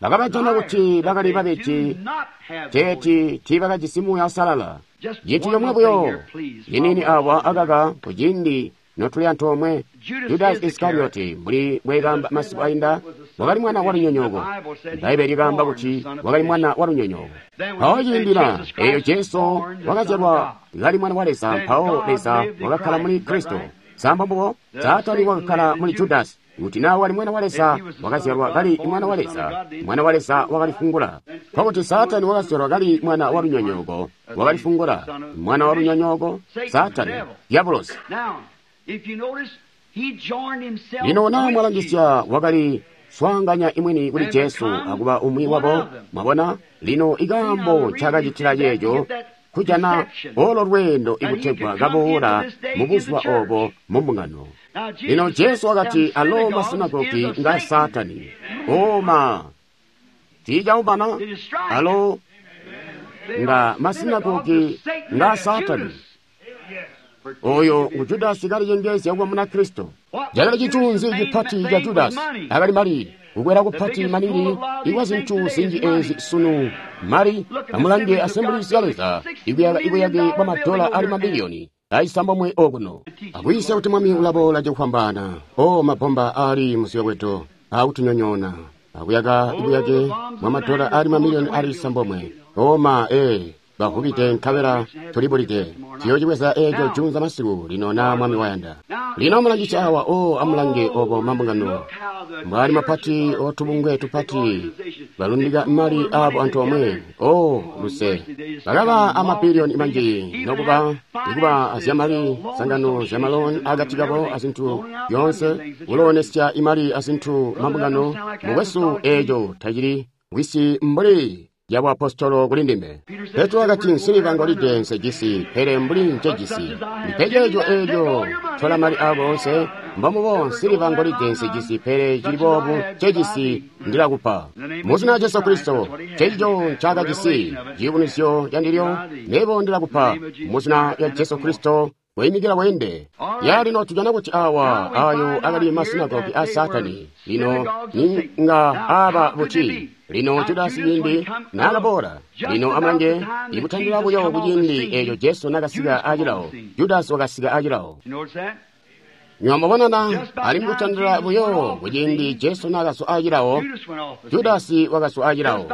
A: bakabajana kuti bakali babeji, teeti tiibakajisi Muuya Uusalala. Cintu comwe buyo ciniini awa akaka kuciindi notuli antoomwe. Judasi Iskarioti, mbuli mbwekaamba masiku ainda, wakali mwana wa lunyonyooko. Bbaibbele likaamba kuti wakali mwana wa lunyonyooko. Mpawo ciindila eyo Jesu wakazyalwa kali mwana wa Leza, mpawo Leza wakakkala muli Kristo. Samba mbubo, Saatani wakakkala muli Judasi. Kuti naa wali mwana wa Leza, wakazyalwa kali mwana wa Leza, mwana wa Leza wakalifungula. Nkokuti Saatani wakazyalwa kali mwana wa lunyonyooko, wakalifungula. Mwana wa lunyonyooko, Saatani, diabolosi. Lino naa mwalangisya, wakali swaanganya imwini kuli Jesu akuba umwi wabo. Mwabona, lino ikaambo ncaakacitila ceeco kujana olo lweendo ikutegwa kaboola mu buzuba obo mu mbungano. Lino Jesu wakati, alo masinagogi nga Saatani. Oma tiicaumana, alo nga masinagogi nga Saatani. Oyo ngu Judasi kalicengeezya kuba Munakristo. Cakali cintu cipati ca Judasi akali mali, kukwela kupati maningi ikwa zintu zinji ezi sunu mali. Amulange Assemblies ya Leza ikuyaka ibuyake bwa madola ali mabiliyoni aisambomwe okuno akuyisya kuti mwami ulaboola cakufwambaana. O mabomba ali muziyobwedo akutunyonyoona, akuyaka ibuyake bwa madola ali mamiliyoni ali isambomwe. Oma bavubide nkabela tulibulide. Tuyoocibweza eeco junza masiku lino na mwami wayanda. Lino amulangisya awa, o amulange obo mambungano mbwali mapati otubungwe tupati balundika mali abo antoomwe. O luse bakaba amabiliyoni manji nokuba ikuba azyamali sangano zyamaloni akati kabo azintu yoonse kuloonesya imali azintu mambungano. Mukwesu, eeco tacili wisi mbuli yabuapostolo kuli ndime. Petro wakati, nsiliva ngolide nsejisi, pele mbuli ncejisi ndipe ceeco eeco. Tola mali ako onse. Mbomubo, nsiliva ngolide nsejisi, pele cili boobu ncejisi ndilakupa. Muzina lya Jesu Kristo, cecico ncaakajisi ciyubunuzyo candilyo, nebo ndilakupa. Muzina lya Jesu Kristo, weimikila weende. Ya lino tujana kuti awa ayo akali masinagogi a Saatani. Lino ninga aba buti. Lino Judasi ciindi naakaboola, lino amulange ikutandila buyo kuciindi eeco Jesu naakasika acilawo, Judasi wakasika acilawo. Nywamubonana alimwi kutandila buyo kuciindi Jesu naakaswa acilawo, Judasi wakaswa acilawo.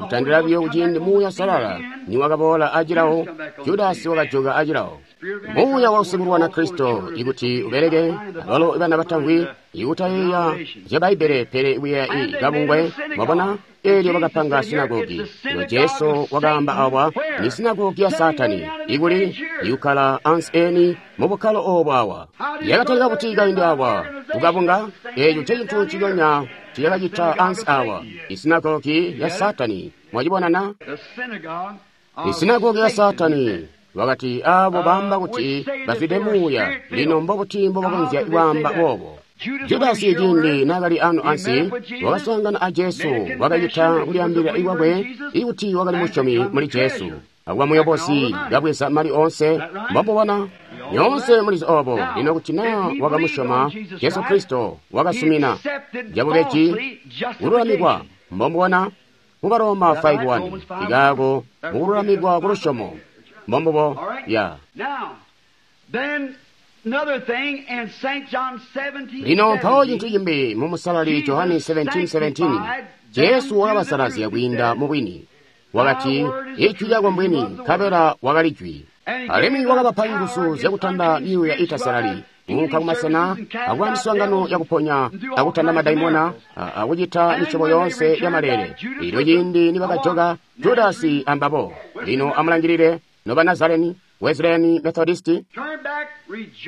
A: Kutandila buyo kuciindi Muuya Salala niwakaboola acilawo, Judasi wakajoka acilawo. Muuya wausikulwana Kristo ikuti ubeleke abalo bana batamvwi ikutayeeya zya Bbaibbele pele kuyeeya i kabungwe. Mwabona, eelyo bakapanga sinagogi. Lino Jesu wakaamba awa ni sinagogi ya Saatani ikuli ikukkala ansi eni mu bukkalo oobo awa. Yakatalika kuti kaindi awa kukabunga, eeco ncecintu ciconya ciyakacita ansi awa, isinagogi ya Saatani. Mwacibonana? Isinagogi ya Saatani. Wakati abo baamba kuti bazwide muuya, lino mbobuti mbobakonzya kwaamba boobo? Judasi ciindi naakali ano ansi wakaswaangana a Jesu, wakacita kulyaambilila ikwakwe ikuti wakali musyomi muli Jesu, akuba muyobozi kabweza mali oonse. Mbomubona nyoonse mulizi obo. Lino kuti naa wakamusyoma Jesu Kristo, wakasumina cabubeji kululamikwa. Mbomubona mu Baroma 5:1 ikaako mukululamikwa kulusyomo. Mbombubo ya. Lino mpawo cintu cimbi mu musalali Johani 17:17, Jesu wakabasalazya kwiinda mu bwini. Wakati, ijwi lyako mbwini, nkabela wakali jwi. Alimwi wakabapa nguzu zyakutanda myuuya itasalali, kuunka kumasena akuba miswaangano yakuponya, akutanda madaimona, akucita misyobo yoonse ya maleele. Elyo ciindi nibakajoka Judasi ambabo. Lino amulangilile noba Nazareni, Wesleyani, Methodisti,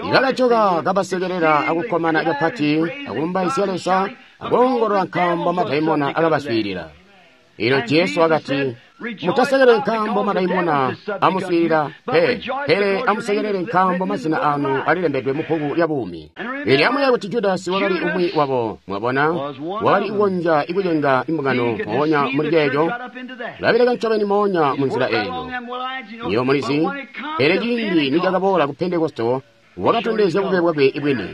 A: ibakajoka kabasekelela akukkomana kapati, akulumbaizya Leza, akoongolola nkaambo madaimona akabaswiilila. Elyo Jesu wakati, mutasekelele nkaambo madaimona amuswiilila pe, pele amusekelele nkaambo mazina anu alilembedwe mu bbuku lya buumi. Elyo amuyeeye kuti Judasi wakali umwi wabo. Mwabona, wakali kukonzya ikucenga imbungano moonya muli ceeco, ulabeleka ncobeni moonya munzila eyo. Nywebo mulizi, pele ciindi nicakaboola ku Pentekosto, Wakatondezya bube bwakwe bwini.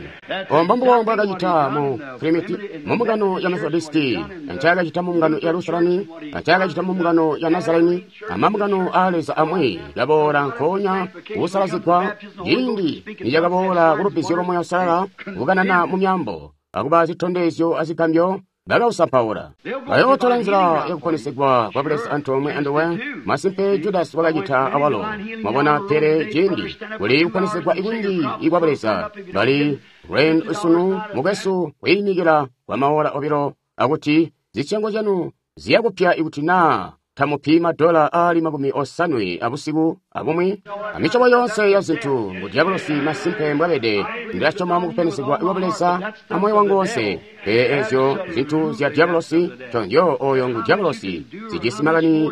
A: Ombo mbubo mbwakacita mu Trinity, mu mbungano ya Methodisti, ncaakacita mu mbungano ya Lutherani, ncaakacita mu mbungano ya Nazareni, amambungano aa Leza amwi kaboola nkoonya kusalazigwa ciindi nicakaboola kulubbizyo lwa Muuya Uusalala, kukanana mu myaambo, akuba zitondezyo azigambyo, bakausampaula. Bayootola nzila yakuponesegwa kwa Buleza antoomwe anduwe. Masimpe Judasi wakacita awalo. Mwabona, pele ciindi kuli kuponesegwa ikunji ikwa Buleza, bali lwendo sunu mukwesu kwiimikila kwa maola obilo akuti zisyango zyanu ziyakupya ikuti naa tamupi madola aali 70 abusiku abumwi amisyobo yoonse ya zintu ngu diabolosi. Masimpe mbwabede. Ndilasyoma mukuponesegwa kwa Buleza amoyo wangu wonse, pele ezyo zintu zya diabolosi tonzyo oyo ngu diabolosi zijisi makani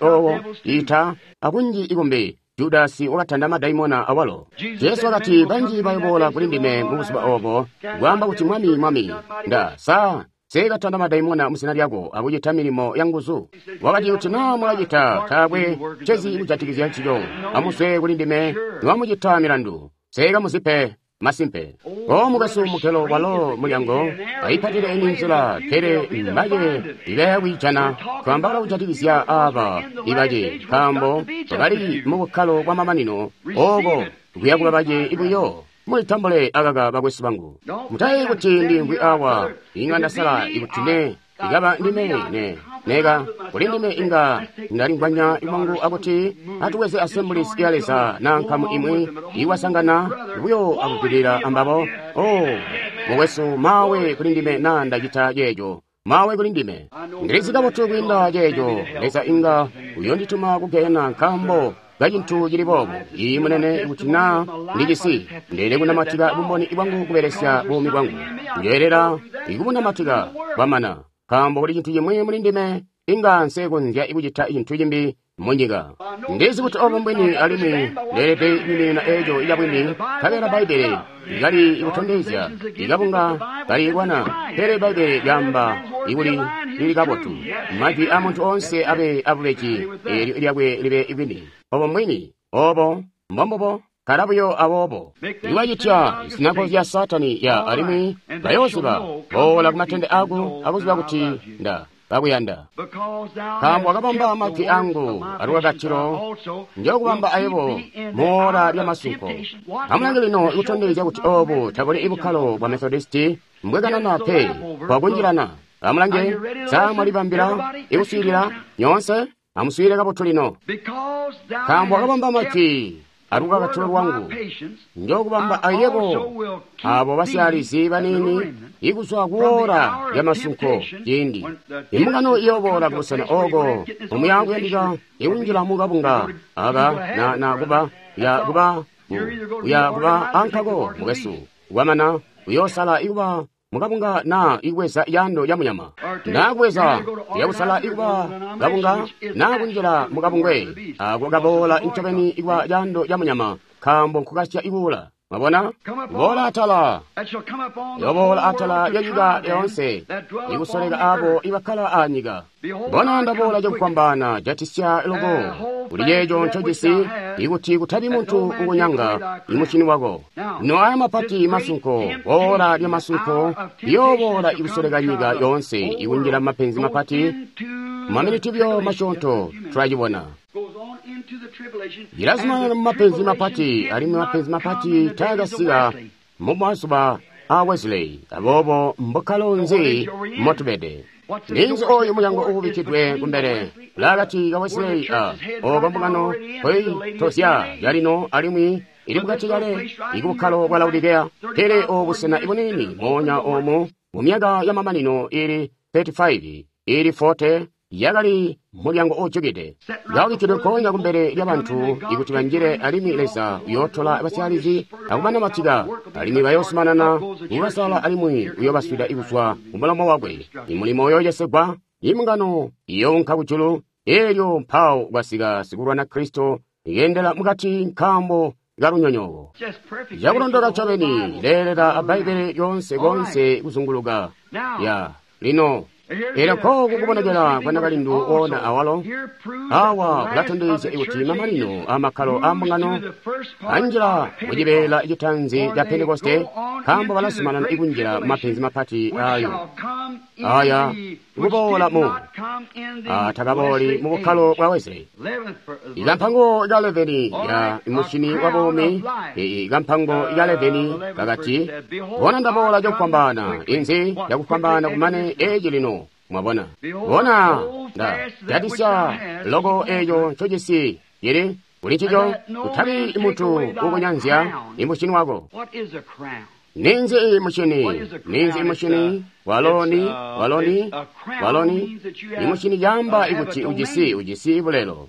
A: owo ita akunji ikumbi. Judasi wakatanda madaimona awalo. Jesu wakati, banji bayoboola kuli ndime mu buzuba obo, kwaamba kuti Mwami, Mwami, nda sa nseekatanda madaimona muzina lyako akucita milimo ya nguzu. Wakati, kuti naa mwakacita, taakwe ncezi kujatikizya ncico. Amuzwe kuli ndime niwamucita milandu, nseekamuzipe. Masimpe. O mukwesu mukelo walo mulyango aipatile eni nzila, pele mbace ibayakwiijana. Twaambaula kujatikizya aaba ibace, nkaambo bali mu bukkalo bwa mamanino, ooko kuyakuba bace buyo. Mulitambule akaka bakwesu bangu. Mutayeeyi kuti ndiimvwi awa inga ndasala ikuti ne ikaba ndime ne neka kuli ndime inga ndalingwanya lwangu akuti atuweze Assemblies ya Leza na nkamu imwi iwasangana buyo akugwilira ambabo. Oh, mukwesu, mawe kuli ndime na ndacita ceeco. Mawe kuli ndime. Ndilizi kabotu kwiinda ceeco. Leza inga uyondituma kugehena nkaambo kacintu cili boobo. Iyi munene, kuti naa ndicisi ndeele kunamatika bumboni bwangu kubelesya buumi bwangu. Njoyelela ikubunamatika bwamana, nkaambo kuli cintu cimwi muli ndime inga nsekonzya kucita cintu cimbi munyika. Ndizi kuti obo mbwini, alimwi ndeelede kwiiminina eeco cabwini, nkabela Bbaibbele likali kutondezya ikabunga kalilwana, pele Bbaibbele lyaamba ikuli lili kabotu. Majwi a muntu onse abe abubeji, eelyo lyakwe libe bwini. Obo mbwini, obo mbombubo, kala buyo aboobo. Iwacitya zinago zya Satani ya alimwi bayooziba boola kumatende ako akuziba kuti nda bakuyanda. Nkaambo wakabamba majwi angu alukakatilo, njokubamba ayebo moola lya masunko. Amulange lino ikutondezya kuti obu tabuli bukkalo bwa Methodisti mbwekanana pe bwakunjilana. Amulange, sa mwalibambila ikuswiilila nyoonse? Amuswiilile kabotu lino. Nkaambo wakabamba majwi alukakatilo lwangu, njokubamba ayebo abo basyaalizi baniini ikuzwa kuola lya masunko. Ciindi imbungano iyoboola kubusena ooko omuya kuyandika ikunjila mukabunga aka na kuba ya kuba uya kuba ankako mukwesu kwamana uyoosala ikuba mukabunga na ikuweza yando ya munyama na kuweza yakusala ikuba kabunga na kunjila mukabungwe ako kaboola ncobeni ikuba yando ya munyama, nkaambo nkukasya ikuula. Mwabona, boola atala, yoboola atala ya nyika yoonse, ikusoleka abo ibakkala anyika. Bona ndaboola cakufwambaana, jatisya loko kuli ceeco ncojisi, ikuti kutabi muntu ukunyanga imushini wako. No aya mapati masunko, boola lya masunko, liyoboola ikusoleka nyika yoonse, ikunjila mapenzi mapati. Maminiti buyo masyoonto tulacibona. Ilazumanana mu mapenzi mapati, alimwi mapenzi mapati taakasika mu mazuba a Wesley. Aboobo mbukkalo nzi motubede? Ninzi oyu mulyango uubikkidwe kumbele ulaakati ka Wesley a oko mbungano koitozya yalino alimwi ili mukati kale ikubukkalo bwa Laodikea. Pele obu busena ibuniini moonya omu mu myaka yamamanino ili 35 ili 40 yakali mulyango uujukide, kaubikkidwe nkoonya kumbele lyabantu ikuti banjile, alimwi Leza uyootola basyaalizi akubanamatika, alimwi bayoosumanana kubasala, alimwi uyoobaswida kuzwa kumulomo wakwe. Imulimo uyooyesegwa, imbungano iyoonka kujulu, eelyo mpawo kwasika sikulwana Kristo iyendela mukati nkaambo kalunyonyooko. Cakulondoka ncobeni leelela a Bbaibbele lyoonse koonse kuzunguluka. Ya lino. Elyo nkooku kubonekela kwa nakalindu woona awalo. Awa kulatondezya kuti mamanino amakkalo a mbungano anjila mucibeela citanzi ca Pentekoste, nkaambo balazumanana ikunjila mapenzi mapati ayo aya kuboola mu atakabooli mu bukkalo bwa Wesley. Ikampango ka 11 ya mushini wa buumi, ikampango ka 11 kakati, bona ndaboola cakufwambaana, inzi yakufwambaana kumane eci lino. Mwabona, bona nda jatisya loko eco ncojisi cili kuli ncico, kutabi muntu ukunyanzya imushini wako. Ninzi mushini? Ninzi mushini? Waloni, waloni, waloni. Imushini yamba ikuti ujisi, ujisi bulelo.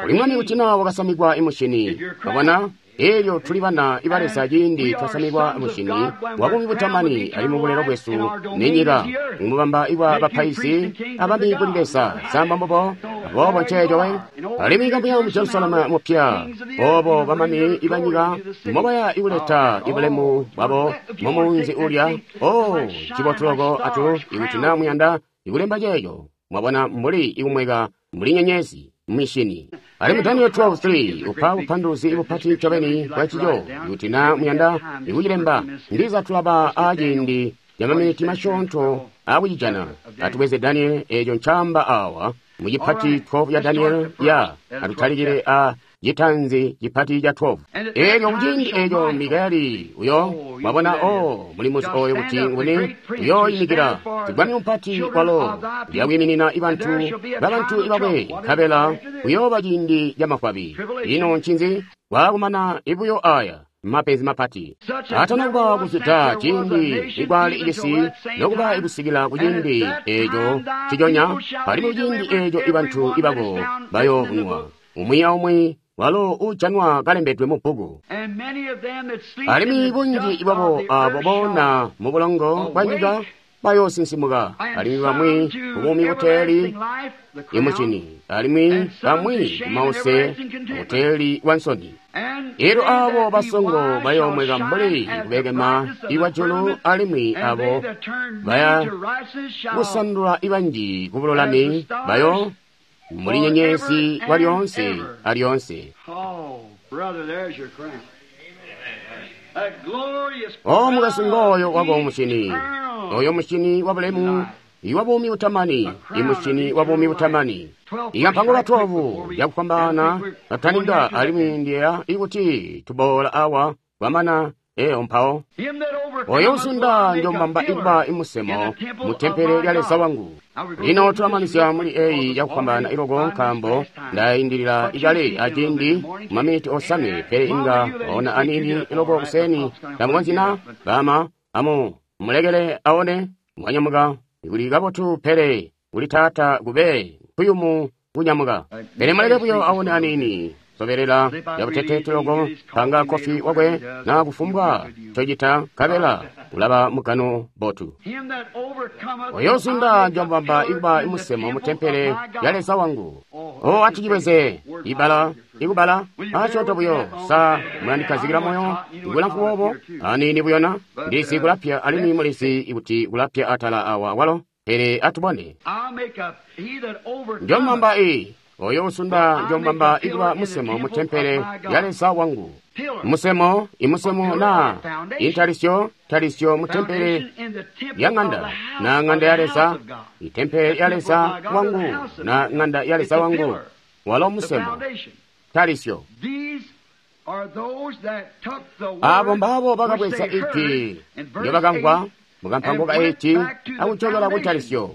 A: Uli mwami kuti na wakasamikwa imushini. Wabona? Elyo tuli bana iba Leza ciindi twasamikwa mushini wabuumi butamani ali mu bulelo bwesu ni nyika mubamba ibwa bapaizi abami kuli Leza samba mbubo aboobo nceeco we alimwi kambuya mu Jerusalemu mupya obo bamami ibanyika mobaya ikuleta ibulemu bwabo mumunzi ulya. Oh, cibotu loko atu ikuti na muyanda ikulemba ceeco mwabona mbuli ikumweka mbuli nyenyezi mishini. Alimwi Daniel 12:3 upa bupanduluzi bupati ncobeni bwa ncico kuti na muyanda ikucilemba ndiza tulaba aciindi ca maminiti masyoonto akucijana. Atubweze Daniel eeco ncaamba awa mu cipati 12 ya Daniel ya atutalikile a citanzi cipati ca 12. Elyo kuciindi eeco Mikayeli uyo mwabona o mulimuzi oyo kuti nguni uyoyimikila sibwami mupati walo uyakwiiminina ibantu babantu ibakwe nkabela kuyooba ciindi ca mafwabi. Ino ncinzi waakumana ibuyo aya mapenzi mapati atana kuba kuzwida ciindi ikwali icisi nokuba ikusikila kuciindi eeco ciconya alimwi kuciindi eeco ibantu ibako bayoovunwa umwi aumwi walo ujanwa kalembedwe mu bbuku. Alimwi bunji bwabo abo boona mu bulongo bwa nyika bayoosinsimuka, alimwi bamwi kubuumi buteeli imucini, alimwi bamwi kumause buteeli bwa nsoni. Elyo abo basongo bayoomweka mbuli kubekema ikwa julu, alimwi abo baya kusandula ibanji kubululami bayo mbuli nyenyezi kwa lyoonse alyoonse. O mukasi ngooyo wako mushini, oyo mushini wa bulemu iwa buumi butamani, imushini wa buumi butamani. Ikampango ka 12 yakufwambaana kataninga alimwi ndiya ikuti tuboola awa kwamana eyo mpawo. Oyo usunda njombamba ikuba imusemo mu tempele lya Leza wangu. Lino tulamanizya muli eyi yakufwambaana iloko nkaambo ndayindilila ikale aciindi maminiti osanwe, pele inga waona aniini iloko kuseni ndamukonzina bama amu mulekele aone mwanyamuka kuli kabotu, pele kuli taata kube nkuyumu kunyamuka, pele muleke buyo aone aniini. Sobelela yabutete tuloko panga kofi wakwe na kufumbwa cocita nkabela ulaba mugano botu. Oyo usunda njombamba ikuba imusemo mu tempele ya Leza wangu. O atucibweze ibala ikubala asyoonto buyo sa mulandikazikila moyo ikulamfu boobo aniini buyona ndisi kulapya alimwi mulisi ikuti kulapya atala awa walo, pele atubone. Njombamba iyi oyo usunda njombamba ikuba musemo mu tempele ya Leza wangu. Musemo imusemo na intalisyo talisyo mu tempele ya ng'anda na ng'anda ya Leza, itempele ya Leza wangu na ng'anda ya Leza wangu walo musemo talisyo. Abo mbabo bakabweza ijwi ndyobakamvwa mukampango ka 8 akucokela ku talisyo.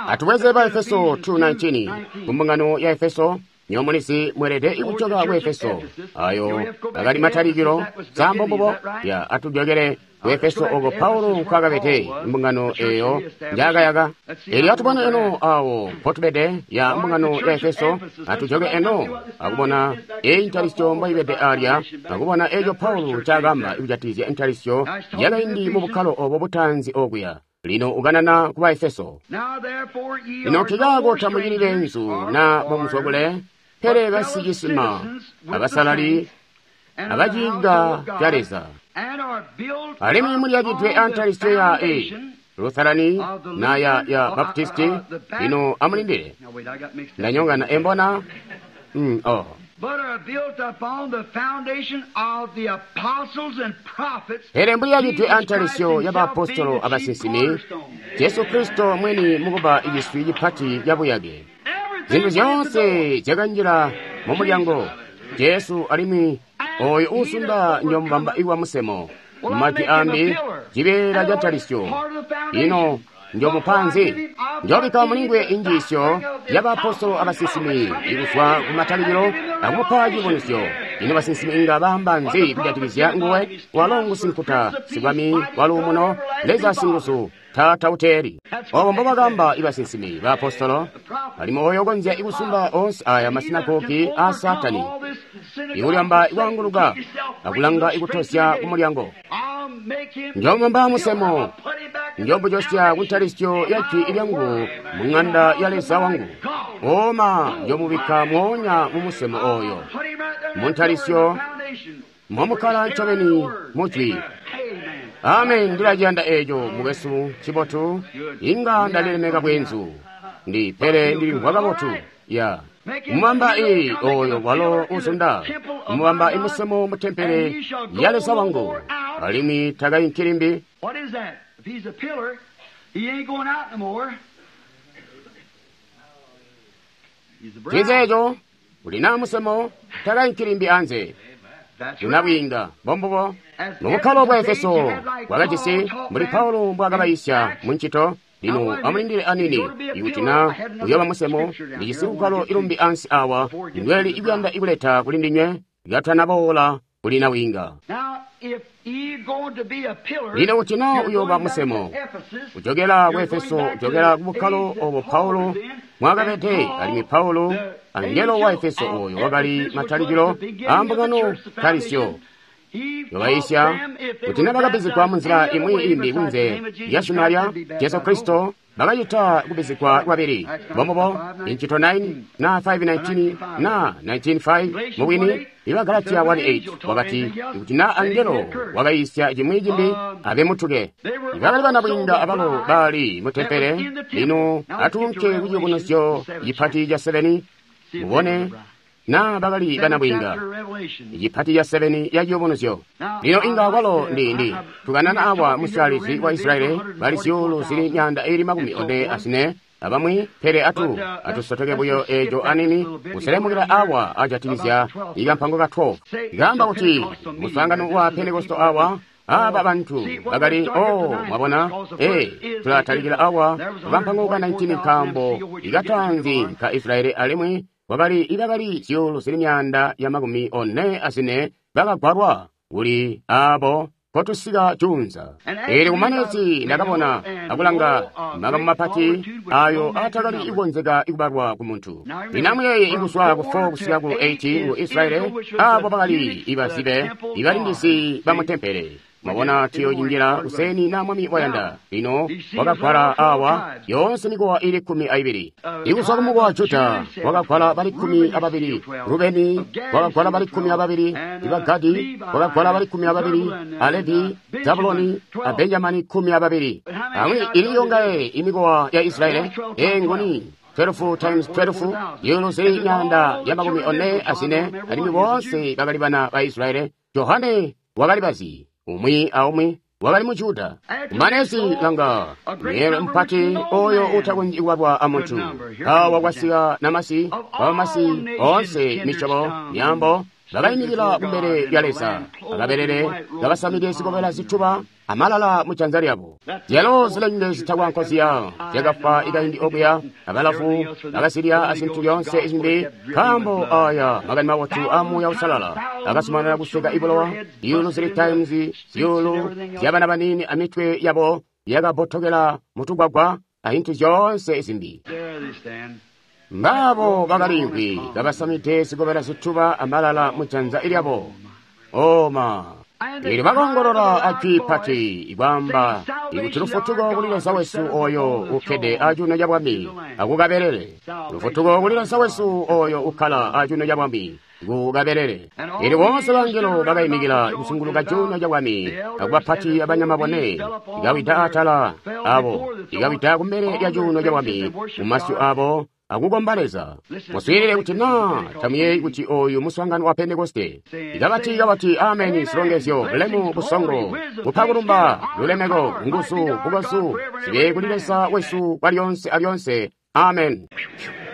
A: Atubweze ba Efeso 2:19 kumbungano ya Efeso nyomulisi mwelede ikucoka ku Efeso ayo akali matalikilo sambo mbubo ya atujokele ku Efeso oko Paulo nkwakabete imbungano eyo njakayaka. Elyo atubone eno awo mpotubede ya mbungano ya Efeso, atujoke eno akubona eyi ntalisyo mboibede alya, akubona eco Paulo ncaakamba ikujatikizya intalisyo yakaindi mu bukkalo obo butanzi okuya. Lino ukanana ku ba Efeso. Lino nkikaako tamucili beenzu na bomuzwakule, pele basicisima, abasalali, abaciinga ca Leza. Alimwi muliyakidwe antalisyo ya Lutherani na ya Baptisti. Lino amulindile, ndanyongana embona. Oh. Pele mbuli yacitwe antalisyo y'abaapostolo abasinsimi, Jesu Kristo mwini mukuba iciswi cipati cabuyake. Zintu zyoonse zyakanjila mu mulyango Jesu, alimwi oyo uusunda njomubamba iwa musemo. Mumajwi ambi, cibeela ca ntalisyo. Ino njomupa nzi? Njobikka mulingwe injiisyo y'abaapostolo abasinsimi ikuzwa ku matalikilo akumupa cibonisyo. Ino basinsimi inga baamba nzi kujatikizya nguwe? Walo ngusinkuta, sibwami waluumuno, Leza singuzu, Taata uteeli. Obo mbobakaamba ibasinsimi baapostolo, alimwi oyo ukonzya ikusunda oonse aya masinagogi aa Saatani, ikulyamba ikwaanguluka akulanga ikutozya ku mulyango. Njomubamba musemo, njomujosya kuntalisyo ya jwi lyangu mu ŋanda ya Leza wangu. Oma njomubikka mwoonya mu musemo oyo, mu ntalisyo momukkala ncobeni mu jwi. Amen. Ndilaciyanda eeco, mukwesu, cibotu. Inga ndalilemeka bweenzu, ndi pele ndilimvwa kabotu. Ya mubamba i oyo walo uzunda, mubamba imusemo mu tempele ya Leza wangu, alimwi takainki limbi. Ncinzi uli na musemo takainki limbi anze. Lunabwiinga mbombubo. Mubukkalo bwa Efeso bwakajisi mbuli Paulo mbwaakabayiisya mu ncito. Lino amulindile anini, ikuti na uyooba musemo, ndijisi lugwalo ilumbi ansi awa ndweli ikuyanda ikuleta kuli ndinywe katanaboola kuli nabwiinga. Lino kuti na uyooba musemo, ujokela ku Efeso, ujokela ku bukkalo obo Paulo mwakabede, alimwi Paulo angelo wa Efeso oyo wakali matalikilo a mbungano talisyo. Yobaisya kuti nabakabizigwa munzila imwi imbi kunze lya zina lya Jesu Kristo, bakacita kubizigwa kwabili. Mbombubo, Incito 9 na 5:19 na 19:5 mubwini iba Galatia 1:8 wakati ikuti na angelo wakaisya cimwi cimbi abe mutuke. Ibakali banabwiinga abalo bali mu tempele. Lino atuunke ku ciyubunuzyo cipati ca 7 mubone na bakali banabwiinga. Icipati ca 7 ya ciyubunuzyo. Lino inga kwalo ndi tukanana awa musyalizi wa Israeli bali zyuulu zili 444 abamwi, pele atusotoke buyo eeco anini kuselemukila awa ajatikizya ikampango ka 12. Ikaamba kuti muswaangano wa Pentekosto awa aba bantu bakali mwabona, tulatalikila awa kukampango ka 19 nkaambo ikatanzi ka Israeli alimwi kwakali ibakali zyuulu zili 444 bakagwalwa kuli abo kotusika juunza. Eelyo kumanezi ndakabona akulanga makamu mapati ayo atakali ikonzeka ikubalwa ku muntu. Lino amuyeeye ikuzwa ku 4 kusika ku 8 ku Israeli, abo bakali ibazibe ibalindizi ba mu tempele. Mwabona tuyochinjila kuseni na mwami wayanda. Lino wakagwala awa yoonse mikowa ili 12. Ikuzwa kumukowa wa Juda wakagwala bali 12, Rubeni wakagwala bali 12, iba Gadi wakagwala bali 12, Alevi, Zabuloni, a Benjamini 12. Amwi ili yongaye imikowa ya Israeli engoni 12 times 12 yulu zili 444, alimwi boonse bakali bana ba Israeli. Johane wakali bazi umwi aumwi wakali mu Juda. Kumanezi langa mweelwe mpati oyo utakonzyi kubalwa amuntu. Awa kwasika namasi wabamasi oonse misyobo myaambo bakayimikila kumbele lya Leza, akabelele kabasamide zikobela zituba amalala mu janza lyabo. Zyalo zilenge zitakwa nkoziya zyakafa ikaindi okuya, abalafu bakazilya azintu lyonse izimbi, nkaambo aya makani mabotu a Muuya Uusalala akazumanana kusweka ibulowa. Zyuulu zili times zyuulu zyabana banini amitwe yabo yakabotokela mutugwagwa azintu zyoonse izimbi. Mbabo bakaliimvwi kabasamide zikobela zituba amalala mu janza lyabo. Oma Eelyo bakongolola ajwi pati ikwaamba ikuti lufutuko kuli Leza wesu oyo ukkede acuuno ca bwami akukabelele. Lufutuko kuli Leza wesu oyo ukkala acuuno ca bwami ku kabelele. Elyo boonse bangelo bakaimikila kuzunguluka cuuno cabwami, akubapati abanyama bone, ikawida atala abo, ikawida kumbele lya cuuno cabwami, mumasyu abo, akukomba Leza. Muswiilile kuti naa tamuyeeyi kuti oyu muswaangano wa Pentekoste. Ikabati kabati ameni, zilongezyo, bulemu, busongo, kupa kulumba, lulemeko, nguzu, bukozu, zibe kuli Leza wesu kwalyonse alyonse. Amen.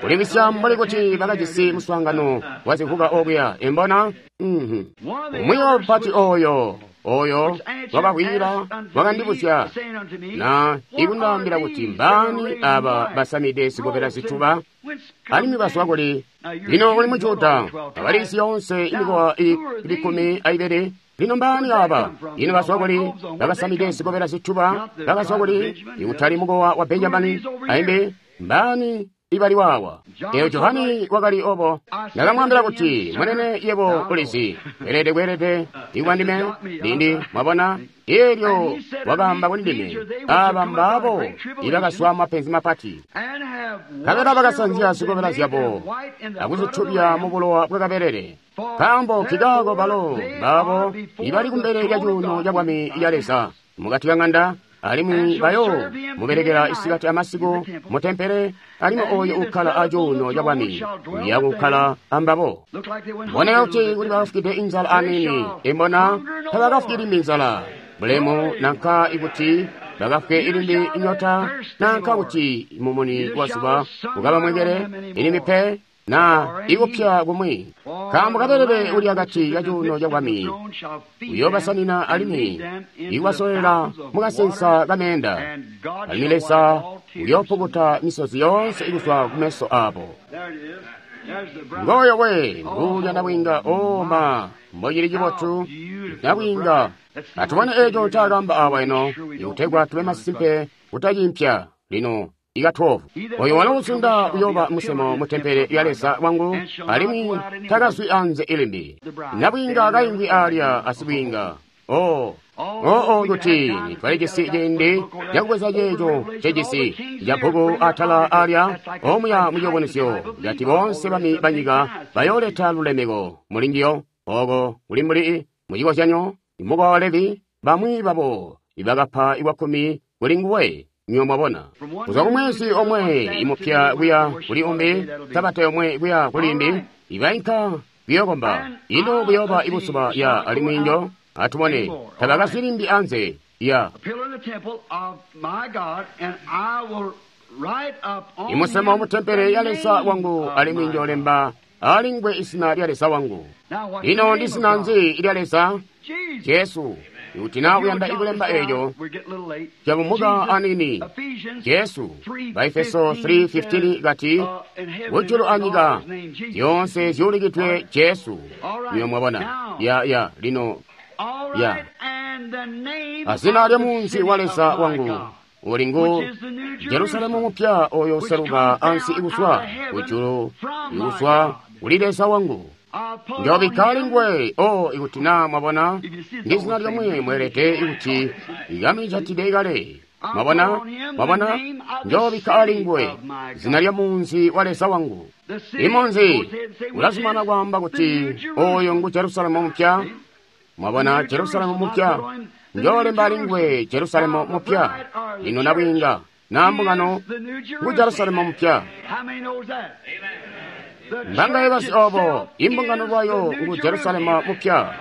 A: Kuliwisya mbuli kuti bakajisi muswaangano wa zivuka okuya, imbona? Umwi wabapati oyo wakakwila wakandibuzya na ikundaambila kuti mbaani aba basamide zikobela zituba alimwi bazwa kuli. Lino uli mu Juda, abalisi yoonse imikowa ili 12. Lino mbaani aba? Ino bazwa kuli? Bakasamide zikobela zituba bakazwa kuli? Ikutali mukowa wa Benjamini aimbi mbaani ibali wawa. Eyo Johani wakali obo. Ndakamwambila kuti, munene yebo ulizi, kweelede kweelede ikuba ndime lindi mwabona. Elyo wakaamba kuli ndime, aba mbabo ibakazwa mapenzi mapati, nkabela bakasanzya zikobela zyabo akuzitubya mu bulowa bwa kabelele. Nkaambo nkikaako balo mbabo ibali kumbele lya cuuno cabwami ya Leza mukati ka ng'anda, alimwi bayo mubelekela isikati amasiku mutempele, alimwi oyo ukkala acuuno cabwami uya kukkala ambabo. Mboneka kuti kuli bakafukide inzala anini, imbona tabakafukili limbi inzala bulemu, nanka ikuti bakafwe ilimbi inyota, nanka kuti mumuni wa zuba ukabamwekele ilimbi pe, na ikupya kumwi. Nkaambo kabelele uli akati ka cuuno cabwami uyobasanina alimwi ikubasolela mukasensa kameenda, alimwi Leza uyoopukuta misozi yoonse ikuzwa kumeso abo. Ngoyo we nguulya nabwiinga. O ma, mbocili cibotu nabwiinga. Atubone eco ncaakamba awa ino, ikutegwa tube masimpe kutacimpya lino. Ika 12. Oyo walo uzunda uyoba musemo mutempele lya Leza wangu, alimwi takazwi anze ilimbi. Nabwiinga kaimvwi alya asibwiinga. Oh, oo kuti twalijisi ciindi cakubweza ceeco cejisi cabbuku atala alya omuya muciobonesyo kati boonse bami banyika bayooleta lulemeko mulinjiyo. Oko kuli mbuli mucikozyanyo imukowa wa Levi, bamwi babo ibakapa iwakkumi kuli nguwe. Nyo mwabona, kuzwa kumwezi omwe imupya kuya kuli umbi, sabata yomwe kuya kuli imbi, ibainka kuyokomba. Ino buyoba ibuzuba ya alimwi njo atubone tabakazwi limbi anze ya imusemo mutempele ya Leza wangu, alimwi njolemba alingwe izina lya Leza wangu. Ino ndi zina nzi lya Leza? Jesu. Kuti na uyanda ikulemba eco cabumuka anini, Jesu. Baefeso 3:15 kati, kujulu anyika zyonse zyuulikidwe Jesu. Niyo mwabona ya ya lino ya azina lya munzi wa Leza wangu uli ngu Jerusalemu mupya oyo useluka ansi ikuzwa kujulu ikuzwa kuli Leza wangu. Njobikka alingwe. O ikuti na mwabona ndi zina lyomwe mwelede ikuti ikamicatide kale. Mwabona, mwabona, njobikka alingwe zina lya munzi wa Leza wangu. Imunzi ulazumana kwaamba kuti oyo ngu Jerusalemu mupya. Mwabona, Jerusalemu mupya, njolemba alingwe Jerusalemu mupya. Lino nabwiinga na mbungano ngu Jerusalemu mupya. Mbangaye basi obo imbungano lwayo ngu Jerusalemu mupya.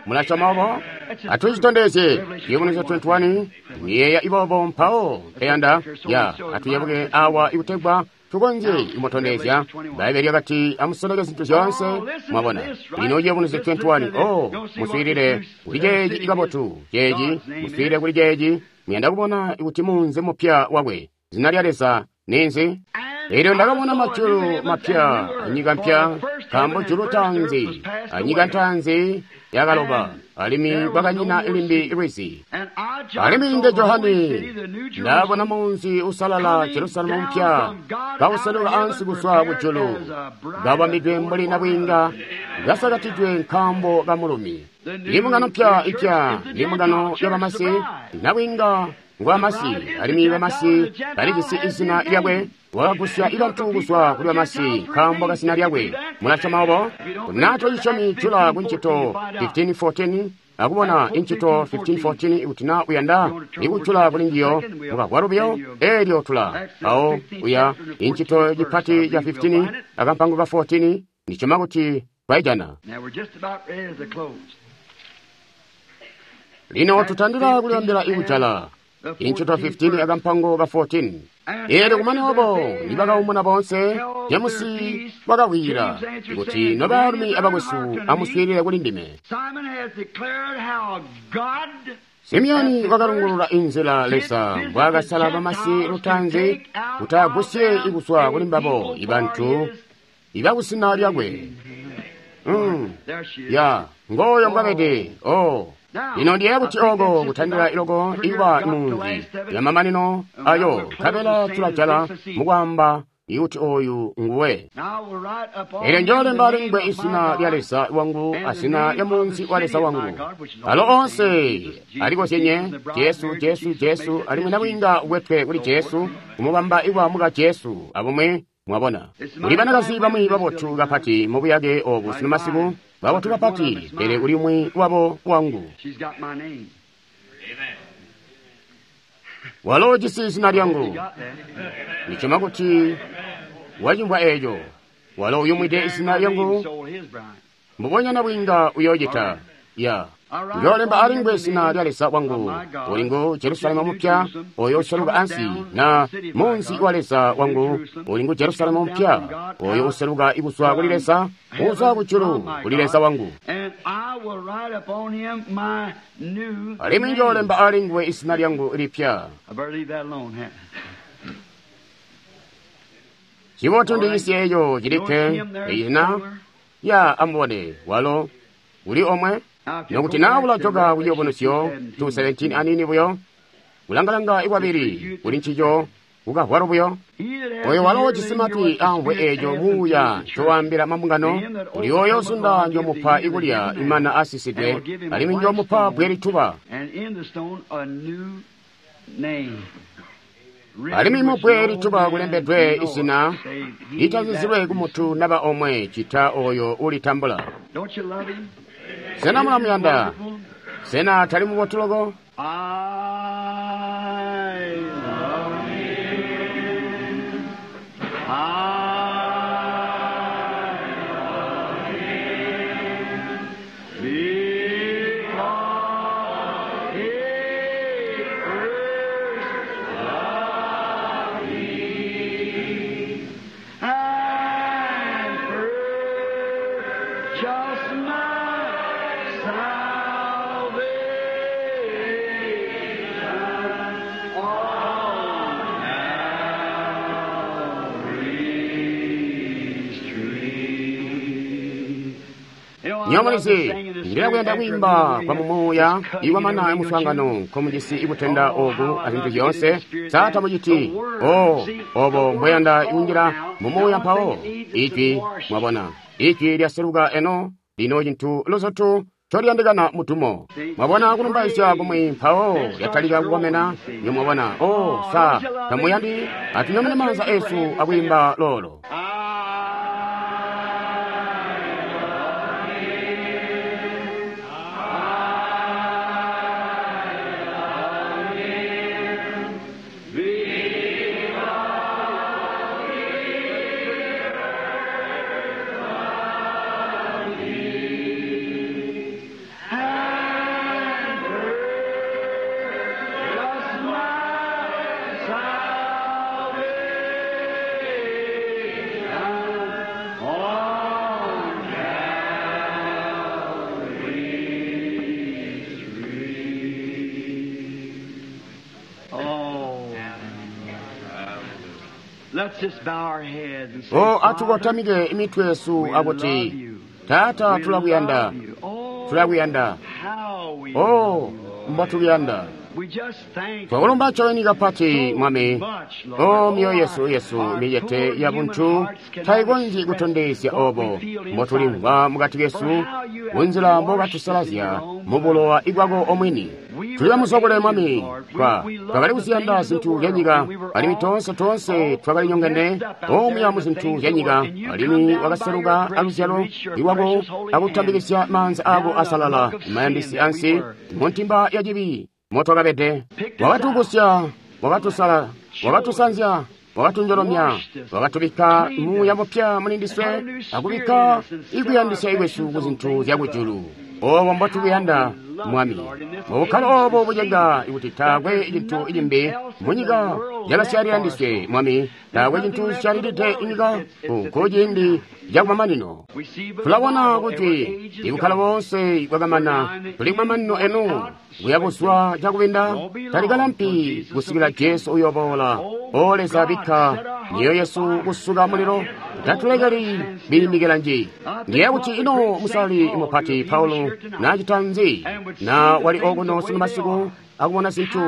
A: Mulasyoma obo? Atucitondezye Ciyubunuzyo 21. Niyeeya ibobo mpawo mpeyanda ya atuyebuke awa ikutegwa tukonzye kumutondezya. Bbaibele lyakati amusoleke zintu zyoonse. Mwabona lino Ciyubunuzyo 21. O muswiilile kuli ceeci ikabotu ceeci, muswiilile kuli ceeci. Muyanda kubona kuti munzi mupya wakwe zina lya Leza ninzi? Elyo ndakabona majulu mapya anyika mpya, nkaambo julu taanzi anyika ntaanzi yakaloba, alimwi kwakanyina limbi lwizi. Alimwi nde Johani ndabona munzi usalala Jerusalemu mpya kawuseluka ansi kuzwa kujulu, kabambidwe mbuli nabwiinga kasakatidwe nkaambo ka mulumi. Imbungano mpya ipya ndi mbungano yabamasi, nabwiinga ngwa masi, alimwi bamasi balijisi izina lyakwe. Wakagusya ibantu kuzwa kuli bamasi nkaambo ka zina lyakwe. Mulasyoma obo? Kuti tocisyomi jula ku Ncito 15:14 akubona Incito 15:14 kuti na uyanda ikujula kuli njiyo mukagwalo buyo eelyo tula awo uya Incito cipati ca 15 akampango ka 14 ndisyoma kuti twaijana. Lino tutandila kulibambila ikujala Incito 15 akampango ka 14. Eelyo kumane obo nibakaumuna boonse, Jemusi wakawira kuti nobaalumi abakwesu amuswiilile kuli ndime. Simiyoni wakalungulula inzila Leza mbwaakasala bamasi lutaanzi kuti agusye ikuzwa kuli mbabo ibantu ibakusina lyakwe. Ya ngooyo mbwabede. Oh. Lino ndiyeeya kuti oko kutandila iloko ikuba munzi yamamanino ayo nkabela tulajala mukwaamba ikuti oyu nguwe. Eelyo njoolemba alingwe izina lya Leza wangu azina lya munzi wa Leza wangu. Alo onse alikozyenye Jesu, Jesu, Jesu, alimwi nabwiinga ukwetwe kuli Jesu, kumubamba ikuba muka Jesu abumwi. Mwabona, kuli banakazi bamwi babotu kapati mubuyake obu sino masiku, babotu kapati, pele kuli umwi wabo wangu. Walo ujisi zina lyangu. Ndisyoma kuti wacimvwa eeco. Walo uyumwide izina lyangu, mbubonya nabwiinga uyoocita. Ya. Njoolemba alingwe zina lya Leza wangu, uli ngu Jerusalemu mupya, oyo useluka ansi, na munzi wa Leza wangu, uli ngu Jerusalemu mupya, oyo useluka ikuzwa kuli Leza, uzwa kujulu kuli Leza wangu. Alimwi njoolemba alingwe izina lyangu lipya. Cibotu ndiisye eeco cilikke, izina ya amubone, walo uli omwe. Nokuti naa ulajoka kuciyubunuzyo 2:17 anini buyo, kulangalanga ikwabili kuli ncico kukavwalo buyo. Oyo walo ujisi matwi amvwe eeco muuya ncowaambila mambungano, uli oyo uzunda njomupa ikulya imana asisidwe, alimwi njomupa bbwe lituba. Alimwi mubbwe lituba kulembedwe izina litazizilwe kumutu naba omwe cita oyo ulitambula. Sena mulamuyanda? Sena tali mubotu loko? Nyomulizi, ndilakuyanda kwiimba kwa mumuuya iwamana muswaangano nkomujisi ikutenda oku azintu zyoonse. Sa tamuciti? Oh, obo mbweyanda ikunjila mumuuya mpawo. Ijwi, mwabona, ijwi lyaseluka eno, lino cintu luzutu ncoliyandikana mudumo. Mwabona kulumbaizya kumwi mpawo lyatalika kukomena. Nyo mwabona, oh, sa tamuyandi? Atunyamune maanza esu akwiimba lolo. O atukotamike imitwe yesu akuti, Taata, tulakuyanda, tulakuyanda. O mbotukuyanda. Twakulumba ncobeni kapati, Mwami. O myoyo yesu yesu micete ya buntu taikonzyi kutondezya obo mbotulimvwa mukati kesu kunzila mbokatusalazya mubulowa ibwako omwini. Tuli bamuzwakule, Mwami. Twakali kuziyanda zintu zyanyika, alimwi toonse toonse twakali nyongene omuya mu zintu zyanyika, alimwi wakaseluka aluzyalo lwako akutambikizya maanza ako asalala mayandisi ansi muntimba ya cibi motwakabede. Wakatugusya, wakatusala, wakatusanzya, wakatunjolomya, wakatubikka muuya mupya muli ndiswe, akubikka ikuyandisya ikwesu ku zintu zyakujulu. Obo mbotukuyanda, Mwami. Mubukkalo obo bucenga kuti taakwe cintu cimbi munyika cakasyalila ndiswe, Mwami. Taakwe cintu cisyalilide inyika ku ciindi cakumamanino. Tulabona kuti ibukkalo boonse bwakamana, tuli kumamanino eno, buya buzwa cakubinda, talikalampi kusikila Jesu uyoboola. O Leza, bikka myoyo yesu kusuka mulilo, tatulekeli biimikila nji. Ndiye kuti ino musalali mupati Paulo naacita nzi na wali okuno sunu masiku akubona zintu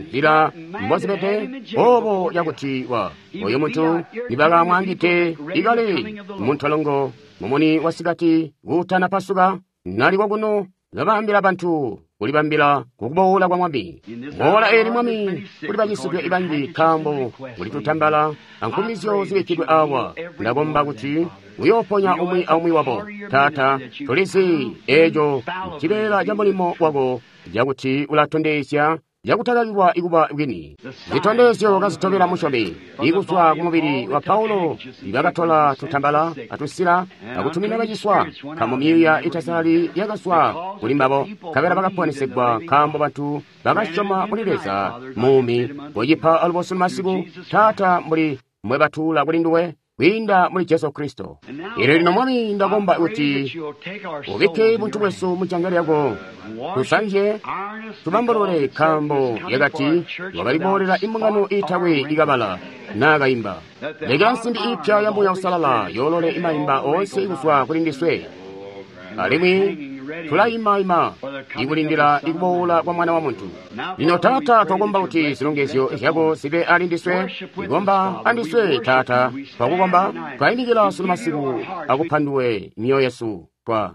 A: nzila mbozibede obo yakuti wa oyo muntu nibakamwaangide ikale muntolongo mumuni wasikati kuutana pasuka nali kokuno kabaambila bantu kulibambila kukuboola kwa Mwami. Boola eli Mwami, kuli bacisidwe ibanji nkaambo kuli tutambala ankumizyo zibikkidwe awa. Ndakomba kuti uyooponya umwi aumwi wabo. Taata, tulizi eeco cibeela ca mulimo wako cakuti ulatondezya cakutakakilwa ikuba bwini. Zitondezyo kazitobela musyomi ikuzwa kumubili wa Paulo bakatola tutambala atusila akutumina baciswa, nkaambo myuuya itasalali yakazwa kuli mbabo, nkabela bakaponesegwa, nkaambo bantu bakasyoma muli Leza muumi. Kocipa alubo sunu masiku, Taata, mbuli mbwebatuula kuli nduwe kwiinda muli Jesu Kristo. Elyo lino, Mwami, ndakomba kuti ubikke buntu bwesu mujanza lyako, tusanzye, tubambulule, nkaambo yakati wakaliboolela imbungano iitakwe ikabala naakaimba. Lekela nsimbi iipya ya Muuya Uusalala yoolole imaimba oonse kuzwa kuli ndiswe, alimwi tulayima-ima ikulindila ikuboola kwa Mwana wa Muntu. Lino, Taata, twakomba kuti zilongezyo zyako zibe ali ndiswe. Ikomba andiswe, Taata. Twakukomba, twayimikila sunu masiku akupa nduwe myoyo yesu. Twa